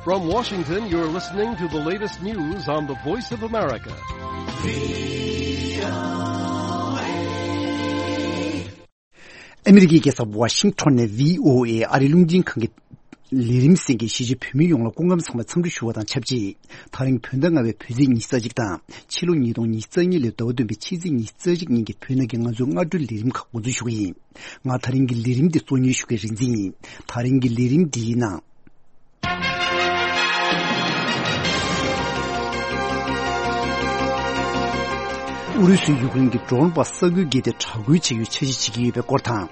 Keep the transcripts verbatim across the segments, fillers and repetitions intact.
From Washington, you're listening to the latest news on the Voice of America. ཨ་མི་རི་ཀའི་རྒྱལ་ས་ཝ་ཤིང་ཊོན་ནས་བྷི་ཨོ་ཨེ་ཨ་རིའི་རླུང་འཕྲིན་ཁང་གི་ལས་རིམ་གསན་མཁན་གཞིས་བྱེས་བོད་མི་ཡོངས་ལ་སྐུ་ཁམས་བཟང་བའི་འཚམས་འདྲི་ཞུ་བ་དང་ཆབས་ཅིག་ད་རིང་བོད་ཟླ་ལྔ་པའི་བོད་ཚེས་ཉི་ཤུ་རྩ་གཅིག་དང་ཕྱི་ལོ་ཉིས་སྟོང་ཉི་ཤུ་རྩ་གཉིས་ལོའི་ཟླ་བ་བདུན་པའི་ཕྱི་ཚེས་ཉི་ཤུ་རྩ་གཅིག་ཉིན་གྱི་བོད་ནང་གི་ང་ཚོའི་སྔ་དྲོའི་ལས་རིམ་ཁག་འགོ་འཛུགས་ཞུ་གི་ཡིན། ང་ད་རིང་གི་ལས་རིམ་འདི་གཙོ་གཉེར་ཞུ་མཁན་རིག་འཛིན་ཡིན། ད་རིང་གི་ལས་རིམ་འདིའི་ནང་། ཨུ་རུ་སུས་ཡུཀ་རེན་གྱི་ཌོན་བྷ་སི་ས་ཁུལ་བརྒལ་ཏེ་དྲག་རྒོལ་བྱེད་རྒྱུའི་འཆར་གཞི་བྱེད་ཀྱི་ཡོད་པའི་སྐོར་དང་།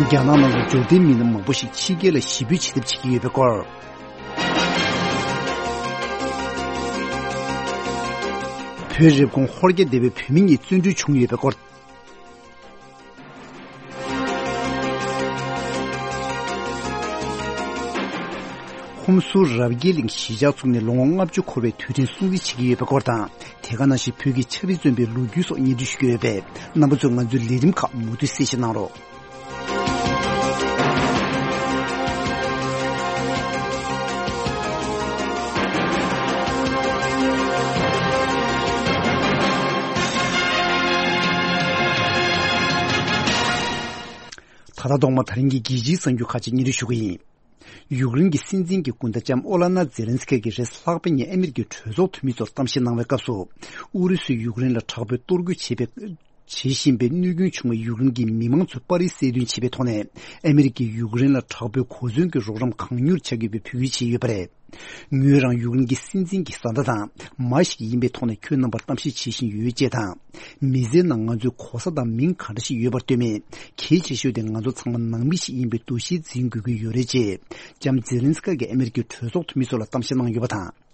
རྒྱ་ནག་ནང་ལ་འབྱོར་ལྡན་མི་སྣ་མང་པོ་ཞིག་ཕྱི་རྒྱལ་ལ་གཞིས་སྤོས་བྱེད་ཐབས་བྱེད་ཀྱི་ཡོད་པའི་སྐོར། བོད་རེབ་གོང་ཧོར་རྒྱ་སྡེ་བའི་བོད་མི་གཉིས་བཙོན་གྲོལ་བྱུང་ཡོད་པའི་སྐོར། ཧུན་སུར་རབ་རྒྱས་གླིང་གཞིས་ཆགས་ཚུགས་ནས་ལོ་ངོ་ལྔ་བཅུ་འཁོར་བའི་དུས་དྲན་སྲུང་བརྩི་བྱེད་ཀྱི་ཡོད་པའི་སྐོར་དང་། དེ་ག་ནང་བཞིན་བོད་ཀྱི་ཆབ་སྲིད་བཙོན་པའི་ལོ་རྒྱུས་སོགས་སྙན་སྒྲོན་ཞུ་གི་ཡོད་པས། རྣམ་པ་ཚོས་ང་ཚོའི་ལས་རིམ་ཁག་མུ་མཐུད་གསན་བཞེས་གནང་རོགས། ད་ལྟ་ཐོག་མར་ད་རིང་གི་རྒྱལ་སྤྱིའི་གསར་འགྱུར་ཁག་ཅིག་སྙན་སྒྲོན་ཞུ་གི་ཡིན། ཡུཀ་རེན་གྱི་སྲིད་འཛིན་གྱི་སྐུ་ཟླ་ལྕམ་ཨོ་ལ་ན་ཛེ་ལན་སི་ཁི་གིས་རེས་ལྷག་པའི་ཉིན་ཨ་མི་རི་ཀའི་གྲོས་ཚོགས་འཐུས་མི་ཚོར་གཏམ་བཤད་གནང་བའི་སྐབས་སུ། ཨུ་རུ་སུས་ཡུཀ་རེན་ལ་དྲག་པོའི་གཏོར་རྒོལ་བྱེད་པའི་བྱེད་བཞིན་པའི་གནོད་སྐྱོན་བྱུང་བའི་ཡུཀ་རེན་གྱི་མི་མང་ཚོའི་པར་རིས་གསལ་སྟོན་བྱེད་པའི་ཐོག་ནས། ཨ་མི་རི་ཀས་ཡུཀ་རེན་ལ་དྲག་པོའི་གོ་མཚོན་གྱི་རོགས་རམ་གང་མྱུར་བྱ་དགོས་པའི་འབོད་སྐུལ་བྱས་ཡོད་པ་རེད། ངོས་རང་ཡུཀ་རེན་གྱི་སྲིད་འཛིན་གྱི་བཟའ་ཟླ་དང་མ་ཞིག་ཡིན་པའི་ཐོག་ནས་ཁྱོད་རྣམ་པར་གཏམ་བཤད་བྱེད་བཞིན་ཡོད་ཅེས་དང་། མི་ཚེའི་ནང་ང་ཚོའི་གོ་ས་དང་མིང་ག་འདྲ་ཞིག་ཡོད་པར་ལྟོས་མེད། གལ་ཆེ་ཤོས་དེ་ང་ཚོ་ཚང་མ་ནང་མི་ཞིག་ཡིན་པའི་འདུ་ཤེས་འཛིན་དགོས་ཀྱི་ཡོད་རེད་ཅེས། ལྕམ་ཛེ་ལན་སི་ཀ་གིས་ཨ་མི་རི་ཀའི་གྲོས་ཚོགས་འཐུས་མི་ཚོ་ལ་གཏམ་བཤད་གནང་ཡོད་པ་དང་།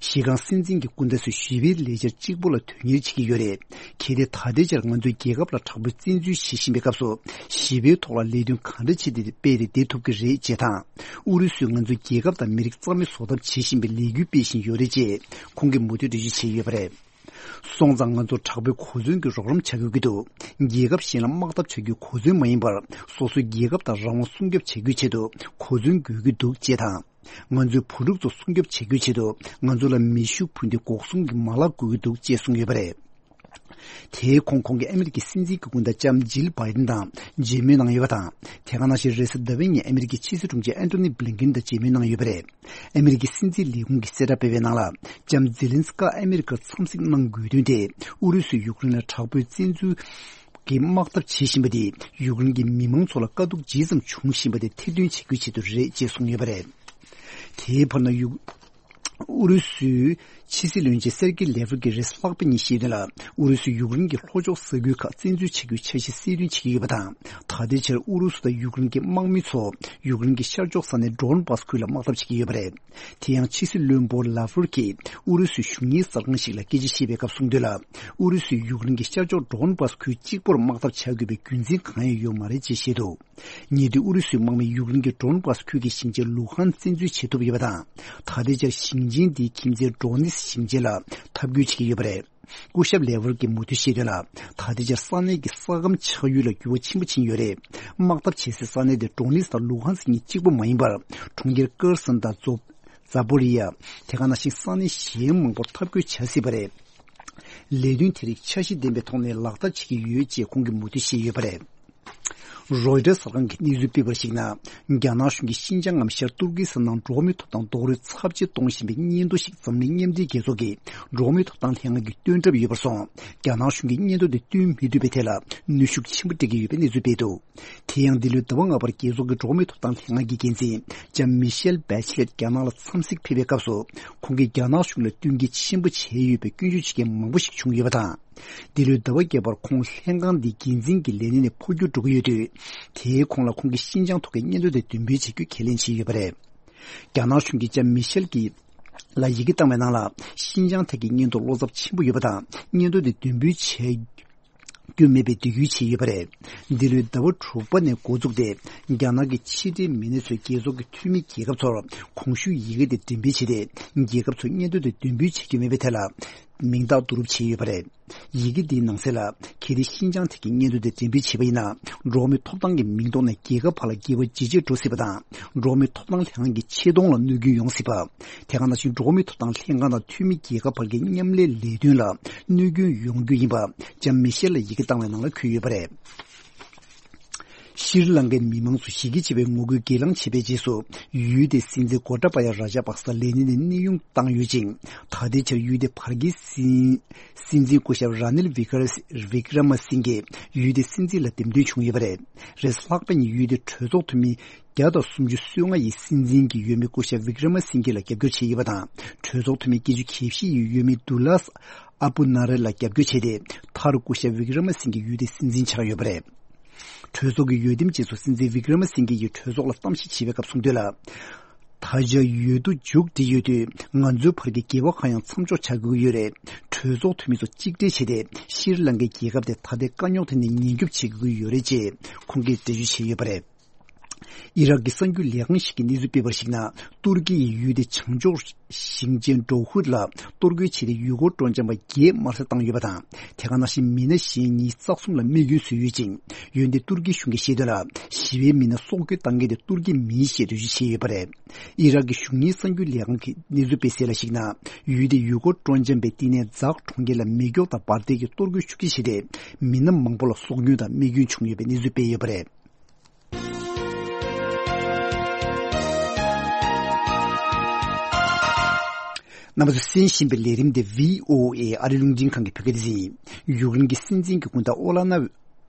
གཞི་རྐང་སྲིད་འཛིན་གྱི་སྐུ་ཟླ་ཚོས་ཞི་བའི་ལས་འཆར་གཅིག་པོ་ལ་དོན་གཉེར་བྱེད་ཀྱི་ཡོད་རེད། གལ་ཏེ་ད་ལྟའི་ཆར་ང་ཚོའི་རྒྱལ་ཁབ་ལ་དྲག་པོའི་བཙན་འཛུལ་བྱེད་བཞིན་པའི་སྐབས་སུ། ཞི་བའི་ཐོག་ལ་ལས་དོན་ག་འདྲ་བྱས་ཏེ་སྤེལ་ཏེ་བསྡད་ཐུབ་ཀྱི་རེད་ཅེས་དང་། ཨུ་རུ་སུས་ང་ཚོའི་རྒྱལ་ཁབ་དང་མི་རིགས་རྩ་མེད་བཟོ་ཐབས་བྱེད་བཞིན་པའི་ལས་འགུལ་སྤེལ་བཞིན་ཡོད་རེད་ཅེས་ཁོང་གིས་མུ་མཐུད་འགྲེལ་བརྗོད་བྱས་ཡོད་པ་རེད། སོང་ཙང་ང་ཚོ་དྲག་པོའི་གོ་མཚོན་གྱི་རོགས་རམ་བྱ་དགོས་ཀྱི་འདུག་རྒྱལ་ཁབ་གཞན་ལ་དམག་འཐབ་བྱ་རྒྱུའི་གོ་མཚོན་མ་ཡིན་པར། སོ་སོའི་རྒྱལ་ཁབ་དང་རང་དབང་སྲུང་སྐྱོབ་བྱ་རྒྱུའི་ཆེད་དུ་གོ་མཚོན་དགོས་ཀྱི་འདུག་ཅེས་དང་། ང་ཚོའི་བུ་ཕྲུག་ཚོ་སྲུང་སྐྱོབ་བྱ་རྒྱུའི་ཆེད་དུ་ང་ཚོ་ལ་མེ་ཤུགས་འཕུར་མདེལ་འགོག་སྲུང་གི་མ་ལག་དགོས་ཀྱི་འདུག་ཅེས་གསུངས་ཡོད་པ་རེད། དེའི་གོང་ཁོང་གིས་ཨ་མི་རི་ཀའི་སྲིད་འཛིན་གྱི་སྐུ་ཟླ་ལྕམ་ཇིལ་བྷའི་ཏིན་དང་མཇལ་མོལ་གནང་ཡོད་པ་དང་། དེ་ག་ནང་བཞིན་རེས་གཟའ་ཟླ་བའི་ཉིན་ཨ་མི་རི་ཀའི་ཕྱི་སྲིད་དྲུང་ཆེ་ཨན་ཐོ་ནི་བྷི་ལིན་ཀིན་དང་མཇལ་མོལ་གནང་ཡོད་པ་རེད། ཨ་མི་རི་ཀའི་སྲིད་འཛིན་ལས་ཁུངས་ཀྱིས་གསལ་བསྒྲགས་སྤེལ་བའི་ནང་ལ། ལྕམ་ཛེ་ལན་སི་ཀ་ཨ་མི་རི་ཀར་འཚམས་གཟིགས་གནང་དགོས་དོན་དེ། ཨུ་རུ་སུས་ཡུཀ་རེན་ལ་དྲག་པོའི་བཙན་འཛུལ་གྱི་དམག་འཐབ་བྱེད་བཞིན་པ་དེས་ཡུཀ་རེན་གྱི་མི་མང་ཚོ་ལ་དཀའ་སྡུག་ཇི་ཙམ་འབྱུང་བཞིན་པ་དེ་ཐེར་འདོན་བྱེད་རྒྱུའི་ཆེད་དུ་རེད་ཅེས་གསུངས་ཡོད་པ་རེད། དེའི་བར་ན་ཡུ། ཨུ་རུ་སུའི་ཕྱི་སྲིད་བློན་ཆེན་སེར་ཀེ་ལེ་ཝར་གྱིས་རེས་ལྷག་པའི་ཉིན་བཤད་དོན་ལ། ཨུ་རུ་སུས་ཡུཀ་རེན་གྱི་ལྷོ་ཕྱོགས་ས་ཁུལ་ཁག་བཙན་འཛུལ་བྱེད་རྒྱུའི་འཆར་གཞི་གསལ་སྟོན་བྱེད་ཀྱི་ཡོད་པ་དང་། ད་ལྟའི་ཆར་ཨུ་རུ་སུ་དང་ཡུཀ་རེན་གྱི་དམག་མི་ཚོ་ཡུཀ་རེན་གྱི་ཤར་ཕྱོགས་ས་གནས་ཌོན་བྷ་སི་ཁུལ་ལ་དམག་འཐབ་བྱེད་ཀྱི་ཡོད་པ་རེད། དེ་ཡང་ཕྱི་སྲིད་བློན་པོ་ལ་ཝར་གྱིས་ཨུ་རུ་སུའི་གཞུང་གཉེར་གསར་ཁང་ཞིག་ལ་སྐད་ཆ་བཤད་པའི་སྐབས་གསུངས་དོན་ལ། ཨུ་རུ་སུས་ཡུཀ་རེན་གྱི་ཤར་ཕྱོགས་ཌོན་བྷ་སི་ཁུལ་གཅིག་པོར་དམག་འཐབ་བྱ་དགོས་པའི་རྒྱུ་མཚན་གང་ཡང་ཡོད་མ་རེད་ཅེས་བཤད་འདུག་ཉེ་དུས་ཨུ་རུ་སུའི་དམག་མིས་ཡུཀ་རེན་གྱི་ཌོན་བྷ་སི་ཁུལ་གྱི་ཞིང་ཆེན་ལུ་ཧན་བཙན་འཛུལ་བྱེད་ཐུབ་ཡོད་པ་དང་། ད་ལྟའི་ཆར་ཞིང་ཆེན་འདིའི་ཁྱིམ་མཚེས་ཌོ་ནེ་སི་ཞིང་ཆེན་ལ་འཐབ་རྒོལ་བྱེད་ཀྱི་ཡོད་པ་རེད། སྐུ་ཞབས་ལེ་ཝར་གྱིས་མུ་མཐུད་བཤད་དོན་ལ། ད་ལྟའི་ཆར་ས་གནས་ཀྱི་ས་ཁམས་ཆགས་ཡུལ་ལ་འགྱུར་བ་ཆེན་པོ་ཕྱིན་ཡོད་རེད། དམག་འཐབ་བྱེད་སའི་ས་གནས་དེ་ཌོ་ནེ་སི་དང་ལུ་ཧན་སི་གཉིས་གཅིག་པུ་མ་ཡིན་པར། གྲོང་ཁྱེར་ཀེར་སོན་དང་ཛོ། ཛ་པོ་རི་ཡ། དེ་ག་ནང་བཞིན་ས་གནས་གཞན་མང་པོར་འཐབ་རྒོལ་བྱ་སྲིད་པ་རེད། ལས་དོན་དེ་རིགས་འཆར་གཞི་ལྡན་པའི་ཐོག་ནས་ལག་བསྟར་བྱེད་ཀྱི་ཡོད་ཅེས་ཁོང་གིས་མུ་མཐུད་བཤད་ཡོད་པ་རེད། རོའི་ཊར་གསར་ཁང་གིས་གནས་ཚུལ་སྤེལ་བར་གཞིགས་ན། རྒྱ་ནག་གཞུང་གིས་ཤིན་ཅང་ངམ་ཤར་ཏུར་ཀི་སི་ཐན་ནང་འགྲོ་བ་མིའི་ཐོབ་ཐང་རྡོག་རོལ་ཚབས་ཆེ་གཏོང་བཞིན་པའི་སྙན་ཐོ་ཞིག་འཛམ་གླིང་མཉམ་འབྲེལ་རྒྱལ་ཚོགས་ཀྱི་འགྲོ་བ་མིའི་ཐོབ་ཐང་ལྷན་ཁང་གིས་བཏོན་གྲབས་ཡོད་པར་སོང་། རྒྱ་ནག་གཞུང་གིས་སྙན་ཐོ་དེ་བཏོན་མི་ཐུབ་པའི་ཐད་ལ་གནོན་ཤུགས་ཆེན་པོ་སྤྲད་ཀྱི་ཡོད་པའི་གནས་ཚུལ་སྤེལ་འདུག་དེ་ཡང་འདི་ལོའི་ཟླ་བ་ལྔ་པར་རྒྱལ་ཚོགས་ཀྱི་འགྲོ་བ་མིའི་ཐོབ་ཐང་ལྷན་ཁང་གི་འགན་འཛིན་ལྕམ་མི་ཤེལ་བྷེ་ཆི་ལེད་རྒྱ་ནག་ལ་འཚམས་གཟིགས་ཕེབས་པའི་སྐབས་སུ། ཁོང་གིས་རྒྱ་ནག་གཞུང་ལ་བསྟུན་གྱི་ཆེན་པོ་བྱས་ཡོད་པའི་སྐྱོན་བརྗོད་བྱེད་མཁན་མང་པོ་ཞིག་བྱུང་ཡོད་པ་དང་། འདི་ལོའི་ཟླ་བ་བརྒྱད་པར་ཁོང་ལྷན་ཁང་འདིའི་འགན་འཛིན་གྱི་ལས་གནས་ནས་འཕོ་འགྱུར་འགྲོ་གི་ཡོད་དུས། དེའི་གོང་ལ་ཁོང་གིས་ཤིན་ཅང་ཐོག་གི་སྙན་ཐོ་དེ་འདོན་སྤེལ་བྱེད་རྒྱུ་ཁས་ལེན་བྱས་ཡོད་པ་རེད། རྒྱ་ནག་གཞུང་གིས་ལྕམ་མི་ཤེལ་གྱི་ལ་ཡི་གེ་བཏང་བའི་ནང་ལ། ཤིན་ཅང་ཐད་ཀྱི་སྙན་ཐོ་བློ་འཚབ་ཆེན་པོ་ཡོད་པ་དང་། སྙན་ཐོ་དེ་འདོན་སྤེལ་བྱས་རྒྱུ་མེད་པའི་འབོད་སྐུལ་བྱས་ཡོད་པ་རེད། འདི་ལོའི་ཟླ་བ་དྲུག་པ་ནས་འགོ་བཙུགས་ཏེ། རྒྱ་ནག་གི་ཕྱི་འབྲེལ་མི་སྣ་ཚོས་རྒྱལ་ཚོགས་ཀྱི་འཐུས་མི་རྒྱལ་ཁབ་ཚོར་གོང་ཞུས་ཡི་གེ་དེ་འགྲེམས་སྤེལ་བྱས་ཏེ། རྒྱལ་ཁབ་ཚོས་སྙན་ཐོ་དེ་འདོན་སྤེལ་བྱེད་རྒྱུ་མེད་པའི་ཐད་ལ། མིང་རྟགས་བསྡུ་རུབ་བྱས་ཡོད་པ་རེད། ཡི་གེ་འདིའི་ནང་གསལ་ལ། གལ་ཏེ་ཤིན་ཅང་ཐད་ཀྱི་སྙན་ཐོ་དེ་འགྲེམས་སྤེལ་བྱས་པ་ཡིན་ན། འགྲོ་བ་མིའི་ཐོབ་ཐང་གི་མིང་ཐོག་ནས་རྒྱལ་ཁབ་ཁག་ལ་འགྱུར་བ་ཇེ་ཆེར་འགྲོ་སྲིད་པ་དང་། འགྲོ་བ་མིའི་ཐོབ་ཐང་ལྷན་ཁང་གི་ཆེ་མཐོང་ལ་གནོད་སྐྱོན་ཡོང་སྲིད་པ། དེ་ག་ནང་བཞིན་འགྲོ་བ་མིའི་ཐོབ་ཐང་ལྷན་ཁང་དང་འཐུས་མི་རྒྱལ་ཁབ་བར་གྱི་མཉམ་ལས་ལས་དོན་ལ་གནོད་སྐྱོན་ཡོང་རྒྱུ་ཡིན་པ། ལྕམ་མི་ཤེལ་ལ་ཡི་གེ་བཏང་བའི་ནང་ལ་འཁོད་ཡོད་པ་རེད། ཤྲི་ལང་ཀའི་མི་མང་ཚོ་ཞི་རྒྱས་ཆེ་བའི་ངོ་རྒོལ་སྒེར་ལངས་བྱས་པའི་རྗེས་སུ། ཡུལ་དེའི་སྲིད་འཛིན་གོ་ཏཱ་པ་ཡ་ར་ཇ་པག་ས་ལས་གནས་ནས་གནས་དབྱུང་བཏང་ཡོད་ཅིང་། ད་ལྟའི་ཆར་ཡུལ་དེའི་བར་བརྒལ་སྲིད། སྲིད་འཛིན་སྐུ་ཞབས་ར་ནིལ་བི་ཀར། བི་ཀྲ་མ་སིང་གེ་ཡུལ་དེའི་སྲིད་འཛིན་ལ་འདེམས་ཐོན་བྱུང་ཡོད་པ་རེད། རེས་གཟའ་ལྷག་པ་ཉིན་ཡུལ་དེའི་གྲོས་ཚོགས་འཐུས་མི་བརྒྱ་དང་སུམ་ཅུ་སོ་ལྔ་ཡིས་སྲིད་འཛིན་གྱི་འོས་མི་སྐུ་ཞབས་བི་ཀྲ་མ་སིང་གེ་ལ་རྒྱབ་སྐྱོར་བྱས་ཡོད་པ་དང་། གྲོས་ཚོགས་འཐུས་མི་བརྒྱད་ཅུ་གྱ་བཞི་ཡིས་འོས་མི་དུ་ལཱས་ཨ་པུ་ན་རེ་ལ་རྒྱབ་སྐྱོར་བྱས་ཏེ། མཐར་སྐུ་ཞབས་བི་ཀྲ་མ་སིང་གེ་ཡུལ་དེའི་སྲིད་འཛིན་ཆགས་ཡོད་པ་རེད། གྲོས་ཚོགས་ཀྱི་འོས་འདེམས་རྗེས་སུ་སྲིད་འཛིན་བི་ཀྲ་མ་སིང་གེ་ཡིས་གྲོས་ཚོགས་ལ་གཏམ་བཤད་བྱས་པའི་སྐབས་གསུངས་དོན་ལ། ད་ཆ་འོས་བསྡུ་མཇུག་སྒྲིལ་ཡོད་དུས། ང་ཚོའི་བར་གྱི་འགལ་བ་གང་ཡང་མཚམས་འཇོག་བྱ་དགོས་ཀྱི་ཡོད་རེད། གྲོས་ཚོགས་འཐུས་མི་ཚོ་གཅིག་སྒྲིལ་བྱས་ཏེ། ཤྲི་ལང་ཀའི་རྒྱལ་ཁབ་དེ་ད་ལྟའི་དཀའ་རྙོག་དེ་ནས་ཉེན་སྐྱོབ་བྱེད་དགོས་ཀྱི་ཡོད་རེད་ཅེས་ཁོང་གིས་འགྲེལ་བརྗོད་བྱས་ཡོད་པ་རེད། ཨི་རག་གི་གསར་འགྱུར་ལས་ཁང་ཞིག་གིས་གནས་ཚུལ་སྤེལ་བར་གཞིགས་ན། ཏུར་ཀི་ཡིས་ཡུལ་དེའི་བྱང་ཕྱོགས་ཞིང་ཆེན་ཌོ་ཧུར་ལ་གཏོར་རྒོལ་བྱས་ཏེ། ཡུལ་སྐོར་སྤྲོ་འཆམ་པ་བརྒྱད་དམར་གསོད་བཏང་ཡོད་པ་དང་། དེ་ག་ནང་བཞིན་མི་སྣ་གཞན་ཉིས་བཙག་འཛུལ་ལ་རྨས་སྐྱོན་བཟོས་ཡོད་ཅིང་། འོན་ཏེ་ཏུར་ཀི་གཞུང་གིས་བཤད་དོན་ལ། ཞི་བའི་མི་སྣ་སྲོག་སྐྱོན་བཏང་མཁན་དེ་ཏུར་ཀི་མིན་ཞེས་འགྲེལ་བརྗོད་བྱས་ཡོད་པ་རེད། ཨི་རག་གི་གཞུང་གཉེར་གསར་འགྱུར་ལས་ཁང་གིས་གནས་ཚུལ་སྤེལ་གསལ་ལ་གཞིགས་ན། ཡུལ་དེའི་ཡུལ་སྐོར་སྤྲོ་འཆམ་པས་བསྟི་གནས་ཛག་གྲོང་ཁྱེར་ལ་མེ་སྒྱོགས་དང་འབར་མདེལ་གྱིས་གཏོར་རྒོལ་ཤུགས་ཆེ་བྱས་ཏེ། མི་སྣ་མང་པོ་ལ་སྲོག་སྐྱོན་དང་རྨས་སྐྱོན་བྱུང་ཡོད་པའི་གནས་ཚུལ་སྤེལ་ཡོད་པ་རེད། རྣམ་པ་ཚོས་གསན་བཞིན་པའི་ལས་རིམ་དེ་བྷི་ཨོ་ཨེ་ཨ་རི་རླུང་འཕྲིན་ཁང་གི་བོད་སྐད་སྡེ་ཚན་ཡིན། ཡུཀ་རེན་གྱི་སྲིད་འཛིན་གྱི་སྐུ་ཟླ་ཨོ་ལ་ན་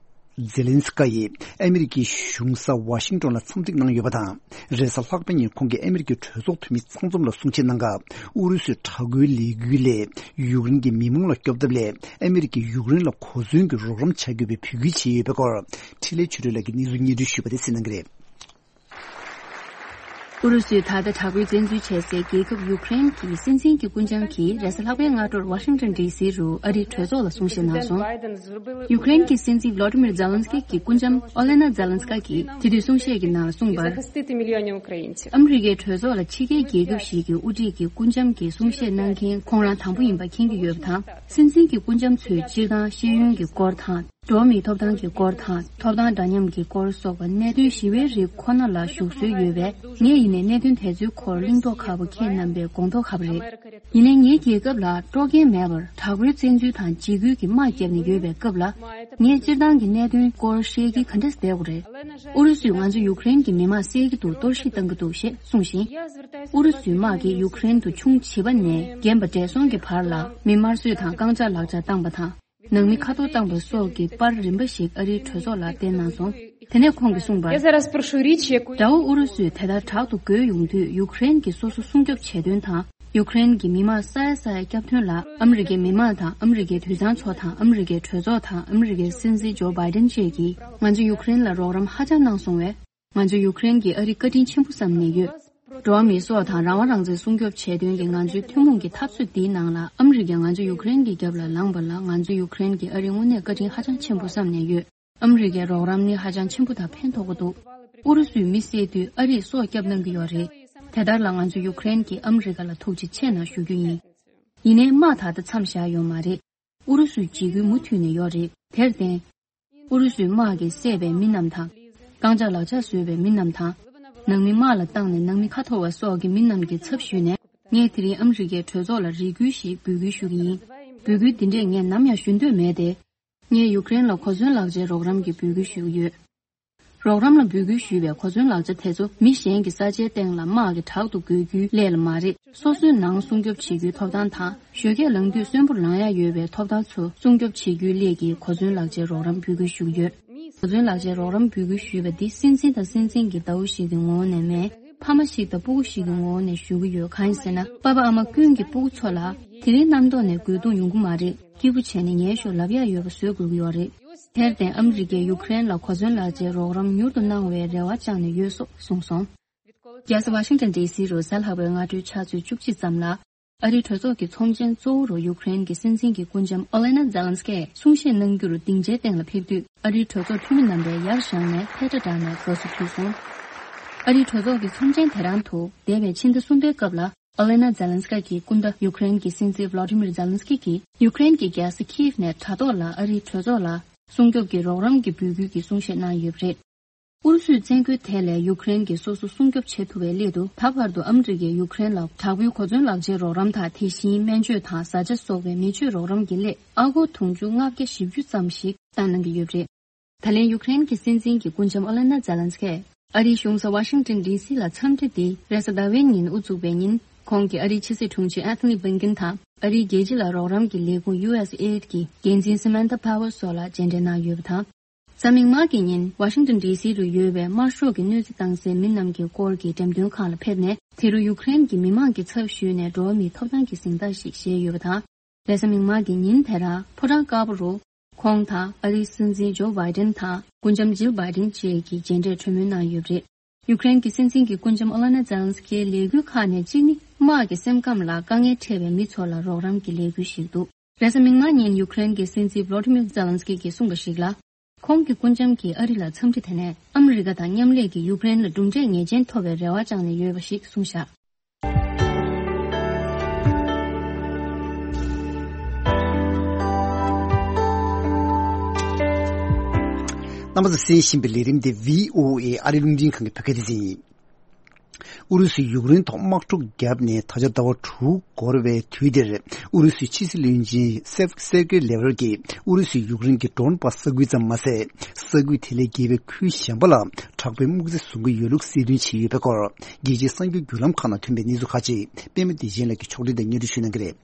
ཛེ་ལན་སི་ཀ་ཡིས་ཨ་མི་རི་ཀའི་གཞུང་ས་ཝ་ཤིང་ཏོན་ལ་འཚམས་གཟིགས་གནང་ཡོད་པ་དང་། རེས་གཟའ་ལྷག་པ་ཉིན་ཁོང་གིས་ཨ་མི་རི་ཀའི་གྲོས་ཚོགས་འཐུས་མི་ཚང་འཛོམས་ལ་གསུང་བཤད་གནང་སྐབས། ཨུ་རུ་སུའི་དྲག་རྒོལ་ལས་འགུལ་ལས་ཡུཀ་རེན་གྱི་མི་མང་ལ་སྐྱོབ་ཐབས་སླད། ཨ་མི་རི་ཀས་ཡུཀ་རེན་ལ་གོ་མཚོན་གྱི་རོགས་རམ་བྱ་དགོས་པའི་འབོད་སྐུལ་བྱས་ཡོད་པའི་སྐོར། འཕྲིན་ལས་ཆོས་སྒྲོན་ལགས་ཀྱིས་གནས་ཚུལ་སྙན་སྒྲོན་ཞུས་པ་དེ་གསན་གནང་གི་རེད། ཨུ་རུ་སུས་ད་ལྟ་དྲག་པོའི་བཙན་འཛུལ་བྱས་སའི་རྒྱལ་ཁབ་ཡུཀ་རེན་གྱི་སྲིད་འཛིན་གྱི་སྐུ་འཇམ་གྱིས་རེས་གཟའ་ལྷག་པའི་སྔ་དྲོར་ཝ་ཤིང་ཏོན་ཌི་སི་རུ་ཨ་རིའི་གྲོས་ཚོགས་ལ་གསུང་བཤད་གནང་སོང་། ཡུཀ་རེན་གྱི་སྲིད་འཛིན་ཝི་ལོ་ཏི་མིར་ཛེ་ལན་སི་ཀི་གི་སྐུ་འཇམ་ཨོ་ལེ་ན་ཛེ་ལན་སི་ཀ་གིས་དེ་དུས་གསུང་བཤད་ཀྱི་ནང་ལ་གསུངས་པར། ཨ་མི་རི་ཀའི་གྲོས་ཚོགས་ལ་ཕྱི་རྒྱལ་རྒྱལ་ཁབ་ཞིག་གི་དབུ་ཁྲིད་ཀྱི་སྐུ་འཇམ་གྱིས་གསུང་བཤད་གནང་མཁན་ཁོང་རང་དང་པོ་ཡིན་པ་མཁྱེན་གྱི་ཡོད་པ་དང་། སྲིད་འཛིན་གྱི་སྐུ་འཇམ་ཚོས་སྤྱིར་བཏང་ཤེས་ཡོན་གྱི་སྐོར་དང་། འགྲོ་བ་མིའི་ཐོབ་ཐང་གི་སྐོར་དང་། ཐོབ་ཐང་འདྲ་མཉམ་གྱི་སྐོར་སོགས་པ་གནད་དོན་ཞི་བའི་རིགས་ཁོ་ན་ལ་ཞུགས་སྲོལ་ཡོད་པས། ངས་ཡིན་ནའི་གནད་དོན་དེ་ཚོའི་སྐོར་གླེང་མདོག་ཁ་པོ། ཁྱེད་རྣམ་པའི་དགོངས་དོགས་ཁ་པོ་རེད། ཡིན་ནའི་ངའི་རྒྱལ་ཁབ་ལ་སྤྲོ་མཁན་མེད་པར་དྲག་པོའི་བཙན་འཛུལ་དང་འཇིགས་སྐུལ་གྱི་དམག་བརྒྱབ་ནས་ཡོད་པའི་སྐབས་ལ། ངས་སྤྱིར་བཏང་གི་གནད་དོན་སྐོར་བཤད་ཀྱི་ག་འདྲས་བསྡད་དགོས་རེད། ཨུ་རུ་སུས་ང་ཚོ་ཡུཀ་རེན་གྱི་མི་དམངས་བསད་ཀྱི་འདུག་གཏོར་བཤིག་བཏང་གི་འདུག་ཞེས་གསུངས་ཤིང་། ཨུ་རུ་སུའི་དམག་གིས་ཡུཀ་རེན་དུ་ཆུང་བྱིས་པ་ནས་རྒན་པ་བགྲེས་སོང་གི་བར་ལ་མི་དམར་གསོད་དང་རྐང་ལྕགས་ལག་ཆ་བཏང་པ་དང་། ནང་མི་ཁ་ཐོར་བཏང་པ་སོགས་ཀྱི་པར་རིམ་པ་ཞིག་ཨ་རིའི་གྲོས་ཚོགས་ལ་བསྟན་གནང་སོང་། དེ་ནས་ཁོང་གིས་གསུངས་པར། དགྲ་བོ་ཨུ་རུ་སུས་དེ་ལྟར་དྲག་ཏུ་རྒོལ་ཡོང་དུས་ཡུཀ་རེན་གྱིས་སོ་སོ་སྲུང་སྐྱོབ་བྱེད་དོན་དང་། ཡུཀ་རེན་གྱི་མི་དམངས་ས་ཡ་ས་ཡ་སྐྱོབ་དོན་ལ་ཨ་མི་རི་ཀའི་མི་དམངས་དང་། ཨ་མི་རི་ཀའི་དུད་ཚང་ཚོ་དང་། ཨ་མི་རི་ཀའི་གྲོས་ཚོགས་དང་། ཨ་མི་རི་ཀའི་སྲིད་འཛིན་ཇོ་བྷའི་ཏན་བཅས་ཀྱིས་ང་ཚོ་ཡུཀ་རེན་ལ་རོགས་རམ་ཧ་ཅང་གནང་སོང་བས། ང་ཚོ་ཡུཀ་རེན་གྱིས་ཨ་རི་བཀའ་དྲིན་ཆེན་པོ་བསམ་ནས་ཡོད། འགྲོ་བ་མིའི་སྲོག་དང་རང་དབང་རང་བཙན་སྲུང་སྐྱོབ་བྱེད་དོན་གྱི་ང་ཚོའི་ཐུན་མོང་གི་འཐབ་རྩོད་འདིའི་ནང་ལ་ཨ་མི་རི་ཀས་ང་ཚོ་ཡུཀ་རེན་གྱི་རྒྱབ་ལ་ལངས་པ་ལ། ང་ཚོ་ཡུཀ་རེན་གྱིས་ཨ་རིར་དངོས་གནས་བཀའ་དྲིན་ཧ་ཅང་ཆེན་པོ་བསམ་ནས་ཡོད། ཨ་མི་རི་ཀའི་རོགས་རམ་ནི་ཧ་ཅང་ཆེན་པོ་དང་ཕན་ཐོགས་ཀྱི་འདུག་ཨུ་རུ་སུས་མི་བསད་དུས་ཨ་རིས་སྲོག་སྐྱབས་གནང་གི་ཡོད་རེད། དེ་ལྟར་ལ་ང་ཚོ་ཡུཀ་རེན་གྱིས་ཨ་མི་རི་ཀ་ལ་ཐུགས་རྗེ་ཆེ་གནང་ཞུ་རྒྱུ་ཡིན། ཡིན་ནའི་དམག་ད་ལྟ་མཚམས་བཞག་ཡོད་མ་རེད། ཨུ་རུ་སུའི་འཇིགས་སྐུལ་མུ་མཐུད་ནས་ཡོད་རེད། དེར་བརྟེན། ཨུ་རུ་སུའི་དམག་གིས་བསད་པའི་མི་རྣམས་དང་། རྐང་ལྕགས་ལག་ཆ་བཟོས་པའི་མི་རྣམས་དང་། ནང་མི་དམག་ལ་བཏང་ནས་ནང་མི་ཁ་འཐོར་བ་སོགས་ཀྱི་མི་རྣམས་ཀྱི་ཚབ་ཞུས་ནས། ངས་དེ་རིང་ཨ་མི་རི་ཀའི་གྲོས་ཚོགས་ལ་རེ་སྐུལ་ཞིག་འབོད་སྐུལ་ཞུ་གི་ཡིན། འབོད་སྐུལ་འདི་འདྲས་ངས་ནམ་ཡང་ཞུ་འདོད་མེད་དེ། ངས་ཡུཀ་རེན་ལ་གོ་མཚོན་ལག་ཆའི་རོགས་རམ་གྱི་འབོད་སྐུལ་ཞུ་གི་ཡོད། རོགས་རམ་ལ་འབོད་སྐུལ་ཞུས་པའི་གོ་མཚོན་ལག་ཆ་དེ་ཚོ་མི་གཞན་གྱི་ས་ཆའི་སྟེང་ལ་དམག་གིས་དྲག་ཏུ་རྒོལ་རྒྱུའི་སླད་ལ་མ་རེད། སོ་སོའི་ནང་སྲུང་སྐྱོབ་བྱེད་རྒྱུའི་ཐོབ་ཐང་དང་། ཞོད་སྐད་ལངས་དུས་གསོན་པོར་ལངས་ཡ་ཡོད་པའི་ཐོབ་ཐང་ཚོ་སྲུང་སྐྱོབ་བྱེད་རྒྱུའི་སླད་ཀྱི་གོ་མཚོན་ལག་ཆའི་རོགས་རམ་འབོད་སྐུལ་ཞུ་གི་ཡོད། གོ་མཚོན་ལག་ཆའི་རོགས་རམ་འབོད་སྐུལ་ཞུས་པ་འདི་སྲིད་འཛིན་དང་སྲིད་འཛིན་གྱི་ཟླ་བོ་ཞིག་གི་ངོ་བོ་ནས་མིན། ཕ་མ་ཞིག་དང་སྤུ་གུ་ཞིག་གི་ངོ་བོ་ནས་ཞུ་གི་ཡོད། གང་ཡིན་ཟེར་ན། པ་ཕ་ཨ་མ་ཀུན་གྱིས་སྤུ་གུ་ཚོ་ལ་དེ་རིང་རྣམ་རྟོག་ནས་རྒོལ་རྡུང་ཡོང་གི་མ་རེད། སྐྱིད་པོ་བྱས་ནས་ཉལ་ཤོག་ལབ་ཡ་ཡོད་པ་བཟོ་དགོས་ཀྱི་ཡོད་རེད། དེར་བརྟེན་ཨ་མི་རི་ཀས་ཡུཀ་རེན་ལ་གོ་མཚོན་ལག་ཆའི་རོགས་རམ་མྱུར་དུ་གནང་བའི་རེ་བ་བཅངས་ནས་ཡོད་སོགས་གསུངས་སོང་། རྒྱལ་ས་ཝ་ཤིང་ཏོན་ཌི་སི་རུ་གཟའ་ལྷག་པའི་སྔ་དྲོའི་ཕྱག་ཚོད་བཅུ་གཅིག་ཙམ་ལ། ཨ་རིའི་གྲོས་ཚོགས་ཀྱི་ཚོམས་ཆེན་གཙོ་བོ་རུ་ཡུཀ་རེན་གྱི་སྲིད་འཛིན་གྱི་སྐུ་འཇམ་ཨོ་ལེ་ན་ཛེ་ལན་སི་ཀས་གསུང་བཤད་གནང་རྒྱུར་སྡིངས་ཆའི་སྟེང་ལ་ཕེབས་དུས། ཨ་རིའི་གྲོས་ཚོགས་འཐུས་མི་རྣམ་པས་ཡར་བཞེངས་ནས་ཐལ་སྒྲ་བསྒྲགས་ནས་དགའ་བསུ་ཕུལ་སོང་། ཨ་རིའི་གྲོས་ཚོགས་ཀྱི་ཚོམས་ཆེན་དེ་རང་དུ་འདས་པའི་ཕྱི་ཟླ་གསུམ་པའི་སྐབས་ལ། ཨོ་ལེ་ན་ཛེ་ལན་སི་ཀི་གི་སྐུ་ཟླ་ཡུཀ་རེན་གྱི་སྲིད་འཛིན་ཝ་ལ་ཏི་མིར་ཛེ་ལན་སི་ཀི་གིས་ཡུཀ་རེན་གྱི་རྒྱལ་ས་ཁིའེབ་ནས་དྲ་ཐོག་ལ་ཨ་རིའི་གྲོས་ཚོགས་ལ་སྲུང་སྐྱོབ་ཀྱི་རོགས་རམ་གྱི་འབོད་སྐུལ་གྱི་གསུང་བཤད་གནང་ཡོད་པ་རེད། ཨུ་རུ་སུས་བཙན་རྒོལ་དེ་ལས་ཡུཀ་རེན་གྱིས་སོ་སོ་སྲུང་སྐྱོབ་བྱེད་ཐུབ་པའི་སླད་དུ། ད་བར་དུ་ཨ་མི་རི་ཀས་ཡུཀ་རེན་ལ་དྲག་པོའི་གོ་མཚོན་ལག་ཆའི་རོགས་རམ་དང་། དེ་བཞིན་སྨན་བཅོས་དང་བཟའ་བཅའ་སོགས་པའི་མི་ཆོས་རོགས་རམ་གྱི་སླད་ཨ་སྒོར་དུང་ཕྱུར་ལྔ་བརྒྱ་བཞི་བཅུ་ཙམ་ཞིག་བཏང་གནང་གི་ཡོད་པ་རེད། ད་ལན་ཡུཀ་རེན་གྱི་སྲིད་འཛིན་གྱི་སྐུ་ལྕམ་ཨོ་ལེ་ན་ཛེ་ལན་སི་ཀས་ཨ་རིའི་གཞུང་ས་ཝ་ཤིང་ཏོན་ཌི་སི་ལ་འཚམས་འདྲི་འདི་རེས་གཟའ་ཟླ་བའི་ཉིན་དབུ་བཙུགས་པའི་ཉིན། ཁོང་གིས་ཨ་རིའི་ཕྱི་སྲིད་དྲུང་ཆེ་ཨན་ཐོ་ནི་བྷིན་ཀིན་དང་། ཨ་རིའི་རྒྱལ་སྤྱི་ལ་རོགས་རམ་གྱི་ལས་ཁུངས་ཡུ་ཨེས་ཨེ་ཌི་གི་འགན་འཛིན་སི་མན་ཐ་པ་ཝར་སོགས་ལ་མཇལ་འཕྲད་གནང་ཡོད་པ་དང་། གཟའ་མིག་དམར་གྱི་ཉིན་ཝ་ཤིང་ཏོན་ཌི་སི་རུ་ཡོད་པའི་དམར་ཤོག་གི་གནོད་འཚེ་བཏང་སའི་མི་རྣམས་ཀྱི་སྐོར་གྱི་འགྲེམས་སྟོན་ཁང་ལ་ཕེབས་ནས། དེ་རུ་ཡུཀ་རེན་གྱི་མི་མང་གི་ཚབ་ཞུས་ནས་འགྲོ་བ་མིའི་ཐོབ་ཐང་གི་གཟེངས་རྟགས་ཤིག་བཞེས་ཡོད་པ་དང་། རེས་གཟའ་མིག་དམར་གྱི་ཉིན་དེ་རུ་ཕོ་བྲང་དཀར་པོ་རུ་ཁོང་དང་ཨ་རིའི་སྲིད་འཛིན་ཇོ་བྷའི་ཌེན་དང་སྐུ་ལྕམ་ཇིལ་བྷའི་ཌེན་བཅས་ཀྱིས་མཇལ་འཕྲད་གྲོས་མོལ་གནང་ཡོད་པ་རེད། ཡུཀ་རེན་གྱི་སྲིད་འཛིན་གྱི་སྐུ་ལྕམ་ཨོ་ལེ་ན་ཛེ་ལན་སི་ཀིའི་ལས་འགུལ་ཁག་ནས་གཅིག་ནི། དམག་གི་སེམས་ཁམས་ལ་དཀའ་ངལ་འཕྲད་པའི་མི་ཚོ་ལ་རོགས་རམ་གྱི་ལས་འགུལ་ཞིག་འདུག་རེས་གཟའ་མིག་དམར་ཉིན་ཡུཀ་རེན་གྱི་སྲིད་འཛིན་བྷ་ལོ་ཏི་མིར་ཛེ་ལན་སི་ཀི་གིས་གསུངས་པ་ཞིག་ལ། ཁོང་གི་སྐུ་ལྕམ་གྱིས་ཨ་རི་ལ་འཚམས་འདྲི་དེ་ནས་ཨ་མི་རི་ཀ་དང་མཉམ་ལས་ཀྱིས་ཡུཀ་རེན་ལ་གྲུབ་འབྲས་ངེས་ཅན་ཐོབ་པའི་རེ་བ་བཅངས་ནས་ཡོད་པ་ཞིག་གསུངས་བཞག་རྣམ་པ་ཚོས་གསན་བཞིན་པའི་ལས་རིམ་དེ་བྷི་ཨོ་ཨེ་ཨ་རི་རླུང་འཕྲིན་ཁང་གི་བོད་སྐད་སྡེ་ཚན་ཡིན། ཨུ་རུ་སུས་ཡུཀ་རེན་ཐོག་དམག་འཁྲུག་བརྒྱབ་ནས་ད་ཆ་ཟླ་བ་དྲུག་འགོར་བའི་དུས་འདིར། ཨུ་རུ་སུའི་ཕྱི་སྲིད་བློན་ཆེན་སེབ་སེར་ཀེ་ལེ་ཝར་གྱིས་ཨུ་རུ་སུས་ཡུཀ་རེན་གྱི་ཌོན་སྦཱས་ས་ཁུལ་ཙམ་མ་ཟད། ས་ཁུལ་དེ་ལས་བརྒལ་བའི་ཁུལ་གཞན་པ་ལ་དྲག་པོའི་དམག་རྩིས་བཟོ་གི་ཡོད་ལུགས་གསལ་སྟོན་བྱས་ཡོད་པའི་སྐོར། རྒྱལ་སྤྱིའི་གསར་འགྱུར་བརྒྱུད་ལམ་ཁག་ནང་ཐོན་པའི་གནས་ཚུལ་ཁག་ཅིག་པད་མ་བདེ་ཆེན་ལགས་ཀྱིས་ཕྱོགས་སྒྲིག་དང་སྙན་སྒྲོན་ཞུ་གནང་གི་རེད།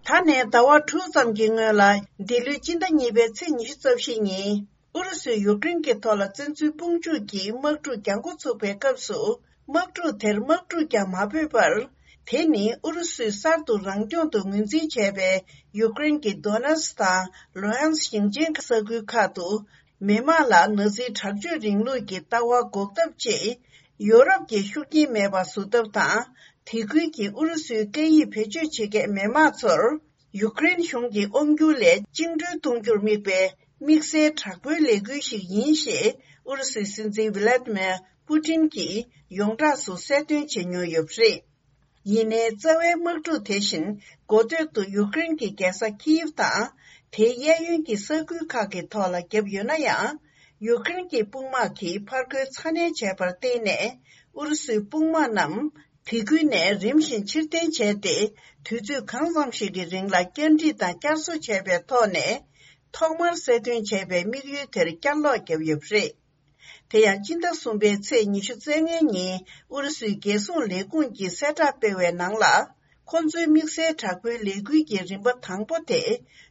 ད་ནས་ཟླ་བ་དྲུག་ཙམ་གྱི་སྔོན་ལ། འདི་ལོའི་སྤྱི་ཟླ་གཉིས་པའི་ཚེས་ཉི་ཤུ་རྩ་བཞི་ཉིན། ཨུ་རུ་སུས་ཡུཀ་རེན་གྱི་ཐོག་ལ་བཙན་འཛུལ་དཔུང་འཇུག་གིས་དམག་འཁྲུག་རྒྱག་འགོ་ཚུགས་པའི་སྐབས་སུ། དམག་འཁྲུག་དེར་དམག་འཁྲུག་ཀྱང་མ་འབོད་པར། དེ་ནི་ཨུ་རུ་སུས་གསར་དུ་རང་སྐྱོང་དུ་ངོས་འཛིན་བྱས་པའི་ཡུཀ་རེན་གྱི་དོ་ནེ་སི་དང་ལུ་ཧན་སི་ཞིང་ཆེན་ས་ཁུལ་ཁག་ཏུ། མི་དམངས་ལ་ནཱ་ཛིའི་དྲག་སྤྱོད་རིང་ལུགས་ཀྱི་ལྟ་བ་འགོག་ཐབས་ཆེད། ཡོ་རོབ་ཀྱི་ཤུགས་རྐྱེན་མེད་པ་བཟོ་ཐབས་དང་། དེ་ཁུལ་གྱི་ཨུ་རུ་སུའི་སྐད་ཡིག་བེད་སྤྱོད་བྱེད་མཁན་མི་དམངས་ཚོར། ཡུཀ་རེན་གཞུང་གི་དབང་སྒྱུར་ལས་བཅིངས་འགྲོལ་གཏོང་རྒྱུར་དམིགས་པའི་དམིགས་བསལ་དྲག་པོའི་ལས་འགུལ་ཞིག་ཡིན་ཞེས་ཨུ་རུ་སུའི་སྲིད་འཛིན་ཝི་ལ་ཏི་མེར་པུ་ཏིན་གྱིས་ཡོངས་གྲགས་སུ་གསལ་སྟོན་བྱེད་མྱོང་ཡོད་པ་རེད། ཡིན་ནའི་རྩ་བའི་དམག་འཁྲུག་དེ་བཞིན་འགོ་སྟོད་དུ་ཡུཀ་རེན་གྱི་རྒྱལ་ས་ཁིའིབ་དང་། དེའི་གཡས་གཡོན་གྱི་ས་ཁུལ་ཁག་གི་ཐོག་ལ་བརྒྱབ་ཡོད་ན་ཡང་། ཡུཀ་རེན་གྱི་དཔུང་དམག་གིས་ཕར་རྒོལ་ཚ་ནན་བྱས་པར་བརྟེན་ནས། ཨུ་རུ་སུའི་དཔུང་དམག་རྣམས། དེ་ཁུལ་ནས་རིམ་བཞིན་ཕྱིར་འཐེན་བྱས་ཏེ། དུས་ཚོད་གང་འཚམ་ཞིག་གི་རིང་ལ་བསྐྱར་སྒྲིག་དང་བསྐྱར་གསོ་བྱས་པའི་ཐོག་ནས། ཐོག་མར་གསལ་སྟོན་བྱས་པའི་དམིགས་ཡུལ་དེར་བསྐྱར་ལོག་བརྒྱབ་ཡོད་པ་རེད། དེ་ཡང་སྤྱི་ཟླ་གསུམ་པའི་ཚེས་ཉི་ཤུ་རྩ་ལྔའི་ཉིན་ཨུ་རུ་སུའི་རྒྱལ་སྲུང་ལས་ཁུངས་ཀྱིས་གསལ་བསྒྲགས་སྤེལ་བའི་ནང་ལ། ཁོ་ཚོའི་དམིགས་བསལ་དྲག་པོའི་ལས་འགུལ་གྱི་རིམ་པ་དང་པོ་དེ་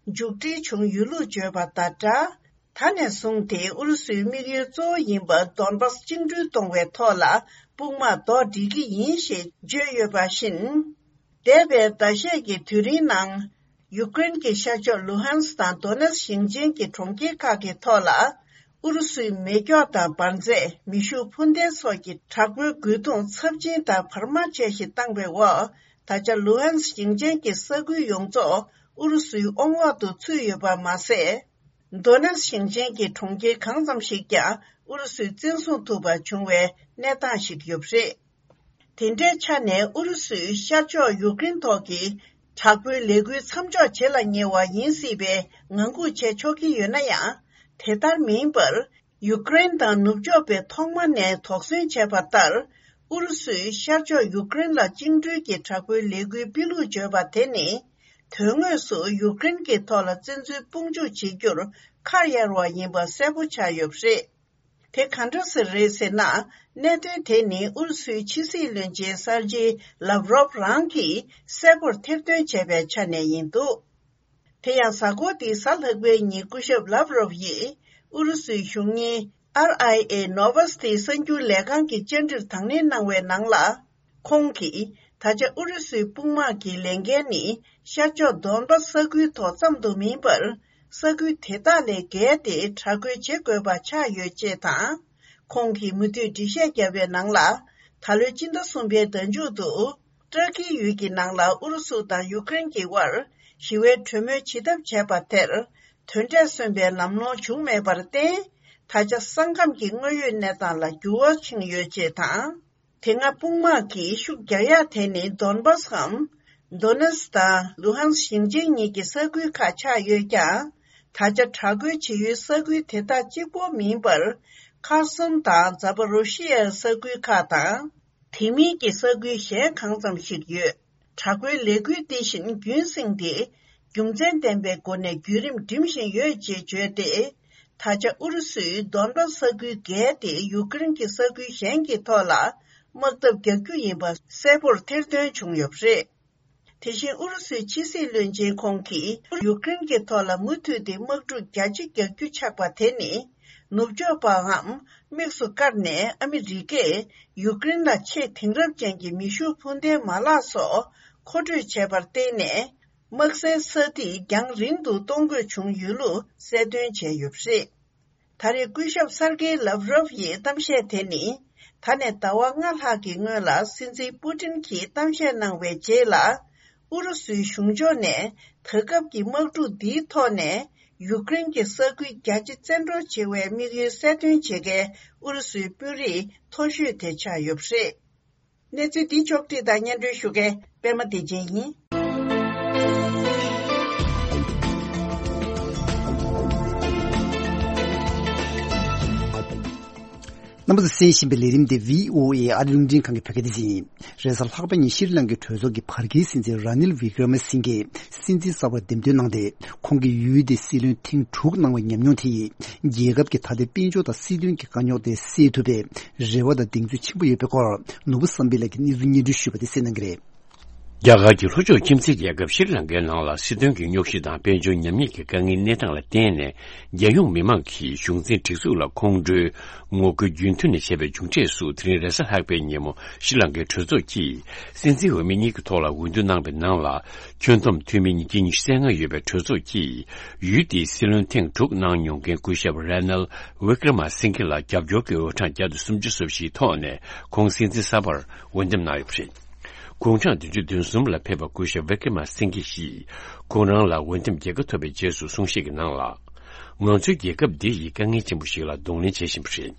མཇུག་སྒྲིལ་བྱུང་ཡོད་ལུགས་བརྗོད་པ་དང་སྦྲགས། ད་ནས་བཟུང་སྟེ་ཨུ་རུ་སུའི་དམིགས་ཡུལ་གཙོ་བོ་ཡིན་པ་དོན་པ་བཅིངས་འགྲོལ་གཏོང་བའི་ཐོག་ལ་དཔུང་དམག་ཟློག་སྒྲིལ་གྱི་ཡིན་ཞེས་བརྗོད་ཡོད་པ་བཞིན། འདས་པའི་ཟླ་ཤས་ཀྱི་དུས་རིང་ནང་། ཡུཀ་རེན་གྱི་ཤར་ཕྱོགས་ལུ་ཧན་སི་དང་དོ་ནེ་སི་ཞིང་ཆེན་གྱི་གྲོང་ཁྱེར་ཁག་གི་ཐོག་ལ། ཨུ་རུ་སུའི་མེ་སྒྱོགས་དང་འབར་རྫས། མེ་ཤུགས་འཕུར་མདེལ་སོགས་ཀྱི་དྲག་པོའི་རྒོལ་རྡུང་ཚབས་ཆེན་དང་བར་མ་ཆད་ཞིག་བཏང་བའི་འོག་ད་ཆ་ལུ་ཧན་སི་ཞིང་ཆེན་གྱི་ས་ཁུལ་ཡོངས་རྫོགས་ཨུ་རུ་སུའི་དབང་འོག་ཏུ་ཚུད་ཡོད་པ་མ་ཟད། དོ་ནེ་སི་ཞིང་ཆེན་གྱི་གྲོང་ཁྱེར་གང་ཙམ་ཞིག་ཀྱང་ཨུ་རུ་སུས་བཙན་བཟུང་ཐུབ་པ་བྱུང་བའི་གནས་སྟངས་ཤིག་ཡོད་པ་རེད། དེ་འདྲའི་ཆ་ནས་ཨུ་རུ་སུས་ཤར་ཕྱོགས་ཡུཀ་རེན་ཐོག་གི་དྲག་པོའི་ལས་འགུལ་མཚམས་འཇོག་བྱེད་ལ་ཉེ་བ་ཡིན་སྲིད་པའི་ངང་སྒུག་བྱས་ཆོག་གི་ཡོད་ན་ཡང་། དེ་ལྟར་མིན་པར། ཡུཀ་རེན་དང་ནུབ་ཕྱོགས་པས་ཐོག་མ་ནས་དོགས་ཟོན་བྱས་པ་ལྟར། ཨུ་རུ་སུས་ཤར་ཕྱོགས་ཡུཀ་རེན་ལ་བཅིངས་འགྲོལ་གྱི་དྲག་པོའི་ལས་འགུལ་སྤེལ་ལུགས་བརྗོད་པ་དེ་ནི། དོན་དངོས་སུ་ཡུཀ་རེན་གྱི་ཐོག་ལ་བཙན་འཛུལ་དཔུང་འཇུག་བྱེད་རྒྱུར་ཁ་གཡར་བ་ཡིན་པ་གསལ་པོ་ཆགས་ཡོད་པ་རེད། དེ་ག་འདྲ་ཞིག་རེད་ཟེར་ན། གནད་དོན་དེ་ནི་ཨུ་རུ་སུའི་ཕྱི་སྲིད་བློན་ཆེན་སར་ཇི་ལབ་རོབ་རང་གིས་གསལ་པོར་ཐེར་འདོན་བྱས་པའི་ཆ་ནས་ཡིན་འདུག་དེ་ཡང་གཟའ་འཁོར་འདིའི་གཟའ་ལྷག་པའི་ཉིན་སྐུ་ཞབས་ལབ་རོབ་ཡིས་ཨུ་རུ་སུའི་གཞུང་གཉེར་ཨར་ཨའི་ཨེ་ནོ་ཝ་སི་ཏི་གསར་འགྱུར་ལས་ཁང་གི་བཅར་འདྲིར་དང་ལེན་གནང་བའི་ནང་ལ། ཁོང་གིས་ད་ཆ་ཨུ་རུ་སུའི་དཔུང་དམག་གི་ལས་འགན་ནི་ཤར་ཕྱོགས་དོན་པ་ས་ཁུལ་ཐོག་ཙམ་དུ་མིན་པར། ས་ཁུལ་དེ་དག་ལས་བརྒལ་ཏེ་དྲག་རྒོལ་བྱེད་དགོས་པ་ཆགས་ཡོད་ཅེས་དང་། ཁོང་གིས་མུ་མཐུད་འགྲེལ་བཤད་བརྒྱབ་པའི་ནང་ལ། ད་ལོའི་སྤྱི་ཟླ་གསུམ་པའི་ཟླ་མཇུག་ཏུ། ཏུར་ཀིའི་ཡུལ་གྱི་ནང་ལ་ཨུ་རུ་སུ་དང་ཡུཀ་རེན་གྱི་དབར་ཞི་བའི་གྲོས་མོལ་བྱེད་ཐབས་བྱས་པ་དེར། དོན་འབྲས་སོན་པའི་ལམ་ལྷོང་བྱུང་མེད་པར་བརྟེན། ད་ཆ་ས་ཁམས་ཀྱི་དངོས་ཡོད་གནས་སྟངས་ལ་འགྱུར་བ་ཕྱིན་ཡོད་ཅེས་དང་། དེ་སྔ་དཔུང་དམག་གིས་ཤུགས་རྒྱག་ཡག་དེ་ནི་དོན་བྷ་སི་གམ། དོ་ནེ་སི་དང་ལུ་ཧན་སི་ཞིང་ཆེན་གཉིས་ཀྱི་ས་ཁུལ་ཁག་ཆགས་ཡོད་ཀྱང་། ད་ཆ་དྲག་རྒོལ་བྱེད་ཡུལ་ས་ཁུལ་དེ་དག་གཅིག་པོ་མིན་པར། ཁར་སོན་དང་ཛ་པ་རོ་ཤི་ཡའི་ས་ཁུལ་ཁག་དང་། དེ་མིན་གྱི་ས་ཁུལ་གཞན་གང་ཙམ་ཞིག་ཡོད། དྲག་པོའི་ལས་འགུལ་འདི་བཞིན་རྒྱུན་བསྲིངས་ཏེ། རྒྱུ་མཚན་ལྡན་པའི་སྒོ་ནས་བརྒྱུད་རིམ་འགྲིམ་བཞིན་ཡོད་ཅེས་བརྗོད་དེ། ད་ཆ་ཨུ་རུ་སུས་དོན་བྷ་ས་ཁུལ་བརྒལ་ཏེ་ཡུཀ་རེན་གྱི་ས་ཁུལ་གཞན་གྱི་ཐོག་ལ་དམག་འཐབ་རྒྱག་རྒྱུ་ཡིན་པ་གསལ་པོར་ཐེར་འདོན་བྱུང་ཡོད་པ་རེད། དེ་བཞིན་ཨུ་རུ་སུའི་ཕྱི་སྲིད་བློན་ཆེན་ཁོང་གིས་ཡུཀ་རེན་གྱི་ཐོག་ལ་མུ་མཐུད་དེ་དམག་འཁྲུག་རྒྱ་ཆེ་རྒྱག་རྒྱུ་ཆགས་པ་དེ་ནི། ནུབ་ཕྱོགས་པའམ་དམིགས་སུ་བཀར་ནས་ཨ་མི་རི་ཀས་ཡུཀ་རེན་ལ་ཆེས་དེང་རབས་ཅན་གྱི་མེ་ཤུགས་འཕུར་མདེལ་མ་ལག་སོགས་མཁོ་སྤྲོད་བྱས་པར་བརྟེན་ནས། དམག་སའི་ས་ཐིག་རྒྱང་རིང་དུ་གཏོང་དགོས་བྱུང་ཡོད་ལུགས་གསལ་སྟོན་བྱས་ཡོད་པ་རེད། ད་རེས་སྐུ་ཞབས་སར་ཀེ་ལབ་རོབ་ཡི་གཏམ་བཤད་དེ་ནི། ད་ནས་ཟླ་བ་ལྔ་ལྷག་གི་སྔོན་ལ་སྲིད་འཛིན་པུ་ཏིན་གྱིས་གཏམ་བཤད་གནང་བའི་རྗེས་ལ། ཨུ་རུ་སུའི་གཞུང་ཕྱོགས་ནས་ད་སྐབས་ཀྱི་དམག་འཁྲུག་འདིའི་ཐོག་ནས་ཡུཀ་རེན་གྱི་ས་ཁུལ་རྒྱ་ཆེ་བཙན་འཕྲོག་བྱེད་པའི་དམིགས་ཡུལ་གསལ་སྟོན་བྱེད་མཁན་ཨུ་རུ་སུའི་དཔོན་རིགས་མཐོ་ཤོས་དེ་ཆགས་ཡོད་པ་རེད། གནས་ཚུལ་འདི་ཕྱོགས་བསྒྲིགས་དང་སྙན་སྒྲོན་ཞུ་མཁན་པད་མ་བདེ་ཆེན་ཡིན། རྣམ་པ་ཚོས་གསན་བཞིན་པའི་ལས་རིམ་དེ་བྷི་ཨོ་ཨེ་ཨ་རི་རླུང་འཕྲིན་ཁང་གི་བོད་སྐད་སྡེ་ཚན་ཡིན། རེས་གཟའ་ལྷག་པ་ཉིན་ཤྲི་ལང་ཀའི་གྲོས་ཚོགས་ཀྱི་བར་བརྒལ་སྲིད་འཛིན་ར་ནིལ་ཝི་ཀྲ་མ་སིང་གེས་སྲིད་འཛིན་གསར་པར་འདེམས་ཐོན་གནང་སྟེ། ཁོང་གིས་ཡུལ་དེའི་སྲིད་བློན་ཐེངས་དྲུག་གནང་བའི་ཉམས་མྱོང་དེ་ཡིས་རྒྱལ་ཁབ་ཀྱི་ད་ལྟའི་དཔལ་འབྱོར་དང་སྲིད་དོན་གྱི་དཀའ་རྙོག་དེ་སེལ་ཐུབ་པའི་རེ་བ་དང་གདེང་ཚོད་ཆེན་པོ་ཡོད་པའི་སྐོར། ནོར་བུ་བསམ་འཕེལ་ལགས་ཀྱིས་གནས་ཚུལ་སྙན་སྒྲོན་ཞུས་པ་དེ་གསན་གནང་གི་རེད། རྒྱ་གར་གྱི་ལྷོ་ཕྱོགས་ཁྱིམ་མཚེས་རྒྱལ་ཁབ་ཤྲི་ལང་ཀའི་ནང་ལ་སྲིད་དོན་གྱི་རྙོག་གཞི་དང་དཔལ་འབྱོར་ཉམས་ཉེས་ཀྱི་དཀའ་ངལ་གནས་སྟངས་ལ་བརྟེན་ནས། རྒྱལ་ཡོངས་མི་མང་གིས་གཞུང་འཛིན་སྒྲིག་འཛུགས་ལ་ཁོང་ཁྲོའི་ངོ་རྒོལ་རྒྱུན་མཐུད་ནས་བྱས་པའི་མཇུག་འབྲས་སུ། དེ་རིང་རེས་གཟའ་ལྷག་པའི་ཉིན་མོ་ཤྲི་ལང་ཀའི་གྲོས་ཚོགས་ཀྱིས་སྲིད་འཛིན་འོས་མི་གཉིས་ཀྱི་ཐོག་ལ་འོས་བསྡུ་གནང་བའི་ནང་ལ། ཁྱོན་བསྡོམས་འཐུས་མི་ཉིས་བརྒྱ་ཉི་ཤུ་རྩ་ལྔ་ཡོད་པའི་གྲོས་ཚོགས་ཀྱིས་ཡུལ་དེའི་སྲིད་བློན་ཐེངས་དྲུག་གནང་མྱོང་མཁན་སྐུ་ཞབས་ར་ནལ་ཝི་ཀྲ་མ་སིང་གེ་ལ་རྒྱབ་སྐྱོར་གྱི་འོས་གྲངས་བརྒྱ་དང་སུམ་ཅུ་སོ་བཞིའི་ཐོག་ནས་ཁོང་སྲིད་འཛིན་གསར་པར་འོས་འདེམས་གནང་ཡོད་པ་རེད། དགུང་གྲངས་བདུན་ཅུ་དོན་གསུམ་ལ་ཕེབས་པ་སྐུ་ཞབས་ཝི་ཀྲ་མ་སིང་གེ་ཡིས་ཁོང་རང་ལ་འོས་འདེམས་རྒྱལ་ཁ་ཐོབ་པའི་རྗེས་སུ་གསུང་བཤད་ཀྱི་ནང་ལ། ང་ཚོའི་རྒྱལ་ཁབ་འདི་ཡི་དཀའ་ངལ་ཆེན་པོ་ཞིག་ལ་གདོང་ལེན་བྱེད་བཞིན་པ་རེད།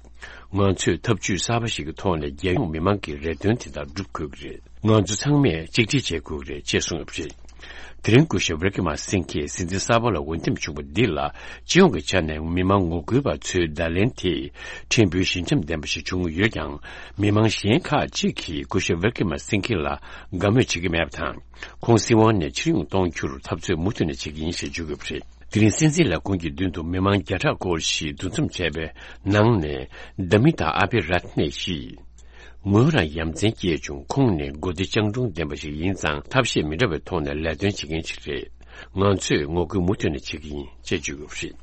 ང་ཚོས་ཐབས་ཇུས་གསར་པ་ཞིག་གི་ཐོག་ནས་རྒྱལ་ཡོངས་མི་མང་གི་རེ་འདུན་དེ་དག་སྒྲུབ་དགོས་ཀྱི་རེད། ང་ཚོ་ཚང་མས་གཅིག་སྒྲིལ་བྱེད་དགོས་ཀྱི་རེད་ཅེས་གསུངས་ཡོད་པ་རེད། དེ་རིང་སྐུ་ཞབས་ཝི་ཀྲ་མ་སིང་གེས་སྲིད་འཛིན་གསར་པ་ལ་འོས་འདེམས་བྱུང་བ་འདི་ལ་སྤྱི་ཡོངས་ཀྱི་ཆ་ནས་མི་མང་ངོ་རྒོལ་བ་ཚོའི་བརྡ་ལན་དེ་ཕྲན་བུ་ཞི་འཇམ་ལྡན་པ་ཞིག་བྱུང་ཡོད་ཀྱང་། མི་མང་གཞན་ཁག་ཅིག་གིས་སྐུ་ཞབས་ཝི་ཀྲ་མ་སིང་གེ་ལ་དགའ་མོས་བྱེད་ཀྱི་མེད་པ་དང་། ཁོང་སྲིད་དབང་ནས་ཕྱིར་ཡོང་གཏོང་རྒྱུར་འཐབ་རྩོད་མུ་མཐུད་ནས་བྱེད་ཀྱི་ཡིན་ཞེས་བརྗོད་ཡོད་པ་རེད། དེ་རིང་སྲིད་འཛིན་ལས་ཁུངས་ཀྱི་མདུན་དུ་མི་མང་བརྒྱ་ཕྲག་སྐོར་ཞིག་འདུ་འཛོམས་བྱས་པའི་ནང་ནས། དྷ་མི་ཏཱ་ཨ་བྷི་རཏ་ནེ་ཡིས། ངོས་རང་ཡ་མཚན་སྐྱེས་བྱུང་། ཁོང་ནི་མགོ་བདེ་སྤྱང་གྲུང་ལྡན་པ་ཞིག་ཡིན་ཙང་། ཐབས་ཤེས་མི་འདྲ་བའི་ཐོག་ནས་ལས་དོན་བྱེད་མཁན་ཞིག་རེད། ང་ཚོས་ངོ་རྒོལ་མུ་མཐུད་ནས་བྱེད་ཀྱི་ཡིན་ཅེས་བརྗོད་ཡོད་པ་རེད།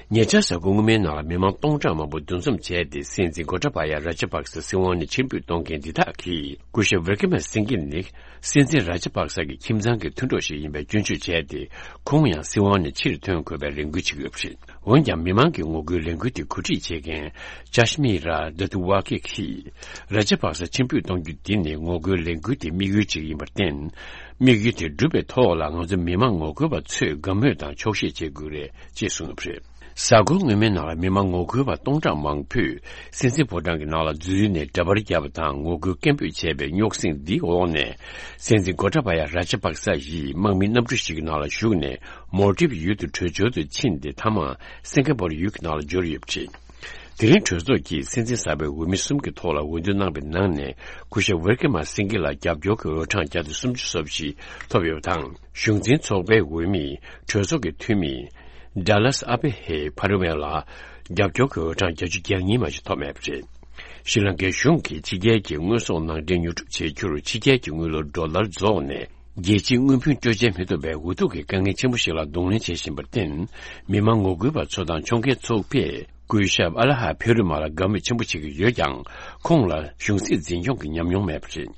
ཉེ་ཆར་གཟའ་འཁོར་སྔོན་མའི་ནང་ལ་མི་མང་སྟོང་ཕྲག་མང་པོ་འདུ་འཛོམས་བྱས་ཏེ། སྲིད་འཛིན་གོ་ཏཱ་བཱ་ཡ་ར་ཇ་པག་ས་སྲིད་དབང་ནས་ཕྱིར་འབུད་གཏོང་མཁན་འདི་དག་གིས། སྐུ་ཞབས་ཝི་ཀྲ་མ་སིང་གེ་ནི་སྲིད་འཛིན་ར་ཇ་པག་ས་གི་ཁྱིམ་ཚང་གི་མཐུན་གྲོགས་ཤིག་ཡིན་པའི་སྐྱོན་བརྗོད་བྱས་ཏེ། ཁོང་ཡང་སྲིད་དབང་ནས་ཕྱིར་ཐོན་དགོས་པའི་རེ་སྐུལ་བྱེད་ཀྱི་ཡོད་པ་རེད། འོན་ཀྱང་། མི་མང་གི་ངོ་རྒོལ་ལས་འགུལ་དེ་གོ་སྒྲིག་བྱེད་མཁན་ཅཱཤ་མི་ར་དཱ་ཏུ་ཝ་ཀེ་གིས། ར་ཇ་པག་ས་ཕྱིར་འབུད་གཏོང་རྒྱུ་འདི་ནི་ངོ་རྒོལ་ལས་འགུལ་དེའི་དམིགས་ཡུལ་ཅིག་ཡིན་པར་བརྟེན། དམིགས་ཡུལ་དེ་འགྲུབ་པའི་ཐོག་ལ་ང་ཚོ་མི་མང་ངོ་རྒོལ་བ་ཚོས་དགའ་མོས་དང་ཆོག་ཤེས་བྱེད་དགོས་རེད་ཅེས་གསུངས་ཡོད་པ་རེད། གཟའ་འཁོར་སྔོན་མའི་ནང་ལ་མི་མང་ངོ་རྒོལ་བ་སྟོང་ཕྲག་མང་པོས་སྲིད་འཛིན་ཕོ་བྲང་གི་ནང་ལ་འཛུལ་ནས་འདྲ་པར་བརྒྱབ་པ་དང་ངོ་རྒོལ་སྐད་འབོད་བྱས་པའི་རྙོག་ཟིང་འདིའི་འོག་ནས། སྲིད་འཛིན་གོ་ཏཱ་བཱ་ཡ་ར་ཇ་པག་ས་ཡིས་དམག་མི་གནམ་གྲུ་ཞིག་གི་ནང་ལ་ཞུགས་ནས་མོལ་ཏིབ་ཡུལ་དུ་བྲོས་བྱོལ་དུ་ཕྱིན་ཏེ། མཐའ་མ་སིང་ག་པོར་ཡུལ་གྱི་ནང་ལ་འབྱོར་ཡོད་པ་རེད། དེ་རིང་གྲོས་ཚོགས་ཀྱིས་སྲིད་འཛིན་གསར་པའི་འོས་མི་གསུམ་གྱི་ཐོག་ལ་འོས་བསྡུ་གནང་བའི་ནང་ནས། སྐུ་ཞབས་ཝི་ཀྲ་མ་སིང་གེ་ལ་རྒྱབ་སྐྱོར་གྱི་འོས་གྲངས་བརྒྱ་དང་སུམ་ཅུ་སོ་བཞི་ཐོབ་ཡོད་པ་དང་། གཞུང་འཛིན་ཚོགས་པའི་འོས་མི། གྲོས་ཚོགས་ཀྱི་འཐུས་མི། ཌ་ལཱས་ཨ་བྷེ་ཧེ་ཕ་རི་ཝེ་ལ་རྒྱབ་སྐྱོར་གྱི་འོས་གྲངས་བརྒྱད་ཅུ་གྱ་གཉིས་མ་ཞིག་ཐོབ་མེད་པ་རེད། ཤྲི་ལང་ཀའི་གཞུང་གིས་ཕྱི་རྒྱལ་གྱི་དངོས་ཟོག་ནང་འདྲེན་ཉོ་སྒྲུབ་བྱེད་རྒྱུར་ཕྱི་རྒྱལ་གྱི་དངུལ་ལོར་ཌོ་ལར་རྫོགས་ནས། རྒྱལ་སྤྱིའི་དངུལ་བུན་སྤྲོད་འཇལ་མི་ཐུབ་པའི་འུ་ཐུག་གི་དཀའ་ངལ་ཆེན་པོ་ཞིག་ལ་གདོང་ལེན་བྱེད་བཞིན་པར་བརྟེན། མི་མང་ངོ་རྒོལ་བ་ཚོ་དང་ཕྱོགས་འགལ་ཚོགས་པས་སྐུ་ཞབས་ཨ་ལ་ཧ་ཕེ་རུ་མ་ལ་དགའ་མོས་ཆེན་པོ་བྱེད་ཀྱི་ཡོད་ཀྱང་། ཁོང་ལ་གཞུང་སྲིད་འཛིན་སྐྱོང་གི་ཉམས་མྱོང་མེད་པ་རེད།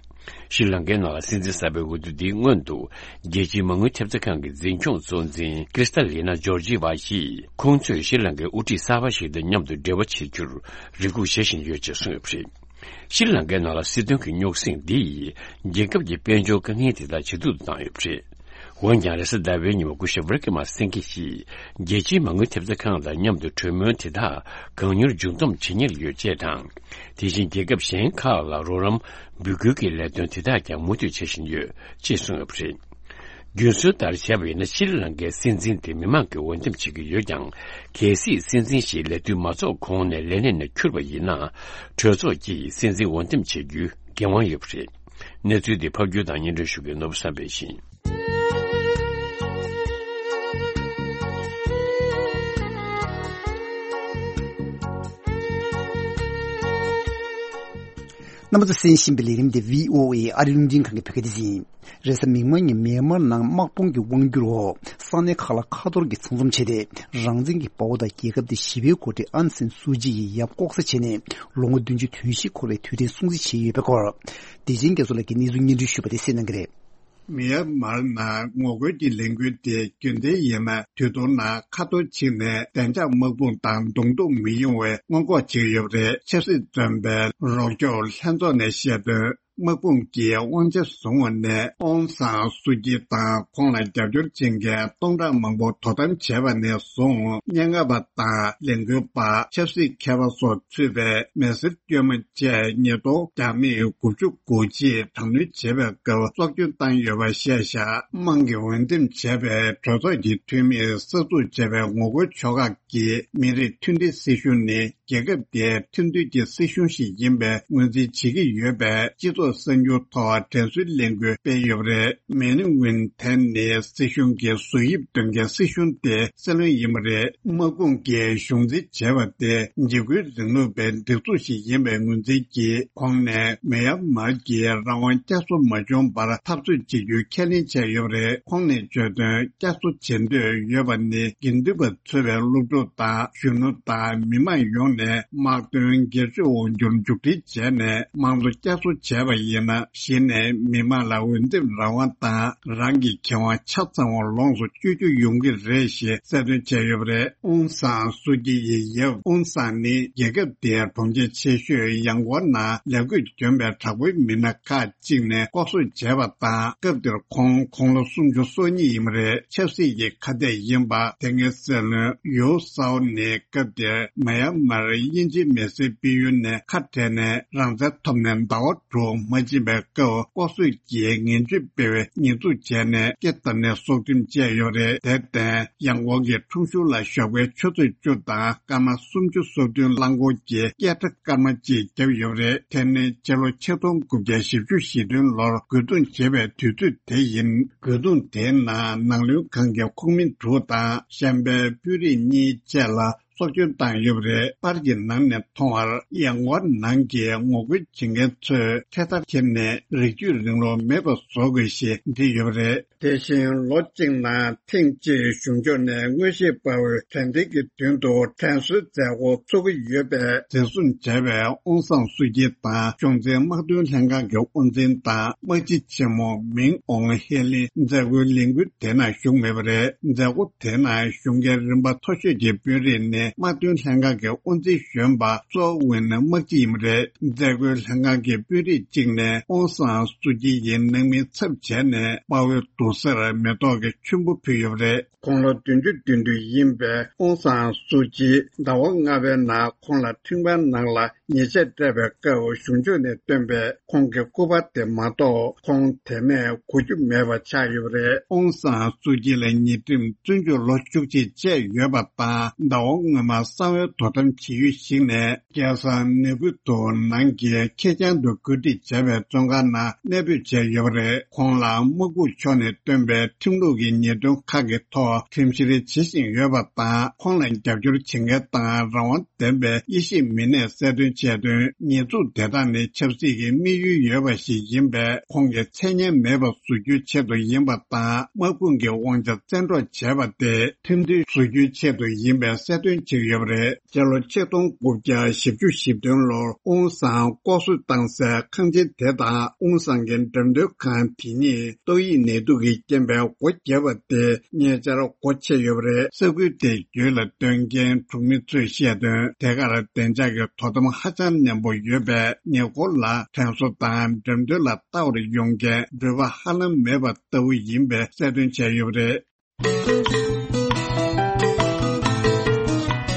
ཤྲི་ལང་ཀའི་ནང་ལ་སྲིད་འཛིན་གསར་པའི་འོས་བསྡུ་འདིའི་སྔོན་དུ། རྒྱལ་སྤྱིའི་མ་དངུལ་ཐེབས་རྩ་ཁང་གི་འཛིན་སྐྱོང་གཙོ་འཛིན་ཀྲི་སྟ་ལི་ན་ཇོར་ཇི་ཝ་ཡིས། ཁོང་ཚོས་ཤྲི་ལང་ཀའི་དབུ་ཁྲིད་གསར་པ་ཞིག་དང་མཉམ་དུ་འབྲེལ་བ་བྱེད་རྒྱུར་རེ་སྒུག་བྱེད་བཞིན་ཡོད་ཅེས་གསུངས་ཡོད་པ་རེད། ཤྲི་ལང་ཀའི་ནང་ལ་སྲིད་དོན་གྱི་རྙོག་ཟིང་འདི་ཡིས་རྒྱལ་ཁབ་ཀྱི་དཔལ་འབྱོར་དཀའ་ངལ་དེ་དག་ཇེ་སྡུག་ཏུ་བཏང་ཡོད་པ་རེད། འོན་ཀྱང་རེས་གཟའ་ཟླ་བའི་ཉིན་མོ་སྐུ་ཞབས་རི་ཀི་མ་སེང་གེ་ཡིས་རྒྱལ་སྤྱིའི་མ་དངུལ་ཐེབས་རྩ་ཁང་དང་མཉམ་དུ་གྲོས་མོལ་དེ་དག་གང་མྱུར་མཇུག་བསྡོམས་བྱེད་ཉེར་ཡོད་ཅེས་དང་། དེ་བཞིན་རྒྱལ་ཁབ་གཞན་ཁག་ལ་རོགས་རམ་འབོད་སྐུལ་གྱི་ལས་དོན་དེ་དག་ཀྱང་མུ་མཐུད་བྱེད་བཞིན་ཡོད་ཅེས་གསུངས་ཡོད་པ་རེད། རྒྱུན་སྲོལ་ལྟར་བྱས་པ་ཡིན་ན་ཤྲི་ལང་ཀའི་སྲིད་འཛིན་དེ་མི་མང་གིས་འོས་འདེམས་བྱེད་ཀྱི་ཡོད་ཀྱང་། གལ་སྲིད་སྲིད་འཛིན་ཞིག་ལས་དུས་མ་རྫོགས་གོང་ནས་ལས་གནས་ནས་འཁྱུར་བ་ཡིན་ན། གྲོས་ཚོགས་ཀྱིས་སྲིད་འཛིན་འོས་འདེམས་བྱེད་རྒྱུའི་འགན་དབང་ཡོད་པ་རེད། གནས་ཚུལ་འདི་ཕབ་སྒྱུར་དང་སྙན་སྒྲོན་ཞུ་མཁན་ནོར་བུ་བསམ་འཕེལ་ཡིན། རྣམ་པ་ཚོ་གསན་བཞིན་པའི་ལས་རིམ་དེ་བྷི་ཨོ་ཨེ་ཨ་རིའི་རླུང་འཕྲིན་ཁང་གི་བོད་སྐད་སྡེ་ཚན་ཡིན། རེས་གཟའ་མིག་དམར་ཉིན་མེན་མར་ནང་དམག་དཔུང་གི་དབང་སྒྱུར་འོག་ས་གནས་ཁག་ལ་ཁ་ཐོར་གྱི་ཚང་འཛོམས་བྱས་ཏེ། རང་བཙན་གྱི་དཔའ་བོ་དང་རྒྱལ་ཁབ་དེའི་ཞི་བའི་འགོ་ཁྲིད་ཨང་སན་སུའུ་ཅི་ཡིས་ཡབ་ལྐོག་ཟ་བྱས་ནས་ལོ་ངོ་བདུན་ཅུ་དོན་བཞི་འཁོར་བའི་དུས་དྲན་སྲུང་བརྩི་བྱས་ཡོད་པའི་སྐོར། བདེ་ཆེན་རྒྱ་མཚོ་ལགས་ཀྱིས་གནས་ཚུལ་སྙན་སྒྲོན་ཞུས་པ་དེ་གསན་གནང་གི་རེད། མི་ཡར་མར་ནང་ངོ་རྒོལ་གྱི་ལས་འགུལ་དེ་རྒྱུན་ལྡན་ཡིན་ན་དུས་ཐུང་ནང་ཁ་ཐོར་ཕྱིན་ནས་བདེ་འཇགས་དམག་དཔུང་དང་བརྡུང་རྡོག་མི་ཡོང་བའི་སྔོན་འགོག་བྱེད་ཀྱི་ཡོད་པ་རེད། ཆབ་སྲིད་བཙོན་པའི་རོགས་སྐྱོར་ལྷན་ཚོགས་ནས་བཤད་དོན། དམག་དཔུང་གིས་དབང་ཆ་བཟུང་བ་ནས་ཨོང་སང་སུ་ཅི་དང་ཁོང་ལ་རྒྱབ་སྐྱོར་བྱེད་མཁན་སྟོང་ཕྲག་མང་པོ་དོ་དམ་བྱས་པ་ནས་བཟུང་། སྙན་ངག་པ་དང་ལས་འགུལ་པ། ཆབ་སྲིད་མཁས་པ་སོགས་ཚུད་པའི་མི་སེར་དཀྱུས་མ་བཅས་ཉིས་སྟོང་བརྒྱ་མེད་དགུ་བཅུ་གོ་གཅིག་དྲག་གནོན་བྱེད་པའི་སྐབས་སྲོག་སྐྱོན་བཏང་ཡོད་པ་བཤད་བཞག་དམངས་ཀྱིས་འོས་འདེམས་བྱས་པའི་གྲོས་ཚོགས་ཀྱི་འཐུས་མིས་གསར་འཛུགས་བྱས་པའི་ངོ་རྒོལ་ཕྱོགས་ཁག་གིས་མི་རིགས་མཐུན་སྒྲིལ་སྲིད་གཞུང་ནི་རྒྱལ་ཁབ་དེའི་མཐུན་སྒྲིལ་གྱི་སྲིད་གཞུང་ཞིག་ཡིན་པའི་ངོས་འཛིན་བྱེད་ཀྱི་ཡོད་པས། སྤྱི་ཚོགས་གསར་འགྱུར་ཐོག་དྲན་གསོའི་ལས་འགུལ་སྤེལ་ཡོད་པ་རེད། མེ་ནི་ཝིན་ཐན་ནི་སྲིད་གཞུང་གི་བཟོ་དབྱིབས་སྟོན་མཁན་སྲིད་གཞུང་དེ་སྲིད་བློན་ཡིན་པ་རེད། དམག་དཔུང་གིས་གཞུང་འཛིན་བྱས་པ་དེ་འཇིགས་སྐུལ་རིང་ལུགས་པའི་སྒྲིག་འཛུགས་ཤིག་ཡིན་པའི་ངོས་འཛིན་གྱིས། ཁོང་ནས་མེ་ཡར་མར་གྱི་རང་དབང་བསྐྱར་གསོ་མ་བྱུང་བར་འཐབ་རྩོད་བྱེད་རྒྱུའི་ཁས་ལེན་བྱས་ཡོད་པ་རེད། ཁོང་ནས་བརྗོད་དོན། བསྐྱར་གསོ་བྱེད་འདོད་ཡོད་པ་ནི་དགེ་འདུན་པ་ཚོ་བའི་སློབ་ཕྲུག་དང་གཞོན་ནུ་དང་མི་མང་ཡོངས་ནས་དམག་དོན་སྒེར་གཅོད་འོག་འགྱུར་མཇུག་སྒྲིལ་བྱས་ནས་དམངས་གཙོ་བསྐྱར་གསོ་བྱས་པ་ཡིན་ན། གཞི་ནས་མི་མང་ལ་འོས་འདེམས་རང་དབང་དང་རང་གི་ཁེ་དབང་ཆ་ཚང་བ་ལོངས་སུ་སྤྱོད་རྒྱུ་ཡོང་གི་རེད་ཞེས་གསལ་སྟོན་བྱས་ཡོད་པ་རེད། ཨོང་སང་སུ་ཅི་ཡི་ཡབ་ཨོང་སང་ནི་རྒྱལ་ཁབ་དེའི་གྲོང་ཁྱེར་ཆེ་ཤོས་ཡང་གོ་ནང་ལས་བགོས་བྱོན་པའི་དྲག་པོའི་མི་སྣ་ཁག་ཅིག་ནས་ལྐོག་གསོད་བྱས་པ་དང་། སྐབས་དེར་ཁོང་དགུང་ལོ་སུམ་ཅུ་སོ་གཉིས་ཡིན་པ་རེད། ཆབ་སྲིད་ཀྱི་ཁ་གཏད་ཡིན་པ། དེ་སྔའི་སྲིད་བློན་ཡོའུ་སའོ་ནི་སྐབས་དེར་མ་ཡར་མར་དབྱིན་ཇིའི་མི་སེར་སྤེལ་ཡུལ་ནས་ཁ་བྲལ་ནས་རང་བཙན་ཐོབ་ནས་ཟླ་བ་དྲུག་མ་ཕྱིན་པའི་སྐབས་ལྐོག་གསོད་ཀྱིས་ངན་ཇུས་སྤེལ་བའི་ཉེས་འཛུགས་བྱས་ནས་སྐེ་བསྡམས་ནས་སྲོག་ཁྲིམས་བཅད་ཡོད་རེད། དེར་བརྟེན་ཡང་གོ་གི་ཁྲོམ་གཞུང་ལ་ཞོགས་པའི་ཆུ་ཚོད་བཅུ་དང་སྐར་མ་སུམ་ཅུ་སོ་བདུན་རླངས་འཁོར་གྱི་སྐད་སྒྲ་སྐར་མ་གཅིག་བརྒྱབ་ཡོད་རེད། དེ་ནི་སྤྱི་ལོ་ཆིག་སྟོང་དགུ་བརྒྱ་བཞི་བཅུ་ཞེ་བདུན་ལོར་རྒོལ་རྡུང་བྱེད་པའི་དུས་ཚོད་དེ་ཡིན། རྒོལ་རྡུང་དེའི་ནང་ནང་བློན་ཁང་གི་ཁོངས་མི་དྲུག་དང་གཞན་པའི་དཔོན་རིགས་གཉིས་བཅས་ལ་སྲོག་སྐྱོན་བཏང་ཡོད་པ་རེད། པར་གྱི་ནང་ནས་མཐོང་བར་ཡང་གོ་ནང་གི་ངོ་རྒོལ་བྱེད་མཁན་ཚོས་འཕྲེད་དར་འཁྱེར་ནས་རིགས་རྒྱུད་རིང་ལུགས་མེད་པ་བཟོ་དགོས་ཞེས་བྲིས་ཡོད་པ་རེད། དེ་བཞིན་ལོ་གཅིག་ནང་ཐེངས་གཅིག་གཞུང་ཕྱོགས་ནས་མངོན་ཤེས་དཔའ་བོའི་དྲན་རྟེན་གྱི་མདུན་དུ་དྲན་གསོའི་མཛད་སྒོ་ཚོགས་ཀྱི་ཡོད་པས། འཛིན་བཟུང་བྱས་པའི་ཨོང་སང་སུ་ཅི་དང་གཞུང་འཛིན་དམག་དོན་ལྷན་ཁང་གི་དབུ་འཛིན་དང་དམག་སྤྱི་ཆེན་མོ་མིང་ཨོང་ཧེ་ལིན་མཛད་སྒོའི་ལས་འགུལ་དེ་ནང་ཞུགས་མེད་པ་རེད། མཛད་སྒོ་དེ་ནང་གཞུང་འགན་རིམ་པ་མཐོ་ཤོས་ཀྱི་དཔོན་རིགས་ནི་དམག་དོན་ལྷན་ཁང་གི་དབུ་འཛིན་གཞོན་པ་སོ་ཝིན་དམག་སྤྱི་ཡིན་པ་རེད། མཛད་སྒོའི་ལྷན་ཁང་གི་དཔོན་རིགས་གཅིག་ནས་ཨོང་སང་སུ་ཅི་ཡི་ནང་མིའི་ཚབ་བྱས་ནས་དཔའ་བོའི་དུར་སར་མེ་ཏོག་གི་ཆུན་པོ་ཕུལ་ཡོད་པ་རེད། དགུང་ལོ་བདུན་ཅུ་དོན་དྲུག་ཡིན་པའི་ཨོང་སང་སུ་ཅི་ཟླ་བ་ལྔ་པའི་ནང་ཁོང་ལ་ཁྲིམས་ཁང་ནང་ལ་ཉེས་ཆད་སྤྲད་པའི་སྐབས་གཞུང་ཕྱོགས་ནས་བཏོན་པའི་ཁོང་གི་སྐུ་པར་དེ་མ་གཏོགས་ཁོང་དེ་ནས་གོ་རྒྱུ་མེད་པ་ཆགས་ཡོད་པ་རེད། ཨོང་སང་སུ་ཅི་ལ་ཉེས་ཁྲིམས་བཙོན་འཇུག་ལོ་བཅུ་གཅིག་བཅད་ཡོད་པ་དང་ཟླ་བ་སྔོན་མ་གསང་བའི་དོ་དམ་བྱེད་ཡུལ་ཞིག་ནས་སྐལ་བཟང་ནེ་གུ་ཏོ་ནང་གི་ཁེར་རྐྱང་དུ་བཀོད་སྒྲིག་བྱས་པའི་བཙོན་ཁང་ནང་གནས་སྤོས་བྱས་ཡོད་པ་རེད། ཁོང་ལ་དམག་ཁུལ་ཕྱོགས་ནས་བཏོན་པའི་ཁྲིམས་ལུགས་ཀྱི་ཉེས་དོན་ཁག་གི་ཐོག་ཁྲིམས་བཤེར་བྱེད་བཞིན་ཡོད་པ་དང་། ཁོང་ལ་རྒྱབ་སྐྱོར་བྱེད་མཁན་དང་རང་དབང་ལྡན་པའི་དབྱེ་ཞིབ་མི་སྣས་གསལ་སྟོན་བྱས་དོན། ཉེས་འཛུགས་དེ་དག་ནི་ཆབ་སྲིད་ཀྱི་དམིགས་ཡུལ་ཡོད་པ་ཞིག་ཡིན་པས། ཁོང་གི་མཚན་སྙན་མེད་པ་བཟོ་རྒྱུའི་ཆེད་དུ་ཡིན་པ་དང་། དམག་དཔུང་གི་དབང་ཆ་བཙན་འཕྲོག་བྱས་པ་དེ་ཁྲིམས་མཐུན་བཟོ་རྒྱུའི་ཆེད་དུ་ཡིན་པའི་གསལ་སྟོན་བྱས་ཡོད་པ་རེད། སྤྱི་ལོ་ཆིག་སྟོང་དགུ་བརྒྱ་བཞི་བཅུ་ཞེ་བདུན་ལོར་ཨོང་སང་ལྐོག་གསོད་བཏང་སའི་ཁང་ཆེན་དེ་དང་ཨོང་སང་གི་འགྲེམས་སྟོན་ཁང་དེ་གཉིས་ཏོག་དབྱིབས་ནད་དུག་གི་རྐྱེན་པས་སྒོ་བརྒྱབ་པ་དེ་ཉེ་ཆར་སྒོ་ཕྱེ་ཡོད་པ་རེད། ས་ཁུལ་དེའི་རྒྱུད་ལ་སྡོད་མཁན་གྲོང་མི་ཚོས་བཤད་དོན། དེ་གར་བདེ་འཇགས་ཀྱི་དོ་དམ་ཧ་ ཧ་ཅང་ཉམས་པོ་ཡོད་པས། ཉེ་འཁོར་ལ་དྲན་གསོ་དང་འགྲེམས་སྟོན་ལ་ལྟ་བར་ཡོང་མཁན་འགྲུལ་པ་ཧ་ལམ་མེད་པ་ལྟ་བུ་ཡིན་པའི་གསལ་སྟོན་བྱས་ཡོད་པ་རེད།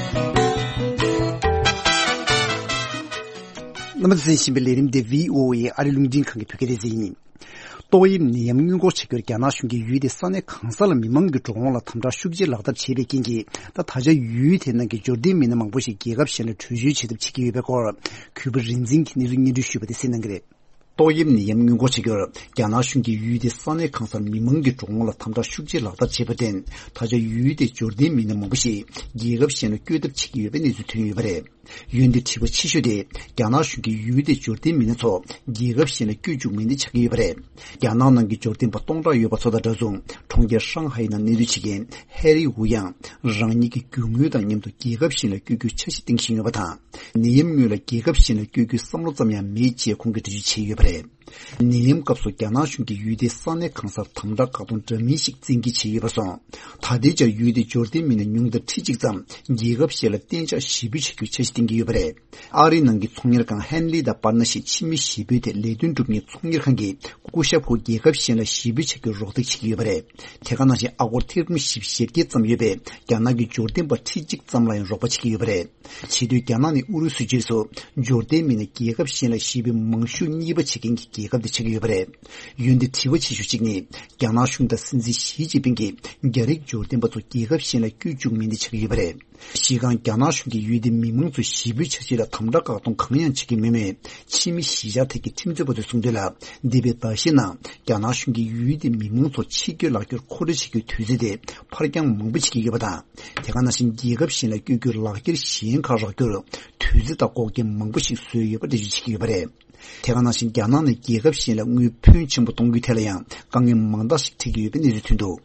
རྣམ་པ་ཚོས་གསན་བཞིན་པའི་ལས་རིམ་དེ་བྷི་ཨོ་ཨེ་ཨ་རི་རླུང་འཕྲིན་ཁང་གི་བོད་སྐད་སྡེ་ཚན་ཡིན། ཏོག་དབྱིབས་ནད་ཡམས་སྔོན་འགོག་བྱ་རྒྱུར་རྒྱ་ནག་གཞུང་གིས་ཡུལ་དེའི་ས་གནས་གང་ས་ལ་མི་མང་གི་འགྲོ་འོང་ལ་དམ་དྲག་ཤུགས་ཆེ་ལག་བསྟར་བྱས་པའི་རྐྱེན་གྱིས། ད་ད་ཆ་ཡུལ་དེ་ནང་གི་འབྱོར་ལྡན་མི་སྣ་མང་པོ་ཞིག་རྒྱལ་ཁབ་གཞན་ལ་བྲོས་བྱོལ་བྱེད་ཐབས་བྱེད་ཀྱི་ཡོད་པའི་སྐོར། གུས་པ་རིག་འཛིན་གྱིས་གནས་ཚུལ་སྙན་སྒྲོན་ཞུས་པ་དེ་གསན་གནང་གི་རེད། ཏོག་དབྱིབས་ནད་ཡམས་སྔོན་འགོག་བྱ་རྒྱུར་རྒྱ་ནག་གཞུང་གིས་ཡུལ་དེའི་ས་གནས་གང་སར་མི་མང་གི་འགྲོ་འོང་ལ་དམ་དྲག་ཤུགས་ཆེ་ལག་བསྟར་བྱས་པར་བརྟེན། ད་ཆ་ཡུལ་དེའི་འབྱོར་ལྡན་མི་སྣ་མང་པོ་ཞིག་རྒྱལ་ཁབ་གཞན་ལ་བསྐྱོད་ཐབས་བྱེད་ཀྱི་ཡོད་པའི་གནས་ཚུལ་ཐོན་ཡོད་པ་རེད། ཡུལ་འདིར་དྲི་བ་ཆེ་ཤོས་དེ། རྒྱ་ནག་གཞུང་གིས་ཡུལ་དེའི་འབྱོར་ལྡན་མི་སྣ་ཚོ་རྒྱལ་ཁབ་གཞན་ལ་བསྐྱོད་བཅུག་མིན་དེ་ཆགས་ཀྱི་ཡོད་པ་རེད། རྒྱ་ནག་ནང་གི་འབྱོར་ལྡན་པ་སྟོང་ཕྲག་ཡོད་པ་ཚོ་དང་འདྲ་མཚུངས། གྲོང་ཁྱེར་ཧྲང་ཧའེ་ནང་གནས་སྡོད་བྱེད་མཁན་ཧེ་རི་ཝུ་ཡང་རང་ཉིད་ཀྱི་རྒྱུ་དངོས་དང་མཉམ་དུ་རྒྱལ་ཁབ་གཞན་ལ་བསྐྱོད་རྒྱུའི་འཆར་གཞི་བཏིང་བཞིན་ཡོད་པ་དང་། ནད་ཡམས་སྔོན་ལ་རྒྱལ་ཁབ་གཞན་ལ་བསྐྱོད་རྒྱུའི་བསམ་བློ་ཙམ་ཡང་མེད་ཅེས་ཁོང་གིས་འགྲེལ་བརྗོད་བྱས་ཡོད་པ་རེད། ནད་ཡམས་སྐབས་སུ་རྒྱ་ནག་གཞུང་གིས་ཡུལ་དེའི་ས་གནས་གང་སར་དམ་དྲག་བཀག་སྡོམ་འདྲ་མིན་ཞིག་བཙན་འགེལ་བྱས་ཡོད་པར་སོང་། ད་ལྟའི་ཆར་ཡུལ་དེའི་འབྱོར་ལྡན་མི་སྣ་ཉུང་མཐར་ཁྲི་གཅིག་ཙམ་རྒྱལ་ཁབ་གཞན་ལ་གཏན་འཇགས་གཞིས་སྤོས་བྱ་རྒྱུའི་འཆར་གཞི་བཏིང་གི་ཡོད་པ་རེད། ཨ་རིའི་ནང་གི་ཚོང་གཉེར་ཁང་ཧན་ལི་དང་པར་ན་ཞེས་ཕྱི་མི་གཞིས་སྤོས་ཐད་ལས་དོན་སྒྲུབ་མཁན་ཚོང་གཉེར་ཁང་གིས་སྐུ་ཞབས་ཧུ་རྒྱལ་ཁབ་གཞན་ལ་གཞིས་སྤོས་བྱ་རྒྱུར་རོགས་འདེགས་བྱེད་ཀྱི་ཡོད་པ་རེད། དེ་ག་ནང་བཞིན་ཨ་སྒོར་ཐེར་འབུམ་བཞི་བཅུ་ཞེ་བརྒྱད་ཙམ་ཡོད་པའི་རྒྱ་ནག་གི་འབྱོར་ལྡན་པ་ཁྲི་གཅིག་ཙམ་ལ་ཡང་རོགས་པ་བྱེད་ཀྱི་ཡོད་པ་རེད། བྱེས་སྟོན་རྒྱ་ནག་ནས་ཨུ་རུ་སུའི་རྗེས་སུ་འབྱོར་ལྡན་མི་སྣ་རྒྱལ་ཁབ་གཞན་ལ་གཞིས་སྤོས་མང་ཤོས་གཉིས་པ་བྱེད་མཁན་གྱི་རྒྱལ་ཁབ་དེ་ཆགས་ཀྱི་ཡོད་པ་རེད། ཡུལ་འདིར་དྲི་བ་ཆེ་ཤོས་གཅིག་ནི། རྒྱ་ནག་གཞུང་དང་སྲིད་འཛིན་ཞི་ཅིན་ཕིང་གིས་རྒྱ་རིགས་འབྱོར་ལྡན་པ་ཚོ་རྒྱལ་ཁབ་གཞན་ལ་བསྐྱོད་བཅུག་མིན་དེ་ཆགས་ཀྱི་ཡོད་པ་རེད། གཞི་རྐང་རྒྱ་ནག་གཞུང་གིས་ཡུལ་དེའི་མི་མང་ཚོའི་གཞིས་སྤོས་འཆར་གཞི་ལ་དམ་དྲག་བཀག་སྡོམ་གང་ཡང་བྱེད་ཀྱི་མེད་མོད། ཕྱི་མི་གཞིས་ཆགས་ཐད་ཀྱི་ཁྲིམས་རྩོད་པ་ཚོས་གསུངས་དོན་ལ། འདས་པའི་ཟླ་ཤས་ནང་རྒྱ་ནག་གཞུང་གིས་ཡུལ་དེའི་མི་མང་ཚོ་ཕྱི་སྐྱོད་ལག་འཁྱེར་མཁོ་སྤྲོད་བྱེད་རྒྱུའི་དུས་ཚོད་དེ་ཕར་འགྱངས་མང་པོ་བྱེད་ཀྱི་ཡོད་པ་དང་། དེ་ག་ནང་བཞིན་རྒྱལ་ཁབ་གཞན་ལ་བསྐྱོད་རྒྱུའི་ལག་འཁྱེར་གཞན་ཁག་རག་རྒྱུར་དུས་ཚོད་དང་འགོག་རྐྱེན་མང་པོ་ཞིག་བཟོས་ཡོད་པ་འགྲེལ་བརྗོད་བྱེད་ཀྱི་ཡོད་པ་རེད། དེ་ག་ནང་བཞིན་རྒྱ་ནག་ནས་རྒྱལ་ཁབ་གཞན་ལ་དངུལ་ཕོན་ཆེན་པོ་གཏོང་རྒྱུའི་ཐད་ལ་ཡང་དཀའ་ངལ་མང་དག་ཞིག་འཕྲད་ཀྱི་ཡོད་པའི་གནས་ཚུལ་ཐོན་འདུག་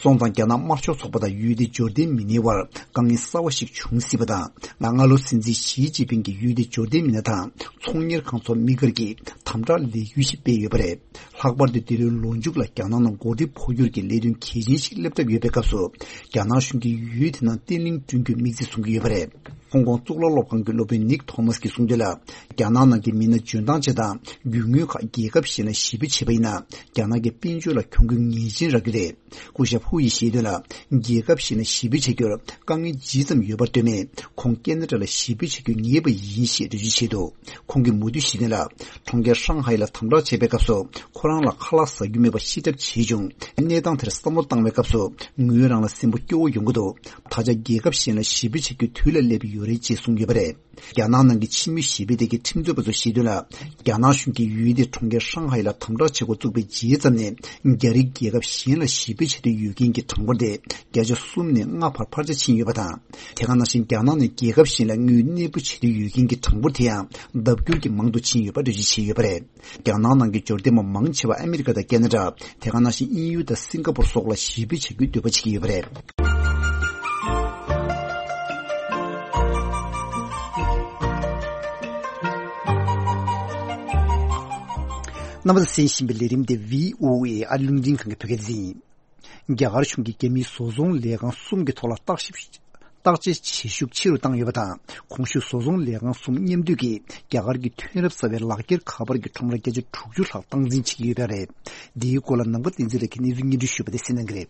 སོང་ཙང་རྒྱ་ནག་དམར་ཤོག་ཚོགས་པ་དང་ཡུལ་དེའི་འབྱོར་ལྡན་མི་སྣའི་དབར་དཀའ་ངལ་གསར་བ་ཞིག་འབྱུང་སྲིད་པ་དང་། སྔ་ལོ་སྲིད་འཛིན་ཞི་ཅིན་ཕིང་གིས་ཡུལ་དེའི་འབྱོར་ལྡན་མི་སྣ་དང་ཚོང་གཉེར་ཁང་ཚོར་དམིགས་བཀར་གྱིས་དམ་དྲག་ལས་འགུལ་ཞིག་སྤེལ་ཡོད་པ་རེད། ལྷག་པར་དུ་འདི་ལོའི་ལོ་མཇུག་ལ་རྒྱ་ནག་ནང་འགོ་ཁྲིད་འཕོ་འགྱུར་གྱི་ལས་དོན་གལ་ཆེན་ཞིག་སླེབས་གྲབས་ཡོད་པའི་སྐབས་སུ། རྒྱ་ནག་གཞུང་གིས་ཡུལ་དེ་ནང་བརྟན་ལྷིང་བསྐྲུན་རྒྱུའི་དམིགས་ཚད་བཟུང་གི་ཡོད་པ་རེད། ཧོང་ཀོང་གཙུག་ལག་སློབ་ཁང་གི་སློབ་དཔོན་ནིག་ཐོ་མཱས་ཀྱིས་གསུངས་དོན་ལ། རྒྱ་ནག་ནང་གི་མི་སྣ་འཇོན་ཐང་ཅན་དང་རྒྱུ་དངོས་ཁག་རྒྱལ་ཁབ་གཞན་ལ་གཞིས་སྤོས་བྱས་པ་ཡིན་ན། རྒྱ་ནག་གི་དཔལ་འབྱོར་ལ་གྱོང་གུད་ངེས་ཅན་རག་རྒྱུ་རེད། སྐུ་ཞབས་ཧུ་ཡིས་བཤད་དོན་ལ། རྒྱལ་ཁབ་གཞན་ལ་གཞིས་སྤོས་བྱ་རྒྱུར་དཀའ་ངལ་ཇི་ཙམ་ཡོད་པར་ལྟོས་མེད། ཁོང་ཁེ་ན་ཌ་ལ་གཞིས་སྤོས་བྱ་རྒྱུ་ངེས་པ་ཡིན་ཞེས་འགྲེལ་བརྗོད་བྱས་འདུག་ཁོང་གིས་མུ་མཐུད་བཤད་དོན་ལ། གྲོང་ཁྱེར་ཧྲང་ཧའེ་ལ་དམ་དྲག་བྱས་པའི་སྐབས་སུ་ཁོ་རང་ལ་ཁ་ལག་ཟ་རྒྱུ་མེད་པ་ཤི་གྲབས་བྱས་བྱུང་། གནས་སྟངས་དེར་བསམ་བློ་བཏང་བའི་སྐབས་སུ་ངོས་རང་ལ་སེམས་པ་སྐྱོ་བོ་ཡོང་གི་འདུག་ད་ཆ་རྒྱལ་ཁབ་གཞན་ལ་གཞིས་སྤོས་བྱ་རྒྱུའི་དུས་ལ་སླེབས་ཡོད་རེད་ཅེས་གསུངས་ཡོད་པ་རེད། རྒྱ་ནག་ནང་གི་ཕྱི་མི་ཞི་བདེ་ཐད་ཀྱི་ཁྲིམས་རྩོད་པ་ཚོས་བཤད་དོན་ལ། རྒྱ་ནག་གཞུང་གིས་ཡུལ་དེའི་གྲོང་ཁྱེར་ཧྲང་ཧའེ་ལ་དམ་དྲག་བྱེད་འགོ་བཙུགས་པའི་རྗེས་ཙམ་ནས། རྒྱ་རིགས་རྒྱལ་ཁབ་གཞན་ལ་གཞིས་སྤོས་བྱེད་འདོད་ཡོད་མཁན་གྱི་གྲངས་འབོར་དེ་བརྒྱ་ཆ་གསུམ་ནས་ལྔ་བར་འཕར་ཆ་ཕྱིན་ཡོད་པ་དང་། དེ་ག་ནང་བཞིན་རྒྱ་ནག་ནས་རྒྱལ་ཁབ་གཞན་ལ་དངུལ་གནས་སྤོ་བྱེད་འདོད་ཡོད་མཁན་གྱི་གྲངས་འབོར་དེ་ཡང་ལྡབ་འགྱུར་གྱིས་མང་དུ་ཕྱིན་ཡོད་པ་འགྲེལ་བརྗོད་བྱས་ཡོད་པ་རེད། རྒྱ་ནག་ནང་གི་འབྱོར་ལྡན་པ་མང་ཆེ་བ་ཨ་མི་རི་ཀ་དང་ཁེ་ན་ཌ། དེ་ག་ནང་བཞིན་དབྱིན་ཡུལ་དང་སིང་ག་པུར་སོགས་ལ་གཞིས་སྤོས་བྱ་རྒྱུའི་འདོད་པ་བྱེད་ཀྱི་ཡོད་པ་རེད། རྣམ་པ་ཚོས་གསན་བཞིན་པའི་ལས་རིམ་དེ་བྷི་ཨོ་ཨེ་ཨ་རི་རླུང་འཕྲིན་ཁང་གི་བོད་སྐད་སྡེ་ཚན་ཡིན། རྒྱ་གར་གཞུང་གིས་རྒྱ་མིའི་བཟོ་ཚོང་ལས་ཁང་གསུམ་གྱི་ཐོག་ལ་བརྟག་ཞིབ། བརྟག་དཔྱད་བྱེད་ཤུགས་ཆེ་རུ་བཏང་ཡོད་པ་དང་། གོང་ཞུས་བཟོ་ཚོང་ལས་ཁང་གསུམ་མཉམ་འདུས་ཀྱིས་རྒྱ་གར་གྱི་ཐོན་རབས་གསར་པའི་ལག་འཁྱེར་ཁ་པར་གྱི་ཁྲོམ་ར་བརྒྱ་ཆ་དྲུག་ཅུ་ལྷག་སྟངས་འཛིན་བྱེད་ཀྱི་ཡོད་པ་རེད། འདིའི་སྐོར་ལ་ནམ་མཁའ་བསྟན་འཛིན་ལགས་ཀྱིས་གནས་ཚུལ་སྙན་སྒྲོན་ཞུས་པ་དེ་གསན་གནང་གི་རེད།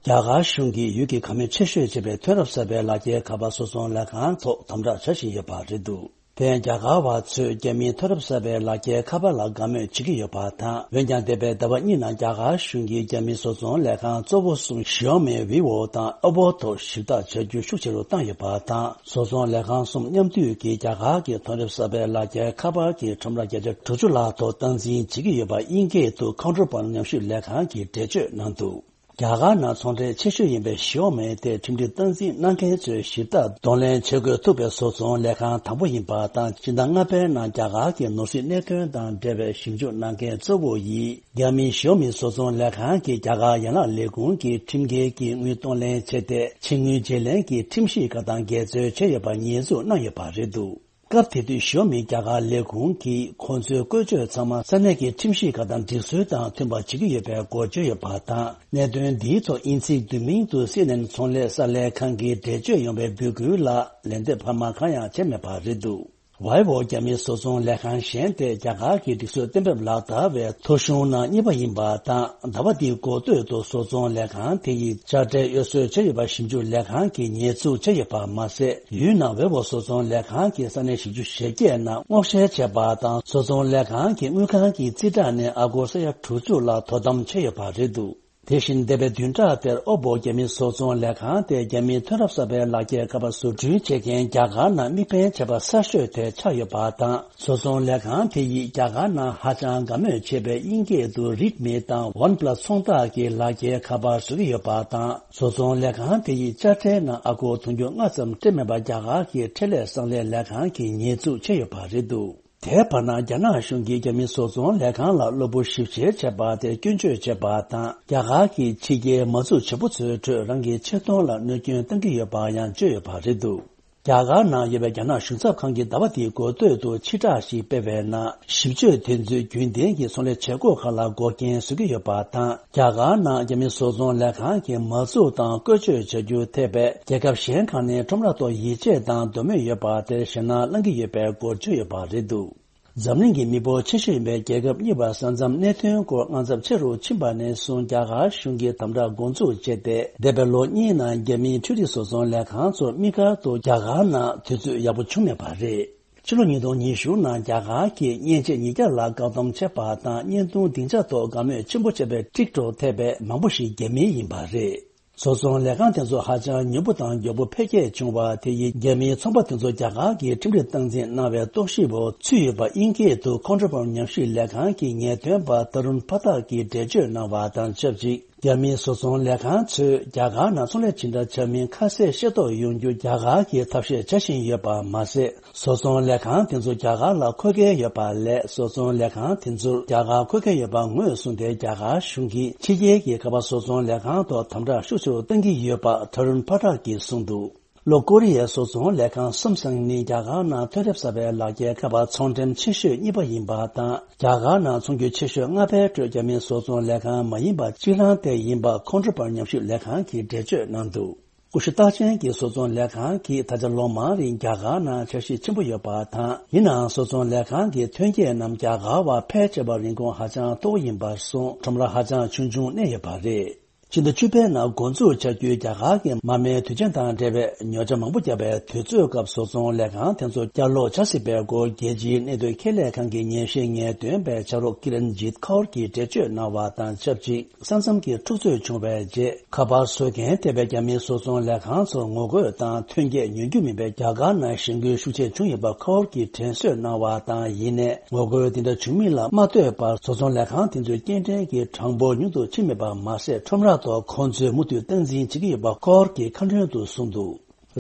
རྒྱ་གར་གཞུང་གིས་ཡུལ་གྱི་ཁ་མིག་ཆེ་ཤོས་བྱས་པའི་ཐོན་རབས་གསར་པའི་ལག་འཁྱེར་ཁ་པར་བཟོ་ཚོང་ལས་ཁང་ཐོག་དམ་དྲག་བྱ་བཞིན་ཡོད་པ་རེད་འདུག་དེས་རྒྱ་གར་བ་ཚོས་རྒྱ་མིའི་ཐོན་རབས་གསར་པའི་ལག་འཁྱེར་ཁ་པར་ལ་དགའ་མོས་བྱེད་ཀྱི་ཡོད་པ་དང་། འོན་ཀྱང་འདས་པའི་ཟླ་བ་གཉིས་ནང་རྒྱ་གར་གཞུང་གིས་རྒྱ་མིའི་བཟོ་ཚོང་ལས་ཁང་གཙོ་བོ་གསུམ་ཞི་ཨོ་མི། བྷི་ཝོ་དང་ཨོ་པོ་ཐོག་ཞིབ་བརྟག་བྱ་རྒྱུ་ཤུགས་ཆེ་རུ་བཏང་ཡོད་པ་དང་། བཟོ་ཚོང་ལས་ཁང་གསུམ་མཉམ་འདུས་ཀྱིས་རྒྱ་གར་གྱི་ཐོན་རབས་གསར་པའི་ལག་འཁྱེར་ཁ་པར་གྱི་ཁྲོམ་ར་བརྒྱ་ཆ་དྲུག་ཅུ་ལྷག་ཐོག་སྟངས་འཛིན་བྱེད་ཀྱི་ཡོད་པ་དབྱིན་སྐད་དུ་Counterpart ཉམས་ཞིབ་ལས་ཁང་གིས་འགྲེལ་བརྗོད་གནང་འདུག་རྒྱ་གར་ནང་ཚོང་འབྲེལ་ཆེ་ཤོས་ཡིན་པའི་ཞི་ཨོ་མི་དེ་ཁྲིམས་སྒྲིག་སྟངས་འཛིན་གནང་མཁན་ཚོས་ཞིབ་ལྟ་གདོང་ལེན་བྱེད་དགོས་ཐུག་པའི་བཟོ་ཚོང་ལས་ཁང་དང་པོ་ཡིན་པ་དང་། སྤྱི་ཟླ་ལྔ་པའི་ནང་རྒྱ་གར་གྱི་ནོར་སྲིད་གནད་དོན་དང་འབྲེལ་བའི་ཞིབ་འཇུག་གནང་མཁན་གཙོ་བོ་ཡིས། རྒྱ་མིའི་ཞི་ཨོ་མི་བཟོ་ཚོང་ལས་ཁང་གིས་རྒྱ་གར་ཡན་ལག་ལས་ཁུངས་ཀྱི་ཁྲིམས་འགལ་གྱི་དངུལ་གཏོང་ལེན་བྱས་ཏེ། ཕྱི་དངུལ་བརྗེ་ལེན་གྱི་ཁྲིམས་གཞི་ཁག་དང་འགལ་འཛོལ་བྱས་ཡོད་པ་ཉེས་འཛུགས་གནང་ཡོད་པ་རེད་འདུག་སྐབས་དེ་དུས་ཞི་ཨོ་མི་རྒྱ་གར་ལས་ཁུངས་ཀྱིས་ཁོང་ཚོའི་བཀོལ་སྤྱོད་ཚང་མ་ས་གནས་ཀྱི་ཁྲིམས་གཞི་ཁག་དང་སྒྲིག་སྲོལ་དང་མཐུན་པ་བྱེད་ཀྱི་ཡོད་པའི་སྐོར་བརྗོད་ཡོད་པ་དང་། གནད་དོན་འདིའི་ཐོག་དབྱིན་ཚིག་བསྡུས་མིང་དུ་སི་ཨེན་ཨེན་ཚོང་ལས་གསར་ལས་ཁང་གིས་འགྲེལ་བརྗོད་ཡོང་བའི་འབོད་སྐུལ་ལ་ལན་འདེབས་འཕར་མ་གང་ཡང་བྱས་མེད་པ་རེད་འདུག་ཝའི་ཝོ་རྒྱ་མིའི་བཟོ་ཚོང་ལས་ཁང་གཞན་དེ་རྒྱ་གར་གྱི་སྒྲིག་སྲོལ་གཏན་འབེབས་ལག་བསྟར་བའི་ཐོ་གཞུང་ནང་གཉིས་པ་ཡིན་པ་དང་། ཟླ་བ་འདིའི་འགོ་སྟོད་དུ་བཟོ་ཚོང་ལས་ཁང་དེ་ཡིས་དཔྱ་ཁྲལ་གཡོ་ཟོལ་བྱས་ཡོད་པ་ཞིབ་འཇུག་ལས་ཁང་གིས་ཉེས་འཛུགས་བྱས་ཡོད་པ་མ་ཟད། ཡུལ་ནང་ཝེ་ཝོ་བཟོ་ཚོང་ལས་ཁང་གི་ས་གནས་བཞི་བཅུ་ཞེ་བརྒྱད་ནང་སྔོག་བཤེར་བྱས་པ་དང་། བཟོ་ཚོང་ལས་ཁང་གི་དངུལ་ཁང་གི་རྩིས་ཁྲ་ནས་ཨ་སྒོར་ས་ཡ་དྲུག་ཅུ་ལ་དོ་དམ་བྱས་ཡོད་པ་རེད་འདུག་དེ་བཞིན་འདས་པའི་བདུན་ཕྲག་དེར་ཨོ་བོ་རྒྱ་མིའི་བཟོ་ཚོང་ལས་ཁང་དེ་རྒྱ་མིའི་ཐོན་རབས་གསར་པའི་ལག་འཁྱེར་ཁ་པར་བཟོ་སྐྲུན་བྱེད་མཁན་རྒྱ་གར་ནང་དམིགས་འབེན་བྱས་པ་གསར་ཤོས་དེ་ཆགས་ཡོད་པ་དང་། བཟོ་ཚོང་ལས་ཁང་དེ་ཡིས་རྒྱ་གར་ནང་ཧ་ཅང་དགའ་མོས་བྱེད་པའི་དབྱིན་སྐད་དུ་Redmi་དང་OnePlus་ཚོང་རྟགས་ཀྱི་ལག་འཁྱེར་ཁ་པར་བཟོ་གི་ཡོད་པ་དང་། བཟོ་ཚོང་ལས་ཁང་དེ་ཡིས་དཔྱ་ཁྲལ་ནང་ཨ་སྒོར་དུང་ཕྱུར་ལྔ་ཙམ་སྤྲད་མེད་པ་རྒྱ་གར་གྱི་ཁྲལ་ལས་གསང་ལས་ལས་ཁང་གིས་ཉེས་འཛུགས་བྱས་ཡོད་པ་རེད་འདུག་དེའི་བར་ན། རྒྱ་ནག་གཞུང་གིས་རྒྱ་མིའི་བཟོ་ཚོང་ལས་ཁང་ལ་གློ་བུར་ཞིབ་བཤེར་བྱས་པ་དེར་སྐྱོན་བརྗོད་བྱས་པ་དང་། རྒྱ་གར་གྱིས་ཕྱི་རྒྱལ་མ་འཛུགས་བྱེད་པོ་ཚོའི་ཁྲོད་རང་གི་ཆེ་མཐོང་ལ་གནོད་སྐྱོན་གཏང་གི་ཡོད་པ་ཡང་བརྗོད་ཡོད་པ་རེད་འདུག་རྒྱ་གར་ནང་ཡོད་པའི་རྒྱ་ནག་གཞུང་ཚབ་ཁང་གིས་ཟླ་བ་འདིའི་འགོ་སྟོད་དུ་ཕྱིར་བསྒྲགས་ཤིག་སྤེལ་བའི་ནང་། ཞིབ་དཔྱོད་དེ་ཚོས་རྒྱུན་ལྡན་གྱི་ཚོང་ལས་བྱེད་སྒོ་ཁག་ལ་འགོག་རྐྱེན་བཟོ་གི་ཡོད་པ་དང་། རྒྱ་གར་ནང་རྒྱ་མིའི་བཟོ་ཚོང་ལས་ཁང་གིས་མ་འཛུགས་དང་བཀོལ་སྤྱོད་བྱ་རྒྱུར་ཐེ་བའི་རྒྱལ་ཁབ་གཞན་ཁག་ནས་ཁྲོམ་ར་ཐོག་ཡིད་ཆེས་དང་དོ་མོས་ཡོད་པ་དེར་ཞེད་སྣང་བསླང་གི་ཡོད་པའི་སྐོར་བརྗོད་ཡོད་པ་རེད་འདུག་འཛམ་གླིང་གི་མི་འབོར་ཆེ་ཤོས་ཡིན་པའི་རྒྱལ་ཁབ་གཉིས་བར་ས་མཚམས་གནད་དོན་སྐོར་དངངས་འཚབ་ཆེ་རུ་ཕྱིན་པ་ནས་བཟུང་། རྒྱ་གར་གཞུང་གིས་དམ་དྲག་འགོ་འཛུགས་བྱས་ཏེ། འདས་པའི་ལོ་གཉིས་ནང་རྒྱ་མིའི་འཕྲུལ་རིག་བཟོ་ཚོང་ལས་ཁང་ཚོ་དམིགས་བཀར་དུ་རྒྱ་གར་ནང་དུས་ཚོད་ཡག་པོ་བྱུང་མེད་པ་རེད། ཕྱི་ལོ་ཉིས་སྟོང་ཉི་ཤུ་ནང་རྒྱ་གར་གྱིས་མཉེན་ཆས་ཉིས་བརྒྱ་ལ་བཀག་སྡོམ་བྱས་པ་དང་། བརྙན་ཐུང་སྡིངས་ཆ་ཐོག་དགའ་མོས་ཆེན་པོ་བྱས་པའི་TikTok་ཐེ་བའི་མང་པོ་ཞིག་རྒྱ་མིའི་ཡིན་པ་རེད། བཟོ་ཚོང་ལས་ཁང་དེ་ཚོ་ཧ་ཅང་མྱུར་པོ་དང་མགྱོགས་པོ་འཕེལ་རྒྱས་བྱུང་བ་དེ་ཡིས། རྒྱ་མིའི་ཚོང་པ་དེ་ཚོ་རྒྱ་གར་གྱི་ཁྲིམས་སྒྲིག་སྟངས་འཛིན་གནང་བའི་རྟོག་ཞིབ་འོག་ཚུད་ཡོད་པ། དབྱིན་སྐད་དུ་Counterpoint་ཉམས་ཞིབ་ལས་ཁང་གི་ངེས་སྟོན་པ་Tarun Pathak་གིས་འགྲེལ་བརྗོད་གནང་བ་དང་ཆབས་ཅིག་རྒྱ་མིའི་བཟོ་ཚོང་ལས་ཁང་ཚོས་རྒྱ་གར་ནང་ཚོང་ལས་ཇི་འདྲ་བྱ་མིན་ཁ་གསལ་ཤེས་རྟོགས་ཡོང་རྒྱུ་རྒྱ་གར་གྱིས་ཐབས་ཤེས་བྱ་བཞིན་ཡོད་པ་མ་ཟད། བཟོ་ཚོང་ལས་ཁང་དེ་ཚོ་རྒྱ་གར་ལ་མཁོ་གལ་ཡོད་པ་ལས། བཟོ་ཚོང་ལས་ཁང་དེ་ཚོར་རྒྱ་གར་མཁོ་གལ་ཡོད་པ་ངོས་བཟུང་སྟེ། རྒྱ་གར་གཞུང་གིས་ཕྱི་རྒྱལ་གྱི་ཁ་པར་བཟོ་ཚོང་ལས་ཁང་ཐོག་དམ་དྲག་ཤུགས་ཆེ་རུ་གཏང་གི་ཡོད་པ་Tarun Pathak་གིས་གསུངས་འདུག་ལྷོ་ཀོ་རི་ཡའི་བཟོ་ཚོང་ལས་ཁང་Samsung་ནི་རྒྱ་གར་ནང་ཐོན་རབས་གསར་པའི་ལག་འཁྱེར་ཁ་པར་ཚོང་འགྲེམས་ཆེ་ཤོས་གཉིས་པ་ཡིན་པ་དང་། རྒྱ་གར་ནང་ཚོང་རྒྱུག་ཆེ་ཤོས་ལྔ་པའི་ཁྲོད་རྒྱ་མིའི་བཟོ་ཚོང་ལས་ཁང་མ་ཡིན་པ་གཅིག་རང་དེ་ཡིན་པ་Counterpoint་ཉམས་ཞིབ་ལས་ཁང་གིས་འགྲེལ་བརྗོད་གནང་འདུག་ཀུ་ཤུ་རྟགས་ཅན་གྱི་བཟོ་ཚོང་ལས་ཁང་གིས་ད་ཆ་ལོ་མང་རིང་རྒྱ་གར་ནང་འཆར་གཞི་ཆེན་པོ་ཡོད་པ་དང་། ཡིན་ནའང་བཟོ་ཚོང་ལས་ཁང་གི་ཐོན་སྐྱེད་རྣམས་རྒྱ་གར་བ་ཕལ་ཆེ་བ་རིན་གོང་ཧ་ཅང་མཐོ་བོ་ཡིན་པར་སོང་། ཁྲོམ་ར་ཧ་ཅང་ཆུང་ཆུང་གནས་ཡོད་པ་རེད། ཕྱི་ཟླ་བཅུ་པའི་ནང་འགོ་འཛུགས་བྱ་རྒྱུའི་རྒྱ་གར་གྱི་མ་རྨོས་དུས་ཆེན་དང་འབྲེལ་བའི་ཉོ་ཆ་མང་པོ་བརྒྱབ་པའི་དུས་ཚོད་སྐབས། བཟོ་ཚོང་ལས་ཁང་དེ་ཚོ་བསྐྱར་ལོག་བྱ་སྲིད་པའི་སྐོར། རྒྱལ་སྤྱིའི་གནད་དོན་ཁས་ལེན་ཁང་གི་ངེས་ཤེས་ངེས་སྟོན་པའི་ཕྱག་རོགས་Kiranjit Kaur་གྱིས་འགྲེལ་བརྗོད་གནང་བ་དང་ཆབས་ཅིག་ས་མཚམས་ཀྱི་འཁྲུག་རྩོད་བྱུང་བའི་རྗེས། ཁ་པར་བཟོ་མཁན་ཐེ་བའི་རྒྱ་མིའི་བཟོ་ཚོང་ལས་ཁང་ཚོར་ངོ་རྒོལ་དང་ཐོན་སྐྱེད་ཉོ་རྒྱུ་མིན་པའི་རྒྱ་གར་ནང་གཞེན་སྐུལ་ཤུགས་ཆེ་བྱུང་ཡོད་པ་Kaur་གྱིས་དྲན་གསོ་གནང་བ་དང་། ཡིན་ནའི་ངོ་རྒོལ་འདི་འདྲ་བྱུང་མིན་ལ་མ་ལྟོས་པར། བཟོ་ཚོང་ལས་ཁང་དེ་ཚོའི་སྐྱེལ་འདྲེན་གྱི་གྲངས་འབོར་ཉུང་དུ་ཕྱིན་མེད་པ་མ་ཟད། ཁྲོམ་ར་ཐོག་ཁོང་ཚོས་མུ་མཐུད་སྟངས་འཛིན་བྱེད་ཀྱི་ཡོད་པ་Kaur་གྱིས་ཁ་སྣོན་དུ་གསུངས་འདུག་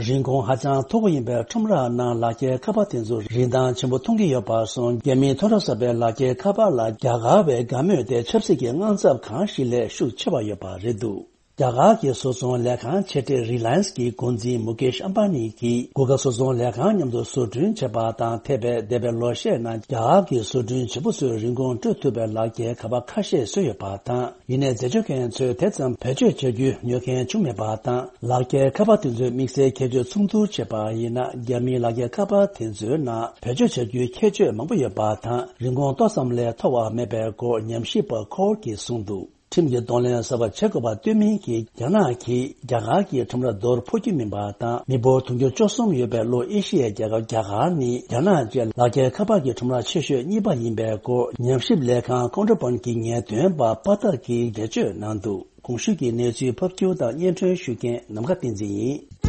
རིན་གོང་ཧ་ཅང་མཐོ་པོ་ཡིན་པའི་ཁྲོམ་ར་ནང་ལག་འཁྱེར་ཁ་པར་དེ་ཚོ་རིན་ཐང་ཆེན་པོ་མཐོང་གི་ཡོད་པར་སོང་། རྒྱ་མིའི་ཐོན་རབས་གསར་པའི་ལག་འཁྱེར་ཁ་པར་ལ་རྒྱ་གར་བའི་དགའ་མོས་དེ་ཆབ་སྲིད་ཀྱི་དངངས་འཚབ་གང་ཞིག་ལས་ཤུགས་ཆེ་བ་ཡོད་པ་རེད་འདུག་རྒྱ་གར་གྱི་བཟོ་ཚོང་ལས་ཁང་ཆེ་གྲས་Reliance་གྱི་འགོ་འཛིན་Mukesh Ambani་གྱིས་Google་བཟོ་ཚོང་ལས་ཁང་མཉམ་དུ་བཟོ་སྐྲུན་བྱས་པ་དང་། ཐེ་བའི་འདས་པའི་ལོ་ཤས་ནང་རྒྱ་གར་གྱི་བཟོ་སྐྲུན་བྱེད་པོ་ཚོས་རིན་གོང་སྤྲོད་ཐུབ་པའི་ལག་འཁྱེར་ཁ་པར་ཁ་ཤས་བཟོས་ཡོད་པ་དང་། ཡིན་ནའི་འཛད་སྤྱོད་མཁན་ཚོས་དེ་ཙམ་བེད་སྤྱོད་བྱ་རྒྱུ་ཉོ་མཁན་བྱུང་མེད་པ་དང་། ལག་འཁྱེར་ཁ་པར་དེ་ཚོའི་དམིགས་བསལ་ཁྱད་ཆོས་མཚུངས་བསྡུར་བྱས་པ་ཡིན་ན། རྒྱ་མིའི་ལག་འཁྱེར་ཁ་པར་དེ་ཚོའི་ནང་བེད་སྤྱོད་བྱ་རྒྱུའི་ཁྱད་ཆོས་མང་པོ་ཡོད་པ་དང་། རིན་གོང་ཏོག་ཙམ་ལས་མཐོ་བ་མེད་པའི་སྐོར་ཉམས་ཞིབ་པ་Kaur་གྱིས་གསུངས་འདུག་ཁྲིམས་ཀྱི་གདོང་ལེན་གསར་པ་བྱེད་དགོས་པ་བསྟུན་མིན་གྱིས། རྒྱ་ནག་གིས་རྒྱ་གར་གྱི་ཁྲོམ་ར་རྡོར་ཕོག་རྒྱུ་མིན་པ་དང་། མི་འབོར་དུང་ཕྱུར་བཅུ་གསུམ་ཡོད་པའི་ལྷོ་ཨེ་ཤི་ཡའི་རྒྱལ་ཁབ་རྒྱ་གར་ནི། རྒྱ་ནག་བཅས་ལག་འཁྱེར་ཁ་པར་གྱི་ཁྲོམ་ར་ཆེ་ཤོས་གཉིས་པ་ཡིན་པའི་སྐོར། ཉམས་ཞིབ་ལས་ཁང་Counterpoint་གྱི་ངེས་སྟོན་པ་པ་ཐར་གྱིས་འགྲེལ་བརྗོད་གནང་འདུག་གོང་ཞུས་ཀྱི་གནས་ཚུལ་ཕབ་སྒྱུར་དང་སྙན་སྒྲོན་ཞུ་མཁན་ནམ་མཁའ་བསྟན་འཛིན་ཡིན།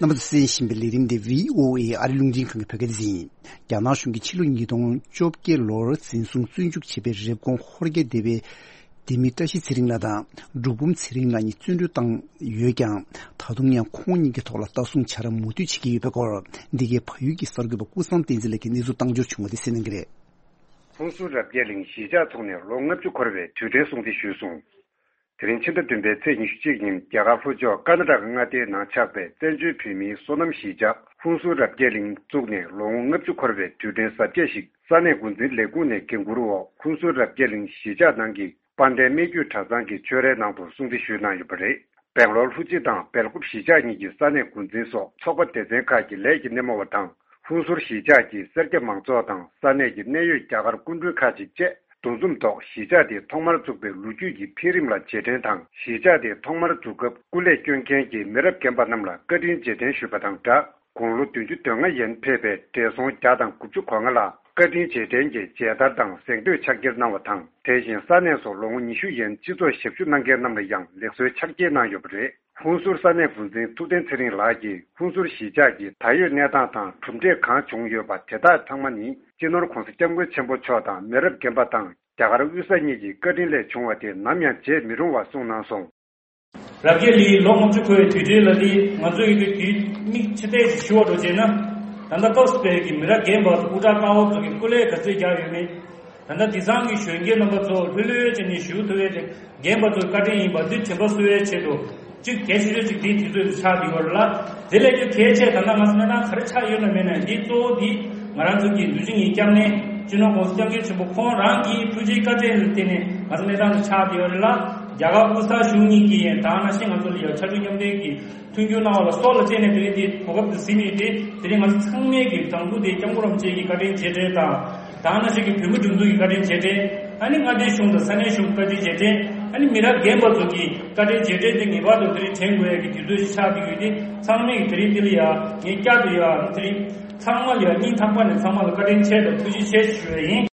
རྣམ་པ་ཚོས་གསན་བཞིན་པའི་ལས་རིམ་འདི་བྷི་ཨོ་ཨེ་ཨ་རི་རླུང་འཕྲིན་ཁང་གི་བོད་སྐད་སྡེ་ཚན་ཡིན། རྒྱ་ནག་གཞུང་གིས་ཕྱི་ལོ་ཉིས་སྟོང་བཅོ་བརྒྱད་ལོར་འཛིན་བཟུང་བཙོན་འཇུག་བྱས་པའི་རེབ་གོང་ཧོར་རྒྱ་སྡེ་བའི་སྡེ་མི་བཀྲ་ཤིས་ཚེ་རིང་ལགས་དང་འབྲུག་འབུམ་ཚེ་རིང་ལགས་གཉིས་བཙོན་གྲོལ་བཏང་ཡོད་ཀྱང་། ད་དུང་ཡང་ཁོང་གཉིས་ཀྱི་ཐོག་ལ་ལྟ་སྲུང་བྱ་ར་མུ་མཐུད་བྱེད་ཀྱི་ཡོད་པའི་སྐོར། འདི་གའི་བལ་ཡུལ་གྱི་གསར་འགོད་པ་ཀུན་བཟང་བསྟན་འཛིན་ལགས་ཀྱིས་གནས་ཚུལ་བཏང་འབྱོར་བྱུང་བ་དེ་གསན་གནང་གི་རེད། ཧུན་སུར་རབ་རྒྱས་གླིང་གཞིས་ཆགས་ཐོག་ནས་ལོ་ལྔ་བཅུ་འཁོར་བའི་དུས་དྲན་སྲུང་བརྩི་ཞུས་སོང་། དེ་རིང་ཕྱི་ཟླ་བདུན་པའི་ཚེས་ཉི་ཤུ་གཅིག་ཉིན་རྒྱ་གར་ལྷོ་ཕྱོགས་ཀར་ནཱ་ཊ་ཀ་མངའ་སྡེའི་ནང་ཆགས་པའི་བཙན་བྱོལ་བོད་མིའི་སོ་ནམ་གཞིས་ཆགས་ཧུན་སུར་རབ་རྒྱས་གླིང་བཙུགས་ནས་ལོ་ངོ་ལྔ་བཅུ་འཁོར་བའི་དུས་དྲན་གཟབ་རྒྱས་ཤིག་ས་གནས་འགོ་འཛིན་ལས་ཁུངས་ནས་འགན་འཁུར་འོག་ཧུན་སུར་རབ་རྒྱས་གླིང་གཞིས་ཆགས་ནང་གི་ དཔལ་ལྡན་སྨད་རྒྱུད་གྲྭ་ཚང་གི་ཆོས་རའི་ནང་དུ་སྲུང་བརྩི་ཞུས་གནང་ཡོད་པ་རེད། སྦེང་ལོར་ལྷུ་ཇི་དང་སྦེལ་ཀོབ་གཞིས་ཆགས་གཉིས་ཀྱི་ས་གནས་འགོ་འཛིན་སོགས་ཚོགས་པ་སྡེ་ཚན་ཁག་གི་ལས་ཀྱི་སྣེ་མོ་བ་དང་། ཧུན་སུར་གཞིས་ཆགས་ཀྱི་སེར་སྐྱ་མང་ཚོགས་དང་ས་གནས་ཀྱི་གནད་ཡོད་རྒྱ་གར་སྐུ་མགྲོན་ཁག་ཅིག་བཅས་འདུ་འཛོམས་ཐོག་གཞིས་ཆགས་དེ་ཐོག་མར་བཙུགས་པའི་ལོ་རྒྱུས་ཀྱི་འཕེལ་རིམ་ལ་རྗེས་དྲན་དང་། གཞིས་ཆགས་དེ་ཐོག་མར་འཛུགས་སྐབས་སྐུ་ལས་བསྐྱོན་མཁན་གྱི་མི་རབས་རྒན་པ་རྣམས་ལ་བཀའ་དྲིན་རྗེས་དྲན་ཞུས་པ་དང་སྦྲགས། དགུང་ལོ་བདུན་ཅུ་དོན་ལྔ་ཡན་ཕེབས་པའི་བགྲེས་སོང་བརྒྱ་དང་དགུ་བཅུ་གོ་ལྔ་ལ་བཀའ་དྲིན་རྗེས་དྲན་གྱི་མཇལ་དར་དང་གཟེངས་བསྟོད་ཕྱག་འཁྱེར་གནང་བ་དང་། དེ་བཞིན་ས་གནས་སུ་ལོ་ངོ་ཉི་ཤུ་ཡན་སྤྱི་ཚོགས་ཞབས་ཞུ་གནང་མཁན་རྣམས་ལ་ཡང་ལེགས་གསོལ་ཕྱག་འཁྱེར་གནང་ཡོད་པ་རེད། ཧུན་སུར་ས་གནས་འགོ་འཛིན་ཐུབ་བསྟན་ཚེ་རིང་ལགས་ཀྱིས་ཧུན་སུར་གཞིས་ཆགས་ཀྱི་ད་ཡོད་གནས་སྟངས་དང་གྲུབ་འབྲས་གང་བྱུང་ཡོད་པ་དེ་དག་ཚང་མ་ནི་སྤྱི་ནོར་༧གོང་ས་༧སྐྱབས་མགོན་ཆེན་པོ་མཆོག་དང་མི་རབས་རྒན་པ་དང་རྒྱ་གར་དབུས་ས་གཉིས་ཀྱི་བཀའ་དྲིན་ལས་བྱུང་བ་དེ་ནམ་ཡང་བརྗེད་མི་རུང་བ་གསུངས་གནང་སོང་། རབ་རྒྱས་གླིང་ལོ་ལྔ་བཅུ་འཁོར་བའི་དུས་དྲན་ལ་ལི་ང་ཚོ་ཡི་གེ་དུས་མིག་ཕྱི་བལྟས་ཤིག་ཞུ་བ་འགྲོ་བྱས་ན། ད་ལྟ་སྐབས་སུ་བབས་ཀྱི་མི་རབས་རྒན་པ་སྐུ་དྲག་ཀ་བ་ཚོ་གི་སྐུ་ལས་ག་ཚོད་རྒྱག་ཡོད་མེད། ད་ལྟ་དེང་སང་གི་གཞོན་སྐྱེས་རྣམ་པ་ཚོ་ལྷོད་ལྷོད་བྱས་ནས་ཞུ་ཐུབ་ཡས་དེ་རྒན་པ་ཚོའི་བཀའ་དྲིན་ཡིན་པ་འདི་དྲན་པ་གསོ་བའི་ཆེད་དུ། གཅིག་གལ་ཆེ་ཤོས་གཅིག་འདིའི་དུས་ཚོད་དུ་ཆགས་བསྡད་ཡོད་རེད་ལ། དེ་ལས་ཀྱང་གལ་ཆེ་ད་ལྟ་ང་ཚོ་གནས་སྟངས་ག་རེ་ཆགས་ཡོད་ན་མེད་ན་འདི་གཙོ་བོ་འདི་ང་རང་ཚོ་གི་འདུས་སྤྱི་གཉིས་སྐྱབས་གནས་སྤྱི་ནོར་༧གོང་ས་༧སྐྱབས་མགོན་ཆེན་པོ་ཁོང་རང་གི་ཐུགས་རྗེའི་བཀའ་དྲིན་ལ་བརྟེན་ནས་ང་ཚོ་གནས་སྟངས་འདི་ཆགས་བསྡད་ཡོད་རེད་ལ། རྒྱ་གར་དབུས་ས་གཞུང་གཉིས་ཀྱིས་ཡང་ད་ནང་བཞིན་ང་ཚོ་ལ་ཡང་ཕྱར་གྲུ་མཉམ་འདེགས་ཀྱི་མཐུན་འགྱུར་གནང་བ་ལ་སྲོག་ལ་གཅེས་ནས་དེ་རིང་འདི་གོ་སྐབས་འདི་ཟིན་ཡོད་དེ། དེ་རིང་ང་ཚོ་ཚང་མས་ཀྱི་དང་པོ་དེ་སྐྱབས་མགོན་རིན་པོ་ཆེ་གི་བཀའ་དྲིན་རྗེས་དྲན་དང་། ད་ནང་བཞིན་གྱི་བོད་མི་སྒྲིག་འཛུགས་ཀྱི་བཀའ་དྲིན་རྗེས་དྲན། ཨ་ནི་མངའ་སྡེའི་གཞུང་དང་ས་གནས་གཞུང་བཀའ་དྲིན་རྗེས་དྲན། ཨ་ནི་མི་རབས་རྒན་པ་ཚོ་གི་བཀའ་དྲིན་རྗེས་དྲན་དེ་ངེས་པར་དུ་དེ་རིང་དྲན་དགོས་ཡ་གི་དུས་ཚོད་ཅིག་ཆགས་བསྡད་ཡོད་དེ། ཚང་མས་ཀྱི་དེ་རིང་འདི་ལ་ཡ་ངས་བསྐྱར་དུ་ཡ་དེ་རིང་ཚང་མ་ལ་ཡ་སྙིང་ཐག་པ་ནས་ཚང་མ་ལ་བཀའ་དྲིན་ཆེ་དང་ཐུགས་རྗེ་ཆེ་ཞུ་ཡ་ཡིན།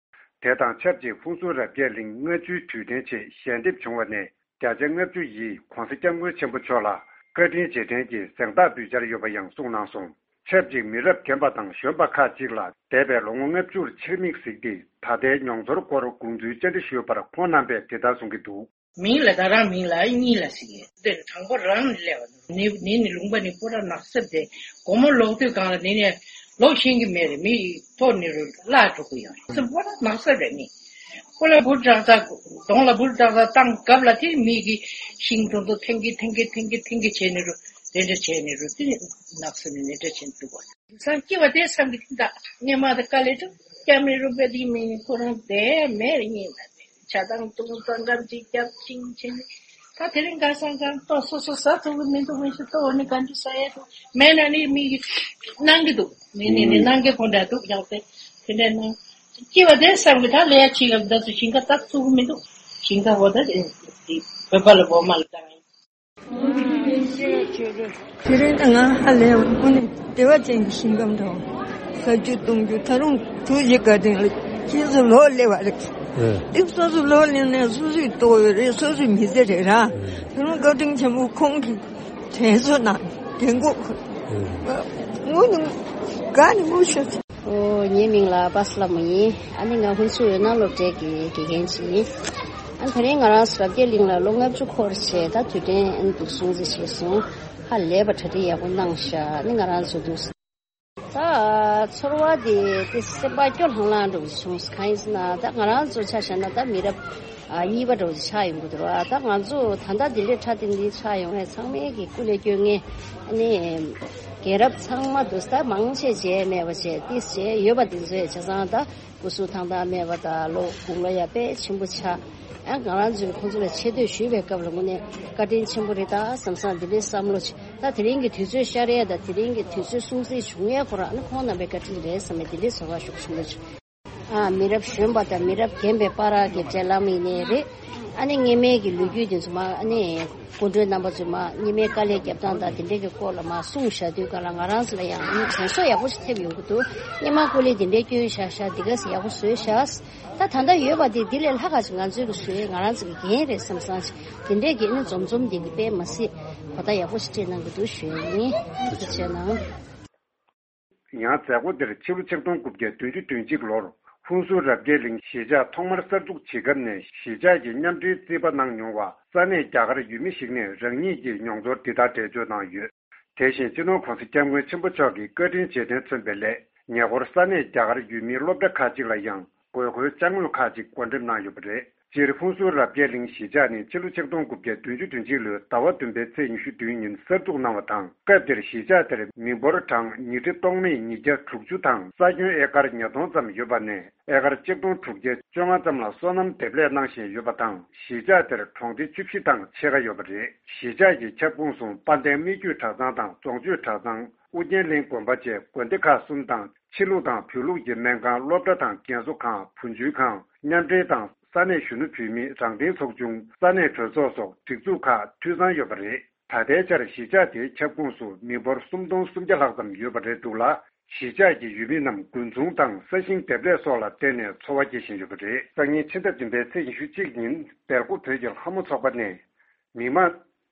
དེ་དང་ཆབས་ཅིག་ཧུན་སུར་རབ་རྒྱས་གླིང་ལྔ་བཅུའི་དུས་དྲན་ཆེད་ཞལ་འདེབས་བྱུང་བ་ནས་བརྒྱ་ཆ་ལྔ་བཅུ་ཡིས་༧གོང་ས་༧སྐྱབས་མགོན་ཆེན་པོ་མཆོག་ལ་བཀའ་དྲིན་རྗེས་དྲན་གྱི་གཟེངས་རྟགས་འབུལ་འཆར་ཡོད་པ་ཡང་གསུངས་གནང་སོང་། ཆབས་ཅིག་མི་རབས་རྒན་པ་དང་གཞོན་པ་ཁག་ཅིག་ལ་འདས་པའི་ལོ་ངོ་ལྔ་བཅུར་ཕྱིར་མིག་གཟིགས་ཏེ་ད་ལྟའི་མྱོང་ཚོར་སྐོར་དགོངས་ཚུལ་བཅར་འདྲི་ཞུས་པར་ཁོང་རྣམ་པས་དེ་ལྟར་གསུང་གི་འདུག། མིང་ལ་ད་རང་མིང་ལ་གཉིས་ལ་ཟེར་གི་དེ་དང་པོ་རང་ནས་སླེབས་པ་ནི་ནི་ནི་ལུང་པ་ནི་པོ་ར་ནགས་གསེབ་དེ་དགོང་མོ་ལོག་དུས་སྒང་ལ་ནི་ནས་ལོག་ཤེས་ཀྱི་མེད་རེད། མི་ཐོག་ནས་རུ་བརླག་འགྲོ་གི་ཡོད་རེད། པོ་ར་ནགས་གསེབ་རེད་ནི། པོ་ལ་འབུར་དྲག་ས་གདོང་ལ་འབུར་དྲག་ས་བཏང་སྐབས་ལ་དེ་མི་གི་ཤིང་དུང་དུ་ཐེང་གི་ཐེང་གི་ཐེང་གི་ཐེང་གི་བྱས་ནས་རུ་དེ་འདྲ་བྱས་ནས་རུ་དེ་ནགས་གསེབ་ནས་ནི་འདྲ་བྱས་འདུག་བ། སང་སྐྱེ་བ་དེ་སང་གི་ད་ངས་མ་ད་དཀའ་ལས་ཀྲུག་སྐྱབས་མེད་རུ་པེ་དེ་མི་ཁོ་རང་དེ་མེད་རེད་ཉིན་ལ་དེ་ཆ་དང་དུང་ཙང་ཙམ་ཅིག་སྐྱབས་ཤིང་བྱས་ནས་ད་དེ་རིང་ག་སང་གང་ལྟོ་སོ་སོ་ཟ་ཐུབ་གི་མི་འདུག་མི་ཤི་ལྟོ་ནི་ག་འདྲ་ཟ་ཡ་འདུག་མེད་ན་ནི་མི་གི་གནང་གི་འདུག་ནི་ནི་ནི་གནང་གི་ཁོ་འདྲ་འདུག་ཡང་དེ་དེ་འདྲ་གནང་སྐྱེ་བ་དེ་སང་གི་ད་ལས་ཡ་ཆེ་ག་ད་ཚོ་ཞིང་ཁ་བཏབ་ཐུབ་གི་མི་འདུག་ཞིང་ཁ་འོ་ད་དེ་བོད་པ་ལ་འོ་མ་ལ་བཏང་ཡིན། དེ་རིང་ད་ང་ཧ་ལས་པ་དངོས་གནས་བདེ་བ་ཅན་གྱི་ཞིང་ཁམས་དང་ཟ་རྒྱུ་འཐུང་རྒྱུ་ད་རུང་ཐུགས་རྗེ་བཀའ་དྲིན་ལ་ཁྱེད་ཚོ་ལོག་སླེབས་པ་རེད། ཨེ། འདི་སོ་སོ་ལོག་སླེབས་ནས་སོ་སོའི་ལྟོ་ཡོད་རེད། སོ་སོའི་མི་ཚེ་རེད་ར། ཨེ། ད་རུང་བཀའ་དྲིན་ཆེན་པོ་ཁོང་གིས་དྲན་གསོ་གནང་དྲན་གོ་ཨེ། དངོས་གནས་དགའ་ནས་ངུ་ཤོར། ཨོ། ངའི་མིང་ལ་པ་སི་ལ་མོ་ཡིན། ཨ་ནི་ང་ཧུན་སུར་འོད་སྣང་སློབ་གྲྭའི་དགེ་རྒན་ཅིག་ཡིན། ཨ་ནི་དེ་རིང་ང་རང་ཚོ་རབ་རྒྱས་གླིང་ལ་ལོ་ལྔ་བཅུ་འཁོར་བྱས་ད་དུས་དྲན་ཨ་ནི་འདུག་སྲུང་བརྩི་བྱས་སོང་། ཧ་ལས་པ་གྲ་སྒྲིག་ཡག་པོ་གནང་ཤག་ཨ་ནི་ང་རང་ཚོ་འདུག་ད་ཚོར་བ་དེ་དེ་སེམས་པ་སྐྱོ་ལྷང་ལྷང་འདྲ་བོ་ཞིག་བྱུང་སོང་། གང་ཡིན་ཟེར་ན་ད་ང་རང་ཚོ་ཆ་བཞག་ན་ད་མི་རབས་ཨ་གཉིས་པ་འདྲ་བོ་ཞིག་ཆགས་ཡོང་གི་འདུག་ར། ད་ང་ཚོ་ད་ལྟ་འདི་འདྲའི་ཕྲ་དེ་འདི་ཆགས་ཡོང་བས་ཚང་མས་ཀྱི་སྐུ་ལས་སྐྱོན་ངེས་ཨ་ནི། རྒན་རབས་ཚང་མ་འདུག་ད་མང་ཆེ་བྱས་མེད་པ་བྱས་ཏིས་བྱས་ཡོད་པ་དེ་ཚོས་བྱས་ཙང་ད་སྐུ་གཟུགས་ཐང་ཐང་མེད་པ་དང་ལོ་དགུང་ལོ་ཡང་དཔེ་ཆེན་པོ་ཆགས། ཡང་ང་རང་ཚོས་ཁོང་ཚོ་ལ་ཆེ་བསྟོད་ཞུས་པའི་སྐབས་ལ་དངོས་གནས་བཀའ་དྲིན་ཆེན་པོ་རེད་ད་བསམ་བསམ་འདི་འདྲའི་བསམ་བློ་ཆེ། ད་དེ་རིང་གི་དུས་ཚོད་ཤར་ཡས་དང་དེ་རིང་གི་དུས་ཚོད་སྲུང་བརྩི་བྱུང་ཡས་ཁོ་རང་ནི་ཁོང་རྣམ་པའི་བཀའ་དྲིན་རེད་བསམ་པའི་འདི་འདྲའི་ཚོར་བ་ཤུགས་ཆེན་པོ་བྱུང་། ཨ། མི་རབས་གཞོན་པ་དང་མི་རབས་རྒན་པའི་བར་གྱི་འབྲེལ་ལམ་ཡིན་ནའི་རེད། ཨ་ནི་སྔོན་མའི་གི་ལོ་རྒྱུས་དེ་ཚོ་མ་ཨ་ནི་སྐུ་མགྲོན་རྣམ་པ་ཚོས་མ་སྔོན་མའི་དཀའ་ལས་རྒྱབ་སྟངས་དང་དེ་འདྲའི་གི་སྐོར་ལ་མ་གསུངས་བཞག་དུས་ག་ལ་ང་རང་ཚོ་ལ་ཡང་ཨ་ནི་དྲན་གསོ་ཡག་པོ་ཞིག་ཐེབས་ཡོང་གི་འདུག་སྔོན་མ་སྐུ་ལས་དེ་འདྲའི་སྐྱོན་བཞག་བཞག་འདི་ག་ཟེ་ཡག་པོ་བཟོས་བཞག་ད་ད་ལྟ་ཡོད་པ་དེ་འདི་ལས་ལྷག་ག་ཅིག་ང་ཚོའི་གི་བཟོས་ང་རང་ཚོ་གི་འགན་རེད་བསམ་བསམ་ཅིག་དེ་འདྲའི་གི་ཨ་ནི་འཛོམས་འཛོམས་དེ་གི་དཔེ་མ་སྲིད་གོ་བརྡ་ཡག་པོ་ཞིག་སྤྲད་གནང་གི་འདུག་ཞུ་ཡ་ཡིན། ཐུགས་རྗེ་ཆེ་གནང་། ཡང་མཛད་སྒོ་འདིར་ཕྱི་ལོ་ཆིག་སྟོང་དགུ་བརྒྱ་བདུན་ཅུ་དོན་གཅིག་ལོར་ཧུན་སུར་རབ་རྒྱས་གླིང་གཞིས་ཆགས་ཐོག་མར་གསར་འཛུགས་བྱེད་སྐབས་ནས་གཞིས་ཆགས་ཀྱི་མཉམ་འབྲེལ་རྩིས་པ་གནང་མྱོང་བ་ས་གནས་རྒྱ་གར་ཡུལ་མི་ཞིག་ནས་རང་ཉིད་ཀྱི་མྱོང་ཚོར་འདི་ལྟར་འགྲེལ་བརྗོད་གནང་ཡོད། དེ་བཞིན་སྤྱི་ནོར་༧གོང་ས་༧སྐྱབས་མགོན་ཆེན་པོ་མཆོག་གི་བཀའ་དྲིན་རྗེས་དྲན་མཚོན་པའི་སླད་ཉེ་འཁོར་ས་གནས་རྒྱ་གར་ཡུལ་མིའི་སློབ་གྲྭ་ཁག་ཅིག་ལ་ཡང་དགོས་མཁོའི་ཅ་དངོས་ཁག་ཅིག་བགོ་འགྲེམས་གནང་ཡོད་པ་རེད། སྤྱིར་ཧུན་སུར་རབ་རྒྱས་གླིང་གཞིས་ཆགས་ནི་ཕྱི་ལོ་ཆིག་སྟོང་དགུ་བརྒྱ་བདུན་ཅུ་དོན་གཅིག་ལོའི་ཟླ་བ་བདུན་པའི་ཚེས་ཉི་ཤུ་བདུན་ཉིན་གསར་འཛུགས་གནང་བ་དང་། སྐབས་དེར་གཞིས་ཆགས་དེར་མི་འབོར་གྲངས་ཉིས་ཁྲི་སྟོང་མེད་ཉིས་བརྒྱ་དྲུག་ཅུ་དང་ས་ཁྱོན་ཨེ་ཀར་ཉིས་སྟོང་ཙམ་ཡོད་པ་ནས། ཨེ་ཀར་ཆིག་སྟོང་དྲུག་བརྒྱ་བཅོ་ལྔ་ཙམ་ལ་སོ་ནམ་འདེབས་ལས་གནང་བཞིན་ཡོད་པ་དང་། གཞིས་ཆགས་དེར་གྲོང་སྡེ་བཅུ་བཞི་དང་ཕྱེད་ཀ་ཡོད་པ་རེད། གཞིས་ཆགས་ཀྱི་ཁྱབ་ཁོངས་སུ་དཔལ་ལྡན་སྨད་རྒྱུད་གྲྭ་ཚང་དང་རྫོང་ཆོས་གྲྭ་ཚང་། ཨུ་རྒྱན་གླིང་དགོན་པ་བཅས་དགོན་སྡེ་ཁག་གསུམ་དང་། ཕྱི་ལུགས་དང་བོད་ལུགས་ཀྱི་སྨན་ཁང་། སློབ་གྲྭ་དང་རྒན་གསོ་ཁང་། བུ་བཅོལ་ཁང་། མཉམ་འབྲེལ་དང་ས་གནས་གཞོན་ནུ་བུད་མེད་རང་བདེན་ཚོགས་ཆུང་། ས་གནས་གྲོས་ཚོགས་སོགས་སྒྲིག་འཛུགས་ཁག་འཐུས་ཚང་ཡོད་པ་རེད། ད་ལྟའི་ཆར་གཞིས་ཆགས་དེའི་ཁྱབ་ཁོངས་སུ་མི་འབོར་སུམ་སྟོང་སུམ་བརྒྱ་ལྷག་ཙམ་ཡོད་པ་རེད་འདུག་ལ། གཞིས་ཆགས་ཀྱི་ཡུལ་མི་རྣམས་རྒུན་ཚོང་དང་ས་ཞིང་འདེབས་ལས་སོགས་ལ་བརྟེན་ནས་འཚོ་བ་སྐྱེལ་བཞིན་ཡོད་པ་རེད། སང་ཉིན་ཕྱི་ཟླ་བདུན་པའི་ཚེས་ཉི་ཤུ་གཅིག་ཉིན་སྦེལ་ཀོབ་བོད་ཀྱི་ལྷ་མོ་ཚོགས་པ་ནས། མི་མང་།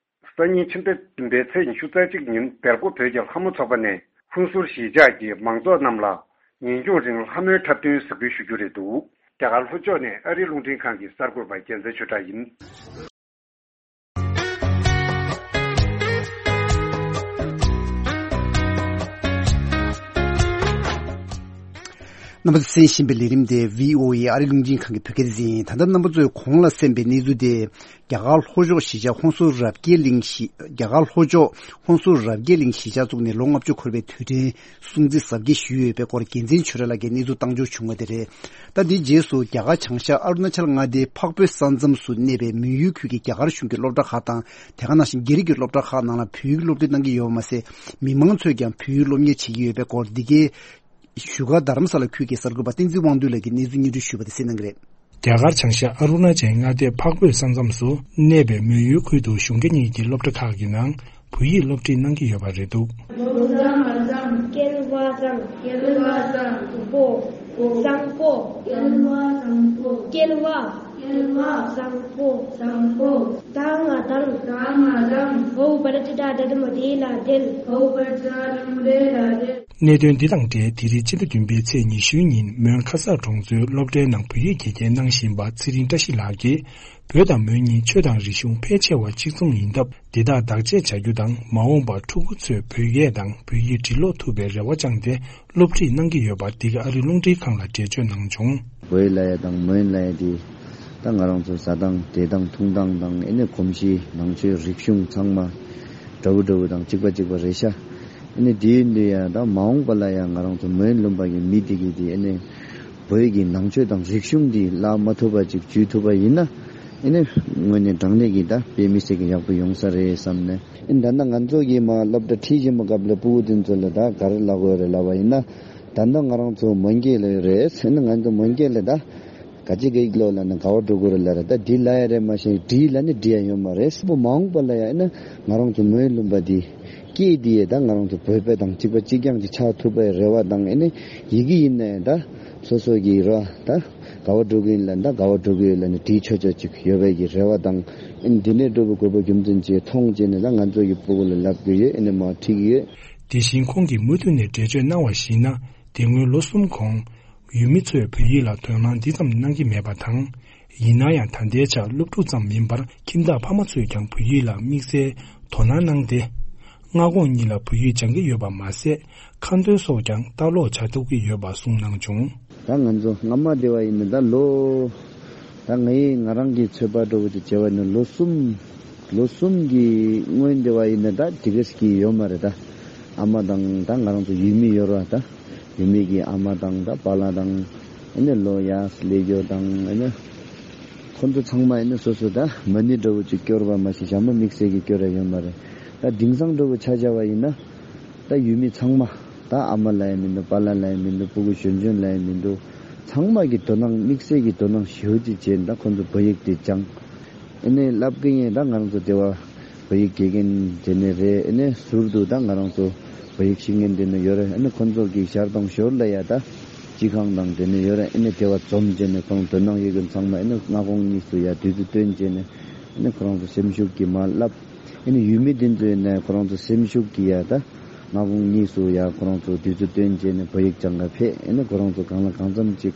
སང་ཉིན་ཕྱི་ཟླ་བདུན་པའི་ཚེས་ཉི་ཤུ་རྩ་གཅིག་ཉིན་སྦེལ་ཀོབ་བོད་ཀྱི་ལྷ་མོ་ཚོགས་པ་ནས་ཧུན་སུར་གཞིས་ཆགས་ཀྱི་མང་ཚོགས་རྣམས་ལ་ཉིན་གུང་རིང་ལྷ་མོའི་འཁྲབ་སྟོན་གཟིགས་འབུལ་ཞུ་རྒྱུ་རེད་འདུག་རྒྱ་གར་ལྷོ་ཕྱོགས་ནས་ཨ་རིའི་རླུང་འཕྲིན་ཁང་གི་གསར་འགོད་པ་རྒྱལ་མཚན་ཆོས་གྲགས་ཡིན། རྣམ་པ་ཚོས་གསན་བཞིན་པའི་ལས་རིམ་དེ་བྷི་ཨོ་ཨེ་ཨ་རིའི་རླུང་འཕྲིན་ཁང་གི་བོད་སྐད་སྡེ་ཚན་ཡིན། ད་ལྟ་རྣམ་པ་ཚོས་གོང་ལ་གསན་པའི་གནས་ཚུལ་དེ། རྒྱ་གར་ལྷོ་ཕྱོགས་གཞིས་ཆགས་ཧོན་སུར་རབ་རྒྱས་གླིང་གཞིས། རྒྱ་གར་ལྷོ་ཕྱོགས་ཧོན་སུར་རབ་རྒྱས་གླིང་གཞིས་ཆགས་བཙུགས་ནས་ལོ་ལྔ་བཅུ་འཁོར་བའི་དུས་དྲན་སྲུང་བརྩི་གཟབ་རྒྱས་ཞུས་ཡོད་པའི་སྐོར་རྒྱལ་མཚན་ཆོས་གྲགས་ལགས་ཀྱིས་གནས་ཚུལ་བཏང་འབྱོར་བྱུང་བ་དེ་རེད། ད་འདིའི་རྗེས་སུ་རྒྱ་གར་བྱང་ཤར་ཨ་རུ་ན་ཅལ་མངའ་སྡེའི་འཕགས་བོད་ས་མཚམས་སུ་གནས་པའི་མོན་ཡུལ་ཁུལ་གྱི་རྒྱ་གར་གཞུང་གི་སློབ་གྲྭ་ཁག་དང་། དེ་ག་ནང་བཞིན་རྒྱ་རིགས་ཀྱི་སློབ་གྲྭ་ཁག་ནང་ལ་བོད་ཡིག་སློབ་ཁྲིད་གནང་གི་ཡོད་པ་མ་ཟད། མི་མང་ཚོས་ཀྱང་བོད་ཡིག་སློབ་གཉེར་བྱེད་ཀྱི་ཡོད་པའི་སྐོར་འདི་གའི་བཞུགས་སྒར་རྡ་རམ་ས་ལ་ཁུལ་གྱི་གསར་འགོད་པ་བསྟན་འཛིན་དབང་འདུས་ལགས་ཀྱིས་གནས་ཚུལ་སྙན་སྒྲོན་ཞུས་པ་དེ་གསན་གནང་གི་རེད། རྒྱ་གར་བྱང་ཤར་ཨ་རུ་ན་ཅལ་མངའ་སྡེའི་འཕགས་བོད་ས་མཚམས་སུ་གནས་པའི་མོན་ཡུལ་ཁུལ་དུ་གཞུང་བརྒྱ་གཉིས་ཀྱི་སློབ་གྲྭ་ཁག་གི་ནང་བོད་ཡིག་སློབ་ཁྲིད་གནང་གི་ཡོད་པ་རེད་འདུག་སྐལ་བ་བཟང་། སྐལ་བ་བཟང་། པོ། བཟང་པོ། སྐལ་བ་བཟང་པོ། སྐལ་བ། སྐལ་བ། བཟང་པོ། བཟང་པོ། ད་ང་དང་། ད་ང་དང་། ཧོ་བར་ཏི་ད་ད་དམ་དེ་ལ་དེལ། ཧོ་བར་ཏི་ད་དམ་དེ་ལ་དེལ། གནད་དོན་འདི་དང་འབྲེལ་དེ་རིང་ཕྱི་ཟླ་བདུན་པའི་ཚེས་ཉི་ཤུའི་ཉིན་མོན་ཁ་སར་གྲོང་ཚོའི་སློབ་གྲྭའི་ནང་བོད་ཡིག་དགེ་རྒན་གནང་བཞིན་པ་ཚེ་རིང་བཀྲ་ཤིས་ལགས་ཀྱིས། བོད་དང་མོན་གཉིས་ཆོས་དང་རིག་གཞུང་ཕལ་ཆེ་བ་གཅིག་མཚུངས་ཡིན་སྟབས། འདི་དག་བདག་གཅེས་བྱ་རྒྱུ་དང་། མ་འོངས་པར་ཕྲུ་གུ་ཚོས་བོད་སྐད་དང་བོད་ཡིག་འབྲི་ཀློག་ཐུབ་པའི་རེ་བ་བཅངས་ཏེ། སློབ་ཁྲིད་གནང་གི་ཡོད་པ། འདི་ག་ཨ་རིའི་རླུང་འཕྲིན་ཁང་ལ་འགྲེལ་བརྗོད་གནང་བྱུང་། བོད་ལ་ཡ་དང་མོན་ལ་ཡ་དེ་ད་ང་རང་ཚོ་ཟ་སྟངས་བསྡད་སྟངས་འཐུང་སྟངས་དང་། ཨེ་ནི་གོམས་གཤིས་ནང་ཆོས་རིག་གཞུང་ཚང་མ་འདྲ་བོ་འདྲ་བོ་དང་གཅིག་པ་གཅིག་པ་རེད་ཤག་ཨེ་ནི་དེ་ཡིན་དུས་ཡ་ད་མ་འོངས་པ་ལ་ཡ་ང་རང་ཚོ་མོན་ལུང་པ་གི་མི་དེ་གི་དེ་ཨེ་ནི་བོད་ཀྱི་ནང་ཆོས་དང་རིག་གཞུང་དེ་བརླག་མ་ཐུབ་པ་ཅིག་བཅོས་ཐུབ་པ་ཡིན་ན། ཨེ་ནི་དངོས་གནས་དྲང་གནས་ཀྱི་ད་དཔེ་མི་སྲིད་ཀྱི་ཡག་པོ་ཡོང་ས་རེད་བསམ་ནས། ཨེ་ནི་ད་ལྟ་ང་ཚོ་གི་མ་སློབ་གྲྭ་ཁྲིད་བཞིན་པ་སྐབས་ལ་སྤུ་གུ་དེ་ཚོ་ལ་ད་ག་རེ་ལབ་དགོས་རེད་ལབ་པ་ཡིན་ན། ད་ལྟ་ང་རང་ཚོ་མོན་སྐད་ལ་ཡོད་རེད། ཨེ་ནི་ང་ཚོ་མོན་སྐད་ལ་ད་ག་ཅི་གི་ལོ་ལ་ནི་ག་བ་འགྲོ་དགོས་རེད་ལ་རེད། ད་འདི་ལ་ཡ་རེད་མ་གཞི་འདི་ལ་ནི་འདི་ཡ་ཡོད་མ་རེད། སྤུ་མ་འོངས་པ་ལ་ཡ་ཨེ་ནི་ང་རང་ཚོ་མོན་ལུང་པ་འདི་སྐད་འདི་ཡ་ད་ང་རང་ཚོ་བོད་པ་དང་གཅིག་པ་གཅིག་རྐྱང་ཅིག་ཆགས་ཐུབ་པའི་རེ་བ་དང་། ཨེ་ནི་ཡི་གེ་ཡིན་ན་ཡང་ད་སོ་སོ་གི་རེ་བ་ད་ག་བ་འགྲོ་གི་ཡིན་ལ་ད་ག་བ་འགྲོ་གི་ཡོད་ལ་ནི་བྲིས་ཆོག་ཆོག་ཅིག་ཡོད་པའི་གི་རེ་བ་དང་། ཨེ་ནི་འདི་ནས་འགྲོ་བའི་དགོས་པ་རྒྱུ་མཚན་ཅིག་མཐོང་བྱས་ནས་ད་ང་ཚོ་གི་སྤུ་གུ་ལ་ལབ་གི་ཡོད། ཨེ་ནི་མ་ཁྲིད་གི་ཡོད། དེ་བཞིན་ཁོང་གིས་མུ་མཐུད་ནས་འགྲེལ་བརྗོད་གནང་བར་གཞིགས་ན། དེ་སྔོན་ལོ་གསུམ་གོང་། ཡུལ་མི་ཚོས་བོད་ཡིག་ལ་དོ་སྣང་འདི་ཙམ་གནང་གི་མེད་པ་དང་། ཡིན་ན་ཡང་ད་ལྟའི་ཆར་སློབ་ཕྲུག་ཙམ་མིན་པར་ཁྱིམ་བདག་ཕ་མ་ཚོས་ཀྱང་བོད་ཡིག་ལ་དམིགས་བསལ་དོ་སྣང་གནང་སྟེ། སྔ་དགོང་གཉིས་ལ་བོད་ཡིག་སྦྱང་གི་ཡོད་པ་མ་ཟད། ཁ་འདོན་སོགས་ཀྱང་ལྟ་ཀློག་བྱ་ཐུབ་ཀྱི་ཡོད་པ་གསུངས་གནང་བྱུང་། ད་ང་ཚོ་སྔ་མ་དེ་བ་ཡིན་ན་ད་ལོ། ད་ངའི་ང་རང་གི་ཚོད་དཔག་འདྲ་བོ་ཅིག་བྱས་པ་ཡིན་ན་ལོ་གསུམ། ལོ་གསུམ་གྱི་སྔོན་དེ་བ་ཡིན་ན་ད་དེ་ག་ཟིག་གི་ཡོད་མ་རེད། ད་ཨ་མ་དང་ད་ང་རང་ཚོ་ཡུལ་མི་ཡོད་ར། ད་ཡུལ་མི་གི་ཨ་མ་དང་ད་པཱ་ལགས་དང་། ཨེ་ནི་ལོ་ཡག་སླེབས་རྒྱུ་དང་། ཨེ་ནི་ཁོ་ཚོ་ཚང་མ་ཨེ་ནི་སོ་སོ་ད་མ་ཎི་འདྲ་བོ་ཅིག་སྐྱོར་བ་མ་གཞི་ཞྭ་མོ་དམིགས་བསལ་གྱི་སྐྱོར་ཡ་ཡོད་མ་རེད། ད་དེང་སང་འདྲ་བོ་ཆ་བཞག་པ་ཡིན་ན། ད་ཡུལ་མི་ཚང་མ། ད་ཨ་མ་ལ་ཡང་མི་འདུག་པཱ་ལགས་ལ་ཡང་མི་འདུག་སྤུ་གུ་གཞོན་གཞོན་ལ་ཡང་མི་འདུག་ཚང་མ་གི་དོ་སྣང་དམིགས་བསལ་གྱི་དོ་སྣང་ཞེ་པོ་ཅིག་བྱས་ནས་ད་ཁོ་ཚོ་བོད་ཡིག་དེ་སྦྱངས། ཨེ་ནས་བསླབ་ཀྱི་ཡིན། ད་ང་རང་ཚོ་དེ་བ་བོད་ཡིག་དགེ་རྒན་དེ་ནས་རེད། ཨེ་ནས་ཟུར་དུ་ད་ང་རང་ཚོ་བོད་ཡིག་ཤེས་མཁན་དེ་ནས་ཡོད་རེད། ཨེ་ནས་ཁོ་ཚོ་གི་ཞར་དང་ཞོར་ལ་ཡ་ད་སྤྱི་ཁང་དང་དེ་ནས་ཡོད་རེད། ཨེ་ནས་དེ་བ་འཛོམས་བྱས་ནས་ཁོང་དོ་སྣང་ཡོད་མཁན་ཚང་མ་ཨེ་ནས་སྔ་དགོང་གཉིས་སུ་ཡ་དུས་ཚོད་བཏོན་བྱས་ནས་ཨེ་ནས་ཁོ་རང་ཚོ་སེམས་ཤུགས་ཀྱིས་མར་བསླབ། ཨེ་ནས་ཡུལ་མི་དེ་ཚོ་ཡིན་ནའི་ཁོ་རང་ཚོ་སེམས་ཤུགས་ཀྱིས་ཡ་ད་སྔ་དགོང་གཉིས་སུ་ཡ་ཁོ་རང་ཚོ་དུས་ཚོད་བཏོན་བྱས་ནས་བོད་ཡིག་སྦྱང་ག་ཕེབས། ཨེ་ནས་ཁོ་རང་ཚོ་གང་ལ་གང་འཚམ་ཅིག་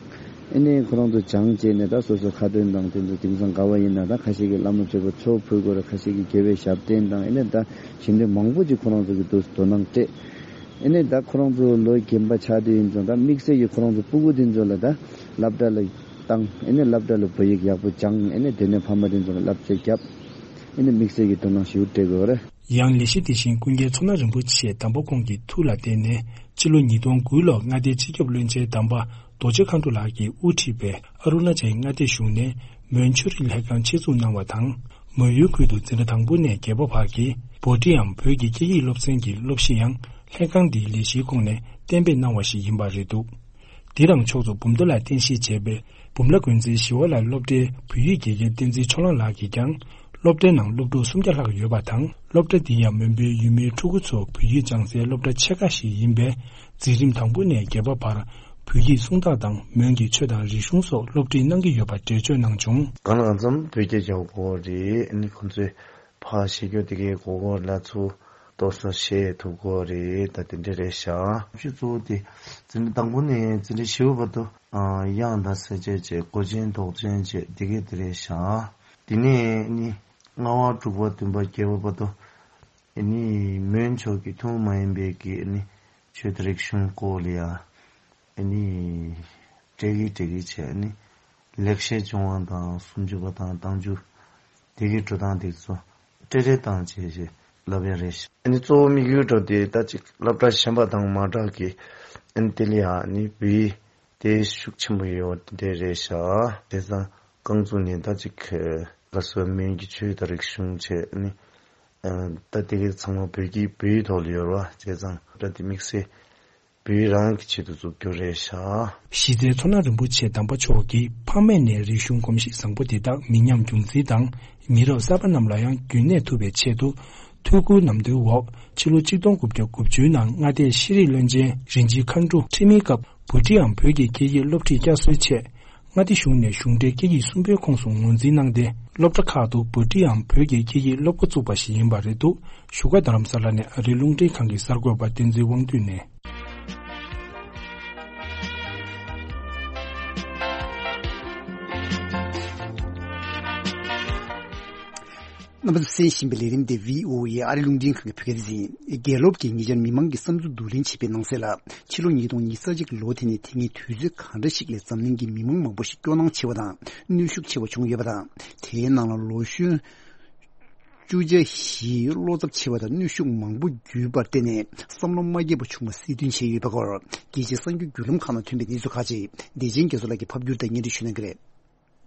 ཨེ་ནས་ཁོ་རང་ཚོ་སྦྱངས་བྱས་ནས་ད་སོ་སོ་ཁ་འདོན་དང་དེ་ཚོ་དེང་སང་ག་བ་ཡིན་ན་ད་ཁ་ཤས་ཀྱིས་བླ་མ་མཆོད་པ་ཚོགས་ཕུལ་དགོས་རེད། ཁ་ཤས་ཀྱིས་དགེ་བའི་ཞབས་བརྟན་དང་ཨེ་ནས་ད་གཞན་དོན་མང་པོ་ཅིག་ཁོ་རང་ཚོ་གི་དུས་སུ་དོ་སྣང་སྤྲད། ཨེ་ནས་ད་ཁོ་རང་ཚོ་ལོ་རྒན་པ་ཆགས་དུས་ཡིན་ཙང་ད་དམིགས་བསལ་གྱིས་ཁོ་རང་ཚོ་སྤུ་གུ་དེ་ཚོ་ལ་ད་སློབ་གྲྭ་ལ། བཏང་། ཨེ་ནི་སློབ་གྲྭ་ལ་བོད་ཡིག་ཡག་པོ་སྦྱངས། ཨེ་ནི་དེ་ནས་ཕ་མ་དེ་ཚོ་ལ་བསླབ་བྱ་བརྒྱབ། ཨེ་ནི་དམིགས་བསལ་གྱི་དོ་སྣང་ཞེ་པོ་སྤྲད་དགོས་པ་རེད། ཡང་ལས་གཞི་དེ་བཞིན་ཀུན་མཁྱེན་མཚོ་སྣ་རིན་པོ་ཆེ་དམ་པ་ཁོང་གི་ཐུགས་ལ་བརྟེན་ནས་ཕྱི་ལོ་ཉིས་སྟོང་དགུ་ལོར་མངའ་སྡེའི་སྤྱི་ཁྱབ་བློན་ཆེན་དམ་པ་རྡོ་རྗེ་མཁའ་འགྲོ་ལགས་ཀྱིས་དབུ་ཁྲིད་པའི་ཨ་རུ་ན་ཅལ་མངའ་སྡེ་གཞུང་ནས་མོན་ཆོས་རིག་ལྷན་ཁང་ཆེད་འཛུགས་གནང་བ་དང་། མོན་ཡུལ་ཁུལ་དུ་འཛིན་གྲྭ་དང་པོ་ནས་བརྒྱད་པ་བར་གྱི་བྷོ་ཊིའམ་བོད་ཀྱི་སྐད་ཡིག་སློབ་ཚན་གྱི་སློབ་གཞི་ཡང་ལྷན་ཁང་འདིའི་ལས་གཞིའི་ཁོངས་ནས་གཏན་འབེབས་གནང་བ་ཞིག་ཡིན་པ་རེད་འདུག་འདིར་རང་ཕྱོགས་སུ་འབུམ་སྡེ་ལ་རྟེན་གཞི་བྱས་པའི་འབུམ་ལ་དགོན་རྩེའི་ཞི་བ་ལྷ་སློབ་གྲྭའི་བོད་ཡིག་དགེ་རྒན་བསྟན་འཛིན་ཕྱོགས་གླང་ལགས་ཀྱིས་ཀྱང་། སློབ་གྲྭའི་ནང་སློབ་ཕྲུག་སུམ་བརྒྱ་ལྷག་ཡོད་པ་དང་། སློབ་གྲྭ་འདི་ཡང་མོན་པའི་ཡུལ་མིའི་ཕྲུ་གུ་ཚོ་བོད་ཡིག་སྦྱང་སའི་སློབ་གྲྭ་ཆེ་ཁག་ཞིག་ཡིན་པས། འཛིན་རིམ་དང་པོ་ནས་བརྒྱད་པ་བར་བོད་ཡིག་སྲུང་ཐག་དང་མོན་གྱི་ཆོས་དང་རིག་གཞུང་སོགས་སློབ་ཁྲིད་གནང་གི་ཡོད་པ་འགྲེལ་བརྗོད་གནང་བྱུང་། གང་ལ་གང་འཚམ་བོད་སྐད་རྒྱག་དགོས་རེད། ཨ་ནི་ཁོང་ཚོས་ཕར་བཤད་རྒྱུ་དེ་གའི་གོ་གོ་ལ་ཚུར་ཏོག་ཙམ་བཤད་ཐུབ་དགོས་རེད། ད་དེ་འདྲ་རེད་ཤག་སློབ་གཞི་གཙོ་བོ་དེ་འཛིན་གྲྭ་དང་པོ་ནས་འཛིན་གྲྭ་བཞི་པ་བར་དུ་དབྱངས་དང་གསལ་བྱེད་བཅས་མགོ་ཅན་འདོགས་ཅན་བཅས་དེ་གའི་དེ་རེད་ཤག་དེ་ནས་ནི་ལྔ་པ་དྲུག་པ་བདུན་པ་བརྒྱད་པ་བར་དུ་ནི་མོན་ཕྱོགས་ཀྱི་ཐུན་མོང་མ་ཡིན་པའི་གི་ནི་ཆོས་དང་རིག་གཞུང་སྐོར་ལ་ཡ་ནི་སྤྲད་གི་སྤྲད་གི་བྱས་ནི་ལེགས་བཤད་ལྗོན་དབང་དང་སུམ་ཅུ་པ་དང་བདག་འཇུག་དེ་གི་འགྲོ་སྟངས་དེ་ཚོ་སྤྲད་རེས་བཏང་བྱས་བྱས་ལབ་ཡ་རེད་ཤག་ཨ་ནི་གཙོ་བོ་དམིགས་ཡུལ་འགྲོ་དེ་ད་ཅིག་སློབ་གྲྭ་གཞན་པ་དང་མ་འདྲ་གི་ཨ་ནི་དེ་ལ་ཡ་ནི་བོད་ཡིག་དེ་ཤུགས་ཆེན་པོ་ཡོད་པ་དེ་རེད་ཤག་བྱས་ཙང་རྐང་བཙུགས་ནས་ད་ཅིག་ལ་སོགས་མོན་གྱི་ཆོས་དང་རིག་གཞུང་བྱས་ནི་ད་དེ་གའི་ཚང་མ་བོད་ཀྱི་བོད་ཡིག་ཐོག་ལ་ཡོད་རེད་བ། བྱས་ཙང་ད་དེ་དམིགས་བསལ་བོད་ཡིག་རང་གི་ཆེད་དུ་བཙུགས་རྒྱུ་རེད་ཤག་གཞི་རྩའི་མཚོ་སྣ་རིན་པོ་ཆེ་དམ་པ་མཆོག་གིས་ཕ་མེས་ནས་རིག་གཞུང་གོམས་གཤིས་བཟང་པོ་དེ་དག་མི་ཉམས་རྒྱུན་འཛིན་དང་མི་རབས་གསར་པ་རྣམས་ལ་ཡང་རྒྱུན་གནས་ཐུབ་པའི་ཆེད་དུ། ཐུགས་ཁུར་ནམ་དུའི་འོག་ཕྱི་ལོ་ཆིག་སྟོང་དགུ་བརྒྱ་དགུ་བཅུའི་ནང་མངའ་སྡེའི་ཤེས་རིག་བློན་ཆེན་རིན་ཆེན་མཁའ་འགྲོ་ཁྲིམས་མིའི་སྐབས་བྷོ་ཊིའམ་བོད་ཀྱི་སྐད་ཡིག་སློབ་ཁྲིད་བསྐྱར་གསོའི་ཆེད། མངའ་སྡེ་གཞུང་ནས་གཞུང་འབྲེལ་སྐད་ཡིག་གསུམ་པའི་ཁོངས་སུ་ངོས་འཛིན་གནང་སྟེ། སློབ་གྲྭ་ཁག་ཏུ་བྷོ་ཊིའམ་བོད་ཀྱི་སྐད་ཡིག་སློབ་འགོ་བཙུགས་པ་ཞིག་ཡིན་པ་རེད་འདུག་བཞུགས་སྒར་རྡ་རམ་ས་ལ་ནས་ཨ་རིའི་རླུང་འཕྲིན་ཁང་གི་གསར་འགོད་པ་བསྟན་འཛིན་དབང་འདུས་ནས། རྣམ་པ་ཚོས་གསན་བཞིན་པའི་ལས་རིམ་དེ་བྷི་ཨོ་ཨེ་ཨ་རིའི་རླུང་འཕྲིན་ཁང་གི་བོད་སྐད་སྡེ་ཚན་ཡིན། རྒྱལ་སློབ་ཀྱིས་ཉེ་ཆར་མི་མང་གི་བསམ་ཚུལ་བསྡུ་ལེན་བྱས་པའི་ནང་གསལ་ལ། ཕྱི་ལོ་ཉིས་སྟོང་ཉི་ཤུ་རྩ་གཅིག་ལོ་དེ་ནི་དེ་སྔའི་དུས་ཚོད་ག་འདྲ་ཞིག་ལས་འཛམ་གླིང་གི་མི་མང་མང་པོ་ཞིག་སྐྱོ་སྣང་ཆེ་བ་དང་གནོན་ཤུགས་ཆེ་བ་བྱུང་ཡོད་པ་དང་། དེའི་ནང་ལ་ལོ་གཞོན་བཅུ་ཆ་བཞིས་བློ་འཚབ་ཆེ་བ་དང་གནོན་ཤུགས་མང་པོ་བརྒྱུད་པར་བརྟེན་ནས་བསམ་བློ་མ་སྐྱིད་པ་བྱུང་བ་གསལ་སྟོན་བྱས་ཡོད་པའི་སྐོར་རྒྱལ་སྤྱིའི་གསར་འགྱུར་བརྒྱུད་ལམ་ཁག་ནང་ཐོན་པའི་གནས་ཚུལ་ཁག་ཅིག་བདེ་ཆེན་རྒྱ་མཚོ་ལགས་ཀྱིས་ཕབ་བསྒྱུར་དང་སྙན་སྒྲོན་ཞུ་གནང་གི་རེད།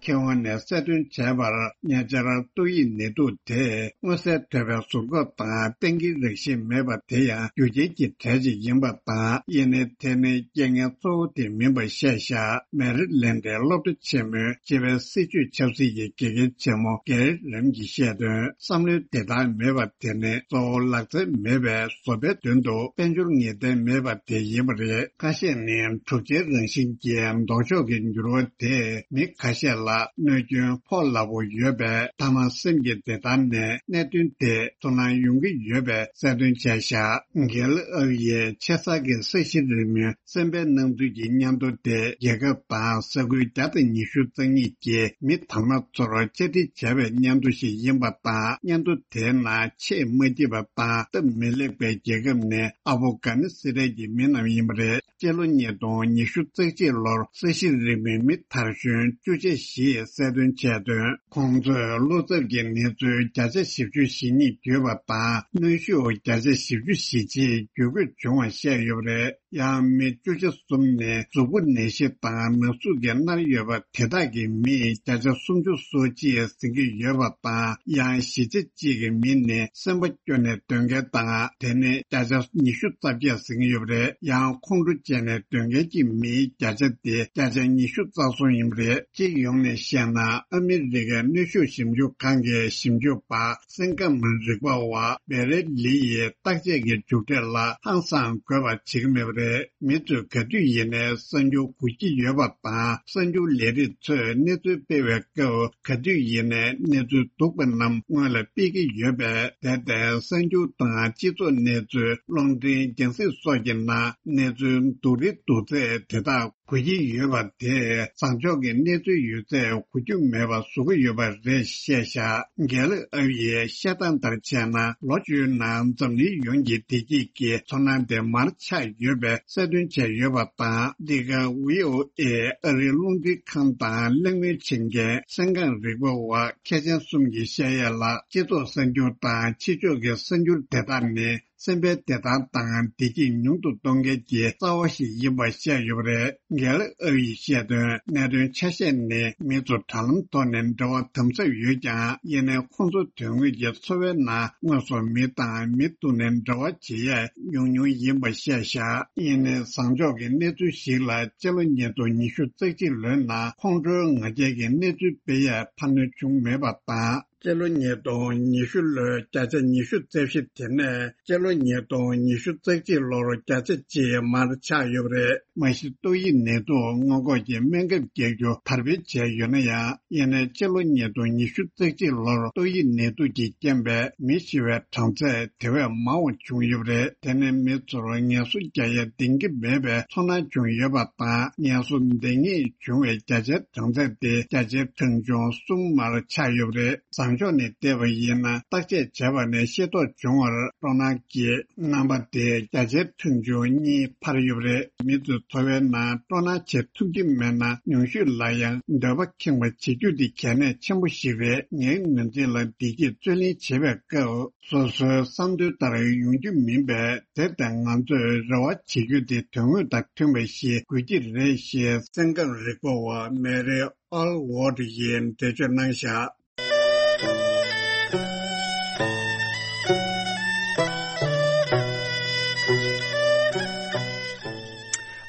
མཁས་དབང་ནས་གསལ་སྟོན་བྱས་པར་ཉེ་ཆར་ཏོག་དབྱིབས་ནད་དུག་དེས་མངོན་གསལ་དོད་པའི་ཟུར་འགོག་དང་གཏན་འཁེལ་རེག་ཤེས་མེད་པ་དེ་ཡང་རྒྱུ་རྐྱེན་གྱི་གྲས་ཤིག་ཡིན་པ་དང་། ཡིན་ནའི་དེ་ནི་རྐྱེན་ངན་གཙོ་བོ་དེ་མིན་པ་བཤད་བཞག་མེ་རི་ལན་ཌའི་སློབ་གྲྭ་ཆེན་མོའི་སྤྱི་པའི་སྲིད་བྱུས་ཆབ་སྲིད་ཀྱི་དགེ་རྒན་ཆེན་མོ་གེ་རི་རིམ་གྱིས་བཤད་དོན། བསམ་བློའི་བདེ་ཐང་མེད་པ་དེ་ནི་གཙོ་བོ་ལག་རྩལ་མེད་པའི་བཟོ་པའི་མདུན་དུ་དཔལ་འབྱོར་ངེས་གཏན་མེད་པ་དེ་ཡིན་པ་རེད། ཁ་ཤས་ནི་གྲུབ་ཆའི་རང་བཞིན་གྱི་ལྡོག་ཕྱོགས་ཀྱི་འགྱུར་བ་དེས་མི་ཁ་ཤས་ལ་གནོད་སྐྱོན་ཕོག་སླ་པོ་ཡོད་པས། མཐའ་མ་སེམས་ཀྱི་བདེ་ཐང་ནས་གནད་དོན་དེ་ཚུར་སྣང་ཡོང་གི་ཡོད་པའི་གསལ་སྟོན་བྱས་བཞག་གྷེལ་ཨག་ཡའི་ཆེ་ས་ཀྱི་ས་གཞི་རིང་མོའི་སེམས་པའི་སྣང་ཚུལ་གྱི་སྙན་ཐོ་དེ་རྒྱལ་ཁབ་དང་ས་ཁུལ་བརྒྱ་དང་ཉི་ཤུ་རྩ་གཉིས་ཀྱི་མི་དར་མ་ཚོར་བཅར་འདྲི་བྱས་པའི་སྙན་ཐོ་ཞིག་ཡིན་པ་དང་། སྙན་ཐོ་དེའི་ནང་ཆེས་མ་སྐྱིད་པ་དང་སྟབས་མི་ལེགས་པའི་རྒྱལ་ཁབ་ནི་ཨ་ཕོ་གྷ་ནི་སི་ཐན་གྱི་མི་རྣམས་ཡིན་པ་རེད། སྤྱི་ལོ་ཉིས་སྟོང་ཉི་ཤུ་རྩ་གཅིག་ལོར་ས་གཞི་རིང་མོའི་མི་དར་གཞོན་བཅུ་ཆ་བཞིས་གསལ་སྟོན་བྱས་དོན། ཁོང་ཚོས་བློ་འཚབ་ཀྱི་གནས་ཚུལ་བརྒྱ་ཆ་བཞི་བཅུ་ཞེ་གཉིས་བརྒྱུད་པ་དང་། གནོན་ཤུགས་བརྒྱ་ཆ་བཞི་བཅུ་ཞེ་གཅིག་བརྒྱུད་སྐུད་བྱུང་བ་བཤད་ཡོད་པ་རེད། ཡང་མི་བཅུ་ཆ་གསུམ་ནི་གཟུགས་པོ་ནད་གཞི་དང་ན་ཟུག་གིས་མནར་ཡོད་པ་དེ་དག་གི་མིས་བརྒྱ་ཆ་སུམ་ཅུ་སོ་གཅིག་ཟིན་གྱི་ཡོད་པ་དང་། ཡང་བཞི་ཆ་གཅིག་གི་མི་ནི་སེམས་པ་སྐྱོ་ནས་སྡོད་མཁན་དང་། དེ་ནི་བརྒྱ་ཆ་ཉི་ཤུ་རྩ་བརྒྱད་ཟིན་གྱི་ཡོད་པ་རེད། ཡང་ཁོང་ཁྲོ་བྱས་ནས་སྡོད་མཁན་གྱི་མིའི་བརྒྱ་ཆ་དེ་བརྒྱ་ཆ་ཉི་ཤུ་རྩ་གསུམ་ཡིན་པ་རེད། སྤྱི་ཡོངས་ནས་བཤད་ན། ཨ་མི་རི་ཀའི་གནོན་ཤུགས་ཞིབ་འཇུག་ཁང་གི་ཞིབ་འཇུག་པ་སེང་སྐམ་རིག་པ་བ་བེ་རེ་ལི་ཡིས་བརྟག་དཔྱད་ཀྱི་མཇུག་འབྲས་ལ་ཧང་སང་དགོས་པ་བྱེད་ཀྱི་མེད་པ་རེད། མི་ཚོས་ག་དུས་ཡིན་ནའི་གསར་འགྱུར་གོ་གི་ཡོད་པ་དང་། གསར་འགྱུར་ལས་རིགས་ཚོས་གནས་ཚུལ་སྤེལ་བའི་སྐབས། ག་དུས་ཡིན་ནའི་གནས་ཚུལ་སྡུག་པ་རྣམས་སྔོན་ལ་སྤེལ་གྱི་ཡོད་པས། དེར་བརྟེན་གསར་འགྱུར་དང་སྤྱི་ཚོགས་གནས་ཚུལ། རླུང་འཕྲིན་རྒྱང་སྲིང་སོགས་ཀྱི་ནང་གནས་ཚུལ་སྡུག་རིགས་སྡུག་ཚད་དེ་དག་ འབུལ་གྱི་ཡོད་པ་དེས་བཟང་ཕྱོགས་ཀྱི་གནས་ཚུལ་ཡོད་ཚད་གོ་རྒྱུ་མེད་པ་བཟོ་གི་ཡོད་པ་རེད་བཤད་བཞག་རྒན་ལགས་ཨ་ཡིས་བཤད་སྟངས་ལྟར་བྱས་ན། ལོ་བཅུའི་ནང་འཛམ་གླིང་ཡོངས་ཀྱི་བདེ་སྐྱིད་ཀྱི་ཚོར་སྣང་དེ་མར་ཆག་ཡོད་པའི་གསལ་སྟོན་བྱས་ཡོད་པ་དང་། འདི་ག་ཝི་ཨོ་ཨེ་ཨ་རིའི་རླུང་འཕྲིན་ཁང་དང་གླེང་མོལ་བྱེད་མཁན་གསན་གང་རིག་པ་བ་མཁས་ཅན་གསུམ་གྱིས་བཤད་ཡས་ལ། སྤྱི་ཚོགས་གསར་འགྱུར་དང་ཕྱི་ཕྱོགས་ཀྱི་གསར་འགྱུར་དེ་དག་ནི། སེམས་པའི་བདེ་ཐང་དང་བདེ་སྐྱིད་ཉུང་དུ་གཏོང་མཁན་གྱི་རྩ་བ་ཞིག་ཡིན་པ་བཤད་ཡོད་པ་རེད། རྒན་ལགས་ཨ་ཡིས་བཤད་དོན། གནད་དོན་ཆ་ཤས་ནི། མི་ཚོ་དྲ་ལམ་ཐོག་ནས་འབྲེལ་བ་དམ་ཟབ་ཡོད་ཀྱང་། ཡིན་ནའི་ཁོང་ཚོ་དོན་དངོས་ཀྱི་འཚོ་བའི་ནང་དངོས་སུ་མི་དང་མི་ཐུག་ནས་འབྲེལ་བ་བྱེད་ཡས་ཉུང་ཉུང་ཡིན་པ་བཤད་བཞག་ཡིན་ནའི་བཟང་ཕྱོགས་ཀྱི་གནས་ཚུལ་ཞིག་ལ། སྤྱི་ལོ་ཉིས་སྟོང་ཉི་ཤུ་རྩ་གཅིག་ལོའི་ནང་ཁོང་ཁྲོའི་ང་རྒྱལ་གྱི་གནས་ཚུལ་སྤེལ་ཡས་འཕར་སྣོན་བྱུང་མེད་པ་དང་། སྤྱི་ལོ་ཉིས་སྟོང་ཉི་ཤུ་ལོའི་བརྒྱ་ཆ་ཉི་ཤུ་རྩ་བཞི་དེ་ནས་སྤྱི་ལོ་ཉིས་སྟོང་ཉི་ཤུ་རྩ་གཅིག་ལོར་བརྒྱ་ཆ་གཅིག་མར་ཆག་ཡོད་པ་རེད། མ་གཞི་ཏོག་དབྱིབས་ནད་དུག་སྔོན་འགོག་གི་སྨན་ཁབ་བརྒྱབ་རྒྱུ་དར་སྤེལ་བྱས་ཡོད་ན་ཡང་། ཡིན་ནའི་སྤྱི་ལོ་ཉིས་སྟོང་ཉི་ཤུ་རྩ་གཅིག་ལོར་ཏོག་དབྱིབས་ནད་དུག་གི་རྐྱེན་པས་མི་ཤི་བའི་གྲངས་ཚད་དེ་བས་མང་བ་བྱུང་ཡོད་པ་རེད། དེ་ནི་མི་ཚོར་ངལ་གསོ་རྒྱག་ཡ་འདང་གི་མེད་པའི་ཚོར་སྣང་བྱུང་ཡོད་པ་དང་། ངལ་གསོ་འདང་ངེས་བྱུང་བའི་བརྒྱ་ཆའི་གྲངས་ཚད་དེ་བརྒྱ་ཆའི་གྲངས་ཆུང་མར་ཆག་ཡོད་པ་རེད། བཟང་ཕྱོགས་ནས་བལྟས་པ་ཡིན་ན། བརྟག་དཔྱད་བྱས་པ་ནས་ཤེས་རྟོགས་བྱུང་བར་སྤྲོ་སྣང་གི་རྣམ་པ་དེ་བརྒྱ་ཆའི་ཁྲི་བཅུ་གཉིས་འཕར་ཡོད་པ་རེད། མི་ཚོའི་འཚོ་བའི་ནང་སྤྲོ་སྣང་བྱེད་ཐུབ་ཀྱི་མེད་ན། ཉུང་ཤོས་ལ་ཡང་འདོད་པ་ཁེངས་པ་བྱེད་རྒྱུ་དེ་གལ་གནད་ཆེན་པོ་ཞིག་རེད། ངའི་ངོས་འཛིན་ལ། བདེ་སྐྱིད་རྩོད་ལེན་བྱེད་པའི་སྐབས། སོ་སོའི་བསམ་འདུན་ལྟར་ཡོང་རྒྱུ་མིན་པས། དེར་བརྟེན་ང་ཚོས་རེ་བ་བྱེད་རྒྱུ་དེ་དོན་དངོས་དང་མཐུན་པ་ཞིག་དགོས་ཀྱི་རེད་ཞེས་གསན་གང་རིག་པ་བ་མེ་རི་ཨོལ་ཝོར་ཡིས་འགྲེལ་བརྗོད་གནང་བཞག་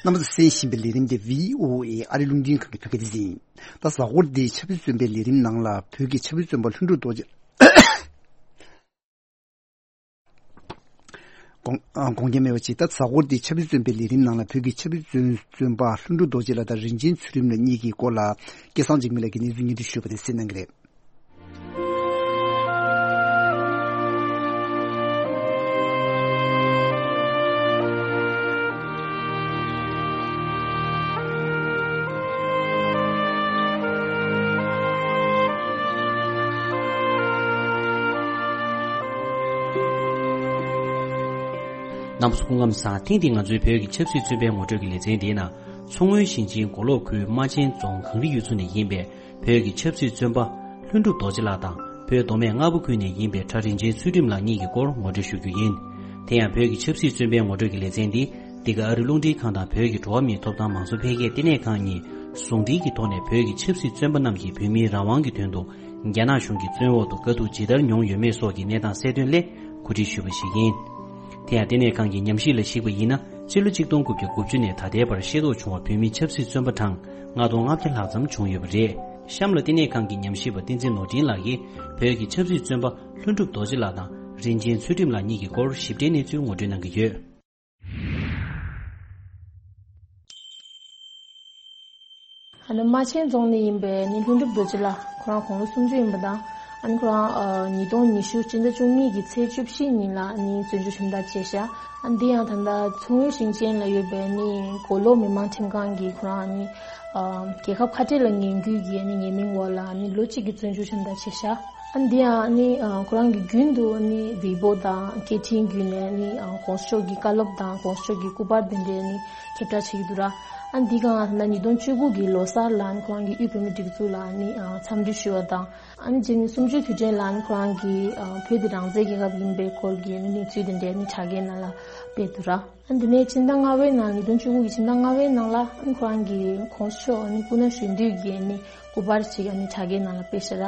རྣམ་པ་ཚོས་གསན་བཞིན་པའི་ལས་རིམ་དེ་བྷི་ཨོ་ཨེ་ཨ་རི་རླུང་འཕྲིན་ཁང་གི་བོད་སྐད་སྡེ་ཚན་ཡིན། ད་གཟའ་འཁོར་འདིའི་ཆབ་སྲིད་བཙོན་པའི་ལས་རིམ་ནང་ལ། བོད་ཀྱི་ཆབ་སྲིད་བཙོན་པ་ལྷུན་གྲུབ་རྡོ་རྗེ། དགོངས་དགོངས་འགལ་མེད་པ་ཅིག་ད་གཟའ་འཁོར་འདིའི་ཆབ་སྲིད་བཙོན་པའི་ལས་རིམ་ནང་ལ། བོད་ཀྱི་ཆབ་སྲིད་བཙོན་བཙོན་པ་ལྷུན་གྲུབ་རྡོ་རྗེ་ལགས་དང་རིན་ཆེན་ཚུལ་ཁྲིམས་ལགས་གཉིས་ཀྱི་སྐོར་ལ། སྐལ་བཟང་འཇིགས་མེད་ལགས་ཀྱིས་གནས་ཚུལ་སྙན་སྒྲོན་ཞུས་པ་དེ་གསན་གནང་གི་རེད། རྣམ་པ་ཚོ་སྐུ་ཁམས་བཟང་། ཐེངས་འདིའི་ང་ཚོའི་བོད་ཀྱི་ཆབ་སྲིད་བཙོན་པའི་ངོ་སྤྲོད་ཀྱི་ལེ་ཚན་འདིའི་ནང་། མཚོ་སྔོན་ཞིང་ཆེན་མགོ་ལོག་ཁུལ་རྨ་ཆེན་རྫོང་གངས་རི་ཡུལ་ཚོ་ནས་ཡིན་པའི་བོད་ཀྱི་ཆབ་སྲིད་བཙོན་པ་ལྷུན་གྲུབ་རྡོ་རྗེ་ལགས་དང་། བོད་མདོ་སྨད་རྔ་པ་ཁུལ་ནས་ཡིན་པའི་གྲྭ་རིན་ཆེན་ཚུལ་ཁྲིམས་ལགས་གཉིས་ཀྱི་སྐོར་ངོ་སྤྲོད་ཞུ་རྒྱུ་ཡིན། དེ་ཡང་བོད་ཀྱི་ཆབ་སྲིད་བཙོན་པའི་ངོ་སྤྲོད་ཀྱི་ལེ་ཚན་འདི། འདི་ག་ཨ་རི་རླུང་འཕྲིན་ཁང་དང་བོད་ཀྱི་འགྲོ་བ་མིའི་ཐོབ་ཐང་མང་གཙོ་འཕེལ་རྒྱས་ལྟེ་གནས་ཁང་གཉིས་ཟུང་འབྲེལ་གྱི་ཐོག་ནས། བོད་ཀྱི་ཆབ་སྲིད་བཙོན་པ་རྣམས་ཀྱིས་བོད་མིའི་རང་དབང་གི་དོན་དུ་རྒྱ་ནག་གཞུང་གི་བཙོན་འོག་ཏུ་དཀའ་སྡུག་ཇི་ལྟར་མྱོང་ཡོད་མེད་སོགས་ཀྱི་གནས་སྟངས་གསལ་སྟོན་སླད་གོ་སྒྲིག་ཞུས་པ་ཞིག་ཡིན། དེ་ཡང་ལྟེ་གནས་ཁང་གི་ཉམས་ཞིབ་ལ་གཞིགས་པ་ཡིན་ན། སྤྱི་ལོ་གཅིག་སྟོང་དགུ་བརྒྱ་དགུ་བཅུ་ནས་ད་ལྟའི་བར་ཤེས་རྟོགས་བྱུང་བ་བོད་མི་ཆབ་སྲིད་བཙོན་པ་གྲངས་ལྔ་སྟོང་ལྔ་བརྒྱ་ལྷག་ཙམ་བྱུང་ཡོད་པ་རེད། གཤམ་ལ་ལྟེ་གནས་ཁང་གི་ཉམས་ཞིབ་པ་བསྟན་འཛིན་ནོར་འཕྲིན་ལགས་ཀྱིས་བོད་ཀྱི་ཆབ་སྲིད་བཙོན་པ་ལྷུན་གྲུབ་རྡོ་རྗེ་ལགས་དང་རིན་ཆེན་ཚུལ་ཁྲིམས་ལགས་གཉིས་ཀྱི་སྐོར་ཞིབ་ཕྲའི་གནས་ཚུལ་ངོ་སྤྲོད་གནང་གི་ཡོད། ཨ་ནི་རྨ་ཆེན་རྫོང་ནས་ཡིན་པའི་ནི་ལྷུན་གྲུབ་རྡོ་རྗེ་ལགས། ཁོ་རང་དགུང་ལོ་སུམ་ཅུ་ཡིན་པ་དང་། ཨ་ནི་ཁོ་རང་ཨ་ཉིས་སྟོང་ཉི་ཤུ་སྤྱི་ཟླ་བཅུ་གཉིས་ཀྱི་ཚེས་བཅུ་བཞི་ཉིན་ལ་ནི་བཙོན་འཇུག་ཁྲིམས་ཐག་བཅད་བཞག་ཨ་ནི་འདི་ཡང་ད་ལྟ་མཚོ་སྔོན་ཞིང་ཆེན་ལ་ཡོད་པའི་ནི་མགོ་ལོག་མི་དམངས་ཁྲིམས་ཁང་གིས་ཁོ་རང་ནི་ཨ་རྒྱལ་ཁབ་ཁ་བྲལ་ལ་ངན་སྐུལ་གྱི་ནི་ཉེས་མིང་འོག་ལ་ནི་ལོ་གཅིག་གི་བཙོན་འཇུག་ཁྲིམས་ཐག་བཅད་བཞག་ཨ་འདི་ཡང་ནི་ཨ་ཁོ་རང་གི་རྒྱུན་དུ་ནི་ཝེ་པོ་དང་སྐད་འཕྲིན་བརྒྱུད་ནས་ནི་ཨ་གོང་ས་མཆོག་གི་བཀའ་སློབ་དང་གོང་ས་མཆོག་གི་སྐུ་པར་འདི་འདྲའི་ནི་ཁྱབ་བསྒྲགས་བྱེད་ཀྱི་འདུག་ར། ཨ་འདི་གང་ལ་ཉིས་སྟོང་བཅུ་དགུ་གི་ལོ་གསར་ལ་ནི་ཁོ་རང་གི་དབུས་བོད་མིའི་སྒྲིག་འཛུགས་ལ་ནི་ཨ་འཚམས་འདྲི་ཞུ་བ་དང་། ཨ་ནི་རྗེས་ནི་གསུམ་བཅུའི་དུས་དྲན་ལ་ནི་ཁོ་རང་གིས་ཨ་བོད་འདི་རང་བཙན་རྒྱལ་ཁབ་ཡིན་པའི་སྐོར་གྱི་ནི་གནས་ཚུལ་འདི་འདྲའི་ནི་དྲ་རྒྱའི་ནང་ལ་སྤེལ་འདུག་ར། ཨ་འདི་ནས་ཕྱི་ཟླ་ལྔ་པའི་ནང་ཉིས་སྟོང་བཅུ་དགུ་གི་ཕྱི་ཟླ་ལྔ་པའི་ནང་ལ་ཨ་ནི་ཁོ་རང་གིས་གོང་ས་མཆོག་ཨ་ནི་སྐུ་ན་གཞོན་དུས་ཀྱི་ཨ་ནི་སྐུ་པར་ཅིག་ཨ་ནི་དྲ་རྒྱའི་ནང་ལ་སྤེལ་ཤག་ར།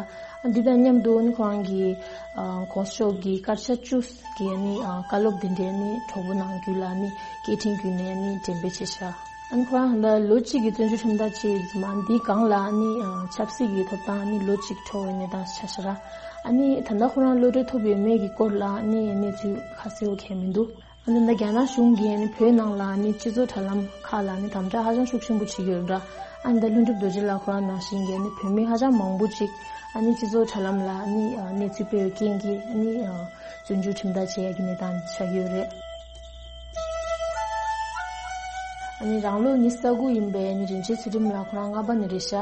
ཨ་འདི་དང་མཉམ་དུ་ཨ་ནི་ཁོ་རང་གིས་ཨ་གོང་ས་མཆོག་གི་སྐར་ཆ་བཅུ་གི་ཨ་ནི་ཨ་བཀའ་སློབ་འདི་འདྲའི་ཨ་ནི་གྲོགས་པོ་ནང་ཁུལ་ལ་ཨ་ནི་སྐད་འཕྲིན་བརྒྱུད་ནས་ཨ་ནི་འགྲེམས་སྤེལ་བྱས་ཤག་ཨ་ནི་ཁོ་རང་ད་ལོ་གཅིག་གི་བཙོན་འཇུག་ཁྲིམས་ཐག་བཅད་ཡོད་ཙང་འདིའི་སྒང་ལ་ཨ་ནི་ཆབ་སྲིད་ཀྱི་ཐོབ་ཐང་ཨ་ནི་ལོ་གཅིག་འཕྲོ་བའི་གནས་སྟངས་ཆགས་ཤག་ར། ཨ་ནི་ད་ལྟ་ཁོ་རང་གློད་གྲོལ་ཐོབ་ཡོད་མེད་ཀྱི་སྐོར་ལ་ཨ་ནི་གནས་ཚུལ་ཁ་གསལ་བོ་གང་ཡང་མི་འདུག་ཨ་ནི་ད་རྒྱ་ནག་གཞུང་གིས་ཨ་ནི་བོད་ནང་ལ་ཨ་ནི་སྤྱི་ཚོགས་དྲ་ལམ་ཁག་ལ་ཨ་ནི་དམ་དྲག་ཧ་ཅང་ཤུགས་ཆེན་པོ་བྱེད་ཀྱི་ཡོད་ར། ཨ་ནི་ད་ལྷུན་གྲུབ་རྡོ་རྗེ་ལགས་ཁོ་རང་ནང་བཞིན་གྱི་ཨ་ནི་བོད་མི་ཧ་ཅང་མང་པོ་ཅིག་ཨ་ནི་སྤྱི་ཚོགས་དྲ་ལམ་ལ་ཨ་ནི་གནས་ཚུལ་སྤེལ་བའི་རྐྱེན་གྱིས་ཨ་ནི་བཙོན་འཇུག་ཁྲིམས་ཐག་བཅད་ཡག་གི་གནས་སྟངས་ཆགས་ཀྱི་ཡོད་རེད། ཨ་ནི་རང་ལོ་ཉི་ཤུ་རྩ་དགུ་ཡིན་པའི་ཨ་ནི་རིན་ཆེན་ཚུལ་ཁྲིམས་ལགས་ཁོ་རང་རྔ་པ་ནས་རེད་ཤག་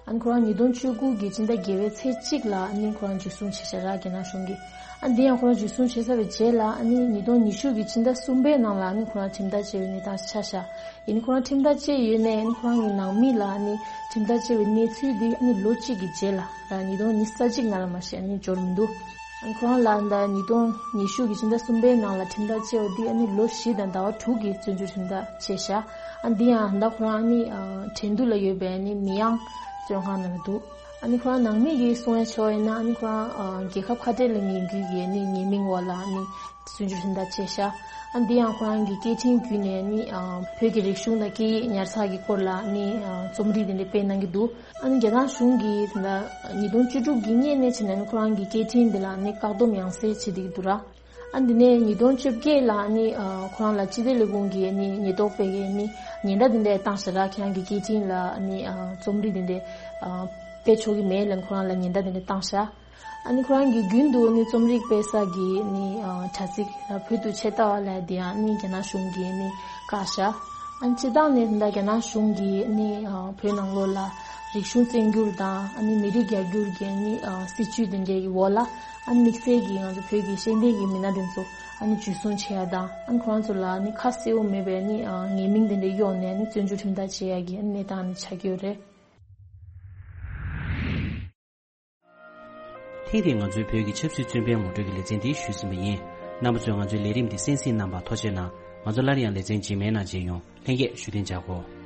ཨ་ནི་ཁོ་རང་ཉིས་སྟོང་བཅུ་དགུ་གི་སྤྱི་ཟླ་བརྒྱད་པའི་ཚེས་གཅིག་ལ་ཨ་ནི་ཁོ་རང་འཇུ་བཟུང་བྱས་ཤག་ར་རྒྱ་ནག་གཞུང་གིས། ཨ་ནི་འདི་ཡང་ཁོ་རང་འཇུ་བཟུང་བྱས་ཚར་བའི་རྗེས་ལ་ཨ་ནི་ཉིས་སྟོང་ཉི་ཤུ་གི་སྤྱི་ཟླ་གསུམ་པའི་ནང་ལ་ཨ་ནི་ཁོ་རང་ཁྲིམས་ཐག་བཅད་པའི་གནས་སྟངས་ཆགས་ཤག་ཡིན་ནའི་ཁོ་རང་ཁྲིམས་ཐག་བཅད་ཡོད་ནའི་ཨ་ནི་ཁོ་རང་གི་ནང་མི་ལ་ཨ་ནི་ཁྲིམས་ཐག་བཅད་པའི་གནས་ཚུལ་འདི་ཨ་ནི་ལོ་གཅིག་གི་རྗེས་ལ་ར་ཉིས་སྟོང་ཉི་ཤུ་རྩ་གཅིག་ནང་ལ་མ་གཞི་ཨ་ནི་འབྱོར་མི་འདུག་ཨ་ནི་ཁོ་རང་ལ་ད་ཉིས་སྟོང་ཉི་ཤུ་གི་ཕྱི་ཟླ་གསུམ་པའི་ནང་ལ་ཁྲིམས་ཐག་བཅད་པ་འདི་ཨ་ནི་ལོ་བཞི་དང་ཟླ་བ་དྲུག་གི་བཙོན་འཇུག་ཁྲིམས་ཐག་བཅད་ཤག་ཨ་འདི་ཡང་ད་ཁོ་རང་ཨ་ནི་ཨ་ཁྲིན་ཏུའུ་ལ་ཡོད་པའི་ཨ་ནི་མི་ཡང་བཙོན་ཁང་ནང་ལ་འདུག་ཨ་ནི་ཁོ་རང་ནང་མི་གིས་གསུང་ཡ་ཆོག་ཡིན་ན་ཨ་ནི་ཁོ་རང་ཨ་རྒྱལ་ཁབ་ཁ་བྲལ་ལ་ངེས་འགུལ་གྱི་ཨ་ནི་ཉེས་མིང་འོག་ལ་ཨ་ནི་བཙོན་འཇུག་ཁྲིམས་ཐག་བཅད་ཤག་ཨ་འདི་ཡང་ཁོ་རང་གི་སྐད་འཕྲིན་བརྒྱུད་ནས་ཨ་ནི་ཨ་བོད་ཀྱི་རིག་གཞུང་དང་སྐད་ཡིག་ཉར་ཚགས་ཀྱི་སྐོར་ལ་ཨ་ནི་ཨ་རྩོམ་རིག་དེ་འདྲ་སྤེལ་གནང་གི་འདུག་ཨ་ནི་རྒྱ་ནག་གཞུང་གིས་ད་ཉིས་སྟོང་བཅུ་དྲུག་གི་སྔོན་ནས་བྱས་ནས་ཁོ་རང་གི་སྐད་འཕྲིན་འདི་ལ་ནི་བཀག་སྡོམ་ཡང་སེ་བྱེད་བསྡད་ཀྱི་འདུག་ར། ཨ་འདི་ནས་ཉིས་སྟོང་བཅོ་བརྒྱད་ལ་ནི་ཨ་ཁོ་རང་ལ་སྤྱི་བདེ་ལས་ཁུངས་ཀྱིས་ནི་ཉེན་རྟོག་པས་ཀྱིས་ནི་ཉེན་བརྡ་འདི་འདྲ་བཏང་ཤག་ར། ཁྱེད་རང་གི་སྐད་འཕྲིན་ལ་ནི་ཨ་རྩོམ་རིག་འདི་འདྲ་ཨ་སྤེལ་ཆོག་གི་མེད་ལབ་ཁོ་རང་ལ་ཉེན་བརྡ་འདི་འདྲ་བཏང་ཤག་ཨ་ནི་ཁོ་རང་གིས་རྒྱུན་དུ་ནི་རྩོམ་རིག་སྤེལ་ས་གི་ནི་ཨ་དྲ་ཚིགས་ལ་བོད་དུ་ཆེད་ལྟ་བ་ལབ་དེ་ཡང་ནི་རྒྱ་ནག་གཞུང་གིས་ནི་བཀག་ཤག་ཨ་ནི་སྤྱིར་བཏང་ནས་ད་རྒྱ་ནག་གཞུང་གིས་ནི་ཨ་བོད་ནང་ལོགས་ལ་རིག་གཞུང་བཙན་བསྒྱུར་དང་ཨ་ནི་མི་རིགས་རྒྱ་བསྒྱུར་གྱི་ནི་ཨ་སྲིད་བྱུས་དེ་འདྲའི་འོག་ལ་ཨ་ནི་དམིགས་བསལ་གྱིས་ང་ཚོ་བོད་ཀྱི་ཤེས་ལྡན་གྱི་མི་སྣ་དེ་ཚོ་ཨ་ནི་འཇུ་བཟུང་བྱེད་ཡ་དང་ཨ་ནི་ཁོ་རང་ཚོ་ལ་ནི་ཁ་གསལ་བོ་མེད་པའི་ནི་ཨ་ཉེས་མིང་དེ་འདྲ་གཡོགས་ནས་ནི་བཙོན་འཇུག་ཁྲིམས་ཐག་བཅད་ཡ་གི་ཨ་ནི་གནས་སྟངས་ནི་ཆགས་ཀྱི་ཡོད་རེད། ཐེངས་འདིའི་ང་ཚོའི་བོད་ཀྱི་ཆབ་སྲིད་བཙོན་པའི་ངོ་སྤྲོད་ཀྱི་ལེ་ཚན་འདི་ཞུས་ཟིན་པ་ཡིན། རྣམ་པ་ཚོས་ང་ཚོའི་ལས་རིམ་འདི་གསན་གཟིགས་གནང་བར་ཐུགས་རྗེ་གནང་། ང་ཚོ་སླར་ཡང་ལེ་ཚན་རྗེས་མའི་ནང་མཇལ་ཡོང་། ལྷན་རྒྱས་བཞུགས་གདན་འཇགས་སྒོ།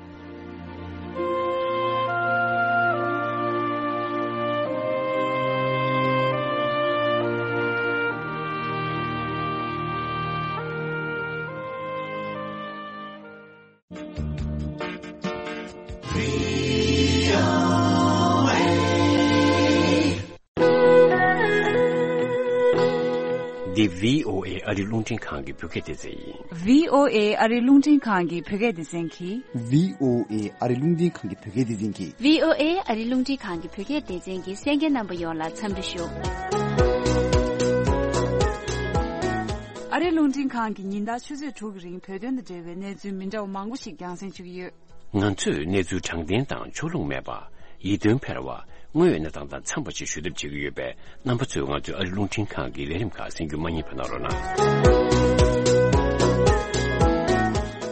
འདི་བྷི་ཨོ་ཨེ་ཨ་རི་རླུང་འཕྲིན་ཁང་གི་བོད་སྐད་སྡེ་ཚན་ཡིན། བྷི་ཨོ་ཨེ་ཨ་རི་རླུང་འཕྲིན་ཁང་གི་བོད་སྐད་སྡེ་ཚན་གྱིས། བྷི་ཨོ་ཨེ་ཨ་རི་རླུང་འཕྲིན་ཁང་གི་བོད་སྐད་སྡེ་ཚན་གྱིས། བྷི་ཨོ་ཨེ་ཨ་རི་རླུང་འཕྲིན་ཁང་གི་བོད་སྐད་སྡེ་ཚན་གྱི་གསན་མཁན་རྣམ་པ་ཡོངས་ལ་འཚམས་འདྲི་ཞུ། ཨ་རི་རླུང་འཕྲིན་ཁང་གིས་ཉིན་ལྟར་ཆུ་ཚོད་དྲུག་གི་རིང་བོད་དོན་དང་འབྲེལ་བའི་གནས་ཚུལ་མི་འདྲ་བ་མང་པོ་ཞིག་རྒྱང་སྲིང་ཞུ་གི་ཡོད། ང་ཚོས་གནས་ཚུལ་དྲང་བདེན་དང་ཕྱོགས་ལྷུང་མེད་པ། ཡིད་རྟོན་འཕེར་བ། དངོས་ཡོད་གནས་སྟངས་དང་འཚམས་པ་ཞིག་ཞུ་ཐབས་བྱེད་ཀྱི་ཡོད་པས། རྣམ་པ་ཚོས་ང་ཚོའི་ཨ་རི་རླུང་འཕྲིན་ཁང་གི་ལས་རིམ་ཁག་གསན་རྒྱུ་མ་བསྙེལ་བ་གནང་རོགས་གནང་།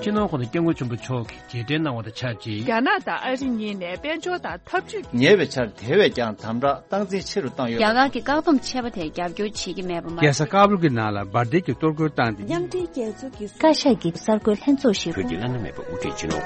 སྤྱི་ནོར་༸གོང་ས་༸སྐྱབས་མགོན་ཆེན་པོ་མཆོག་གིས་རྗེས་དྲན་གནང་བ་དང་ཆབས་ཅིག་རྒྱ་ནག་དང་ཨ་རི་གཉིས་ནས་དཔལ་འབྱོར་དང་འཐབ་ཇུས། ཉེ་བའི་ཆར་དེ་བས་ཀྱང་དམ་དྲག་སྟངས་འཛིན་ཆེ་རུ་བཏང་ཡོད། རྒྱ་གར་གྱི་བཀག་སྡོམ་ཆད་པ་དེར་རྒྱབ་སྐྱོར་བྱེད་ཀྱི་མེད་པ་མ། རྒྱལ་ས་ཀ་བུལ་གྱི་ནང་ལ་འབར་མདེལ་གྱི་གཏོར་རྒོལ་བཏང་སྟེ། མཉམ་འབྲེལ་རྒྱལ་ཚོགས་ཀྱི། བཀའ་ཤག་གི་གསར་འགོད་ལྷན་ཚོགས་ཤིག་བོད་ཀྱི་བླ་ན་མེད་པ་དབུ་ཁྲིད་སྤྱི་ནོར་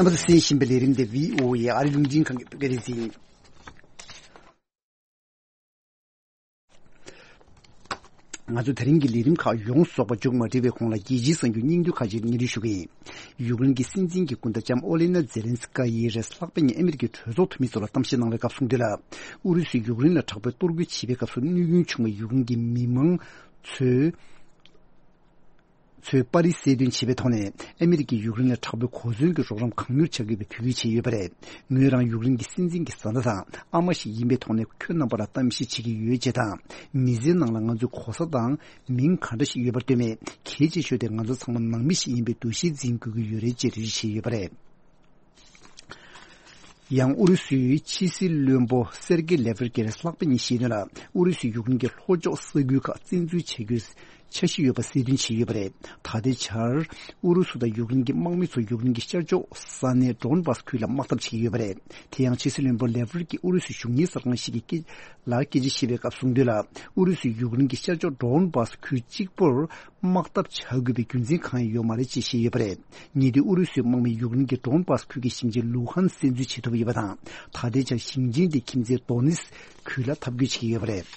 རྣམ་པ་ཚོས་གསན་བཞིན་པའི་ལས་རིམ་དེ་བྷི་ཨོ་ཨེ་ཨ་རི་རླུང་འཕྲིན་ཁང་གི་བོད་སྐད་སྡེ་ཚན་ཡིན། ང་ཚོ་དེ་རིང་གི་ལས་རིམ་ཁག་ཡོངས་རྫོགས་པ་མཇུག་མ་སྒྲིལ་བའི་གོང་ལ་རྒྱལ་སྤྱིའི་གསར་འགྱུར་སྙིང་བསྡུས་ཁག་ཅིག་སྙན་སྒྲོན་ཞུ་གི་ཡིན། ཡུཀ་རེན་གྱི་སྲིད་འཛིན་གྱི་སྐུ་ཟླ་ལྕམ་ཨོ་ལེ་ན་ཛེ་ལན་སི་ཀ་ཡིས་རེས་ལྷག་པའི་ཉིན་ཨ་མི་རི་ཀའི་གྲོས་ཚོགས་འཐུས་མི་ཚོ་ལ་གཏམ་བཤད་གནང་བའི་སྐབས་གསུངས་དོན་ལ། ཨུ་རུ་སུས་ཡུཀ་རེན་ལ་དྲག་པོའི་གཏོར་རྒོལ་བྱས་པའི་སྐབས་སུ་གནོད་སྐྱོན་བྱུང་བའི་ཡུཀ་རེན་གྱི་མི་མང་ཚོའི་ཚོའི་པར་རིས་གསལ་སྟོན་བྱས་པའི་ཐོག་ནས། ཨ་མི་རི་ཀས་ཡུཀ་རེན་ལ་དྲག་པོའི་གོ་མཚོན་གྱི་རོགས་རམ་གང་མྱུར་བྱ་དགོས་པའི་འབོད་སྐུལ་བྱས་ཡོད་པ་རེད། ངོས་རང་ཡུཀ་རེན་གྱི་སྲིད་འཛིན་གྱི་བཟའ་ཟླ་དང་ཨ་མ་ཞིག་ཡིན་པའི་ཐོག་ནས་ཁྱོད་རྣམ་པ་ལ་གཏམ་བཤད་བྱེད་ཀྱི་ཡོད་ཅེས་དང་། མི་ཚེའི་ནང་ལ་ང་ཚོའི་གོ་ས་དང་མིང་ག་འདྲ་ཞིག་ཡོད་པར་ལྟོས་མེད། གལ་ཆེ་ཤོས་དེ་ང་ཚོ་ཚང་མ་ནང་མི་ཞིག་ཡིན་པའི་འདུ་ཤེས་འཛིན་དགོས་ཀྱི་ཡོད་རེད་ཅེས་འགྲེལ་བརྗོད་བྱས་ཡོད་པ་རེད། ཡང་ཨུ་རུ་སུའི་ཕྱི་སྲིད་བློན་པོ་སེར་གེ་ལེ་ཝར་གྱིས་ལྷག་པ་ཉིན་བཤད་དོན་ལ། ཨུ་རུ་སུས་ཡུཀ་རེན་གྱི་ལྷོ་ཕྱོགས་ས་ཁུལ་ཁག་བཙན་འཛུལ་བྱ་རྒྱུའི་འཆར་གཞི་ཡོད་པ་གསལ་སྟོན་བྱས་ཡོད་པ་རེད། ད་ལྟའི་ཆར་ཨུ་རུ་སུ་དང་ཡུཀ་རེན་གྱི་དམག་མི་ཚོ་ཡུཀ་རེན་གྱི་ཤར་ཕྱོགས་ས་གནས་ཌོན་བྷ་སི་ཁུལ་ལ་དམག་འཐབ་བྱེད་ཀྱི་ཡོད་པ་རེད། དེ་ཡང་ཕྱི་སྲིད་བློན་པོ་ལེ་ཝར་གྱིས་ཨུ་རུ་སུའི་གཞུང་གཉེར་གསར་ཁང་ཞིག་གི་སྐད་ལ་སྐད་ཆ་བཤད་པའི་སྐབས་གསུངས་དོན་ལ། ཨུ་རུ་སུས་ཡུཀ་རེན་གྱི་ཤར་ཕྱོགས་ཌོན་བྷ་སི་ཁུལ་གཅིག་པུར་དམག་འཐབ་བྱ་དགོས་པའི་རྒྱུ་མཚན་གང་ཡང་ཡོད་མ་རེད་ཅེས་བཤད་ཡོད་པ་རེད། ཉེ་དུས་ཨུ་རུ་སུའི་དམག་མིས་ཡུཀ་རེན་གྱི་ཌོན་བྷ་སི་ཁུལ་གྱི་ཞིང་ཆེན་ལུ་ཧན་སི་བཙན་འཛུལ་བྱེད་ཐུབ་ཡོད་པ་དང་། ད་ལྟའི་ཆར་ཞིང་ཆེན་དེ་ཁྱིམ་མཚེས་དོ་ནེ་སི་ཁུལ་ལ་འཐབ་རྒོལ་བྱེད་ཀྱི་ཡོད་པ་རེད།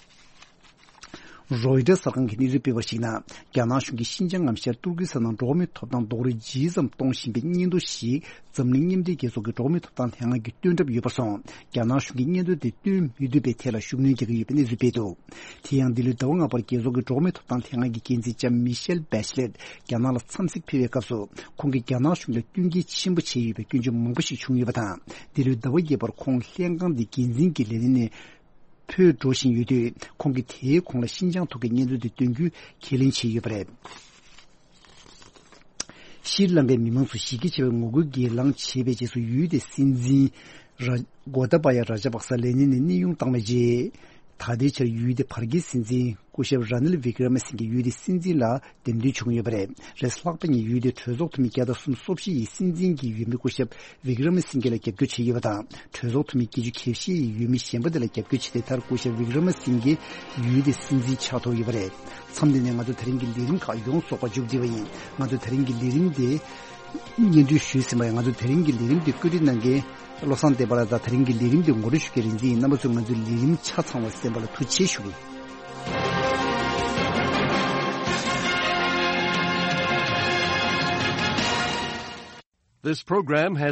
རོའི་ཊར་གསར་ཁང་གིས་གནས་ཚུལ་སྤེལ་བར་གཞིགས་ན། རྒྱ་ནག་གཞུང་གིས་ཤིན་ཅང་ངམ་ཤར་ཏུར་ཀི་སི་ཐན་ནང་འགྲོ་བ་མིའི་ཐོབ་ཐང་རྡོག་རོལ་ཇི་ཙམ་གཏོང་བཞིན་པའི་སྙན་ཐོ་ཞིག་འཛམ་གླིང་མཉམ་འབྲེལ་རྒྱལ་ཚོགས་ཀྱི་འགྲོ་བ་མིའི་ཐོབ་ཐང་ལྷན་ཁང་གིས་བཏོན་གྲབས་ཡོད་པར་སོང་། རྒྱ་ནག་གཞུང་གིས་སྙན་ཐོ་དེ་བཏོན་མི་ཐུབ་པའི་ཐད་ལ་ཤུགས་སྣོན་རྒྱག་གི་ཡོད་པའི་གནས་ཚུལ་སྤེལ་འདུག་དེ་ཡང་འདི་ལོའི་ཟླ་བ་ལྔ་པར་རྒྱལ་ཚོགས་ཀྱི་འགྲོ་བ་མིའི་ཐོབ་ཐང་ལྷན་ཁང་གི་འགན་འཛིན་ལྕམ་མི་ཤེལ་བྷེ་ཆི་ལེད་རྒྱ་ནག་ལ་འཚམས་གཟིགས་ཕེབས་པའི་སྐབས་སུ། ཁོང་གིས་རྒྱ་ནག་གཞུང་ལ་བསྟུན་མཁས་ཆེན་པོ་བྱས་ཡོད་པའི་སྐྱོན་བརྗོད་མང་པོ་ཞིག་བྱུང་ཡོད་པ་དང་། འདི་ལོའི་ཟླ་བ་བརྒྱད་པར་ཁོང་ལྷན་ཁང་འདིའི་འགན་འཛིན་གྱི་ལས་གནས་ནས་འཕོས་འགྲོ་བཞིན་ཡོད་དུས། ཁོང་གིས་དེའི་གོང་ལ་ཤིན་ཅང་ཐོག་གི་སྙན་ཐོ་དེ་འདོན་རྒྱུའི་ཁས་ལེན་བྱས་ཡོད་པ་རེད། ཤྲི་ལང་ཀའི་མི་མང་ཚོ་གཞི་རྒྱ་ཆེ་བའི་ངོ་རྒོལ་སྒེར་ལངས་བྱས་པའི་རྗེས་སུ། ཡུལ་དེའི་སྲིད་འཛིན་ར་གོ་ཏ་བ་ཡ་ར་ཇ་པག་ས་ལས་གནས་ནས་གནས་དབྱུང་བཏང་བའི་རྗེས། ད་ལྟའི་ཆར་ཡུལ་དེའི་བར་བརྒལ་སྲིད་འཛིན་སྐུ་ཞབས་ར་ནིལ་བི་ཀྲ་མ་སིང་གེ་ཡུལ་དེའི་སྲིད་འཛིན་ལ་འདེམས་ཐོན་བྱུང་ཡོད་པ་རེད། རེས་ལྷག་པ་ཉིད་ཡུལ་དེའི་གྲོས་ཚོགས་འཐུས་མི་བརྒྱ་དང་སུམ་ཅུ་སོ་བཞི་ཡིས་སྲིད་འཛིན་གྱི་འོས་མི་སྐུ་ཞབས་བི་ཀྲ་མ་སིང་གེ་ལ་རྒྱབ་སྐྱོར་བྱས་ཡོད་པ་དང་། གྲོས་ཚོགས་འཐུས་མི་བརྒྱད་ཅུ་གྱ་བཞི་ཡིས་འོས་མི་གཞན་པ་དེ་ལ་རྒྱབ་སྐྱོར་བྱས་ཏེ། མཐར་སྐུ་ཞབས་བི་ཀྲ་མ་སིང་གེ་ཡུལ་དེའི་སྲིད་འཛིན་ཆགས་ཐུབ་ཡོད་པ་རེད། མཚམས་འདི་ནས་ང་ཚོ་དེ་རིང་གི་ལས་རིམ་ཁག་ཡོངས་རྫོགས་པ་མཇུག་བསྒྲིལ་བ་ཡིན། ང་ཚོ་དེ་རིང་གི་ལས་རིམ་དེ་སྙན་སྒྲོན་ཞུས་ཟིན་པ་ཡིན། ང་ཚོ་དེ་རིང་གི་ལས་རིམ་དེ་བཀོད་སྒྲིག་གནང་མཁན་བློ་བཟང་བསྟན་པ་ལགས་དང་། དེ་རིང་གི་ལས་རིམ་དེ་ངོ་སྤྲོད་ཞུ་མཁན་རིག་འཛིན་ཡིན། རྣམ་པ་ཚོས་ང་ཚོའི་ལས་རིམ་ཆ་ཚང་བ་གསན་པ་ལ་ཐུགས་རྗེ་ཆེ་ཞུ་གི་ཡིན། This program has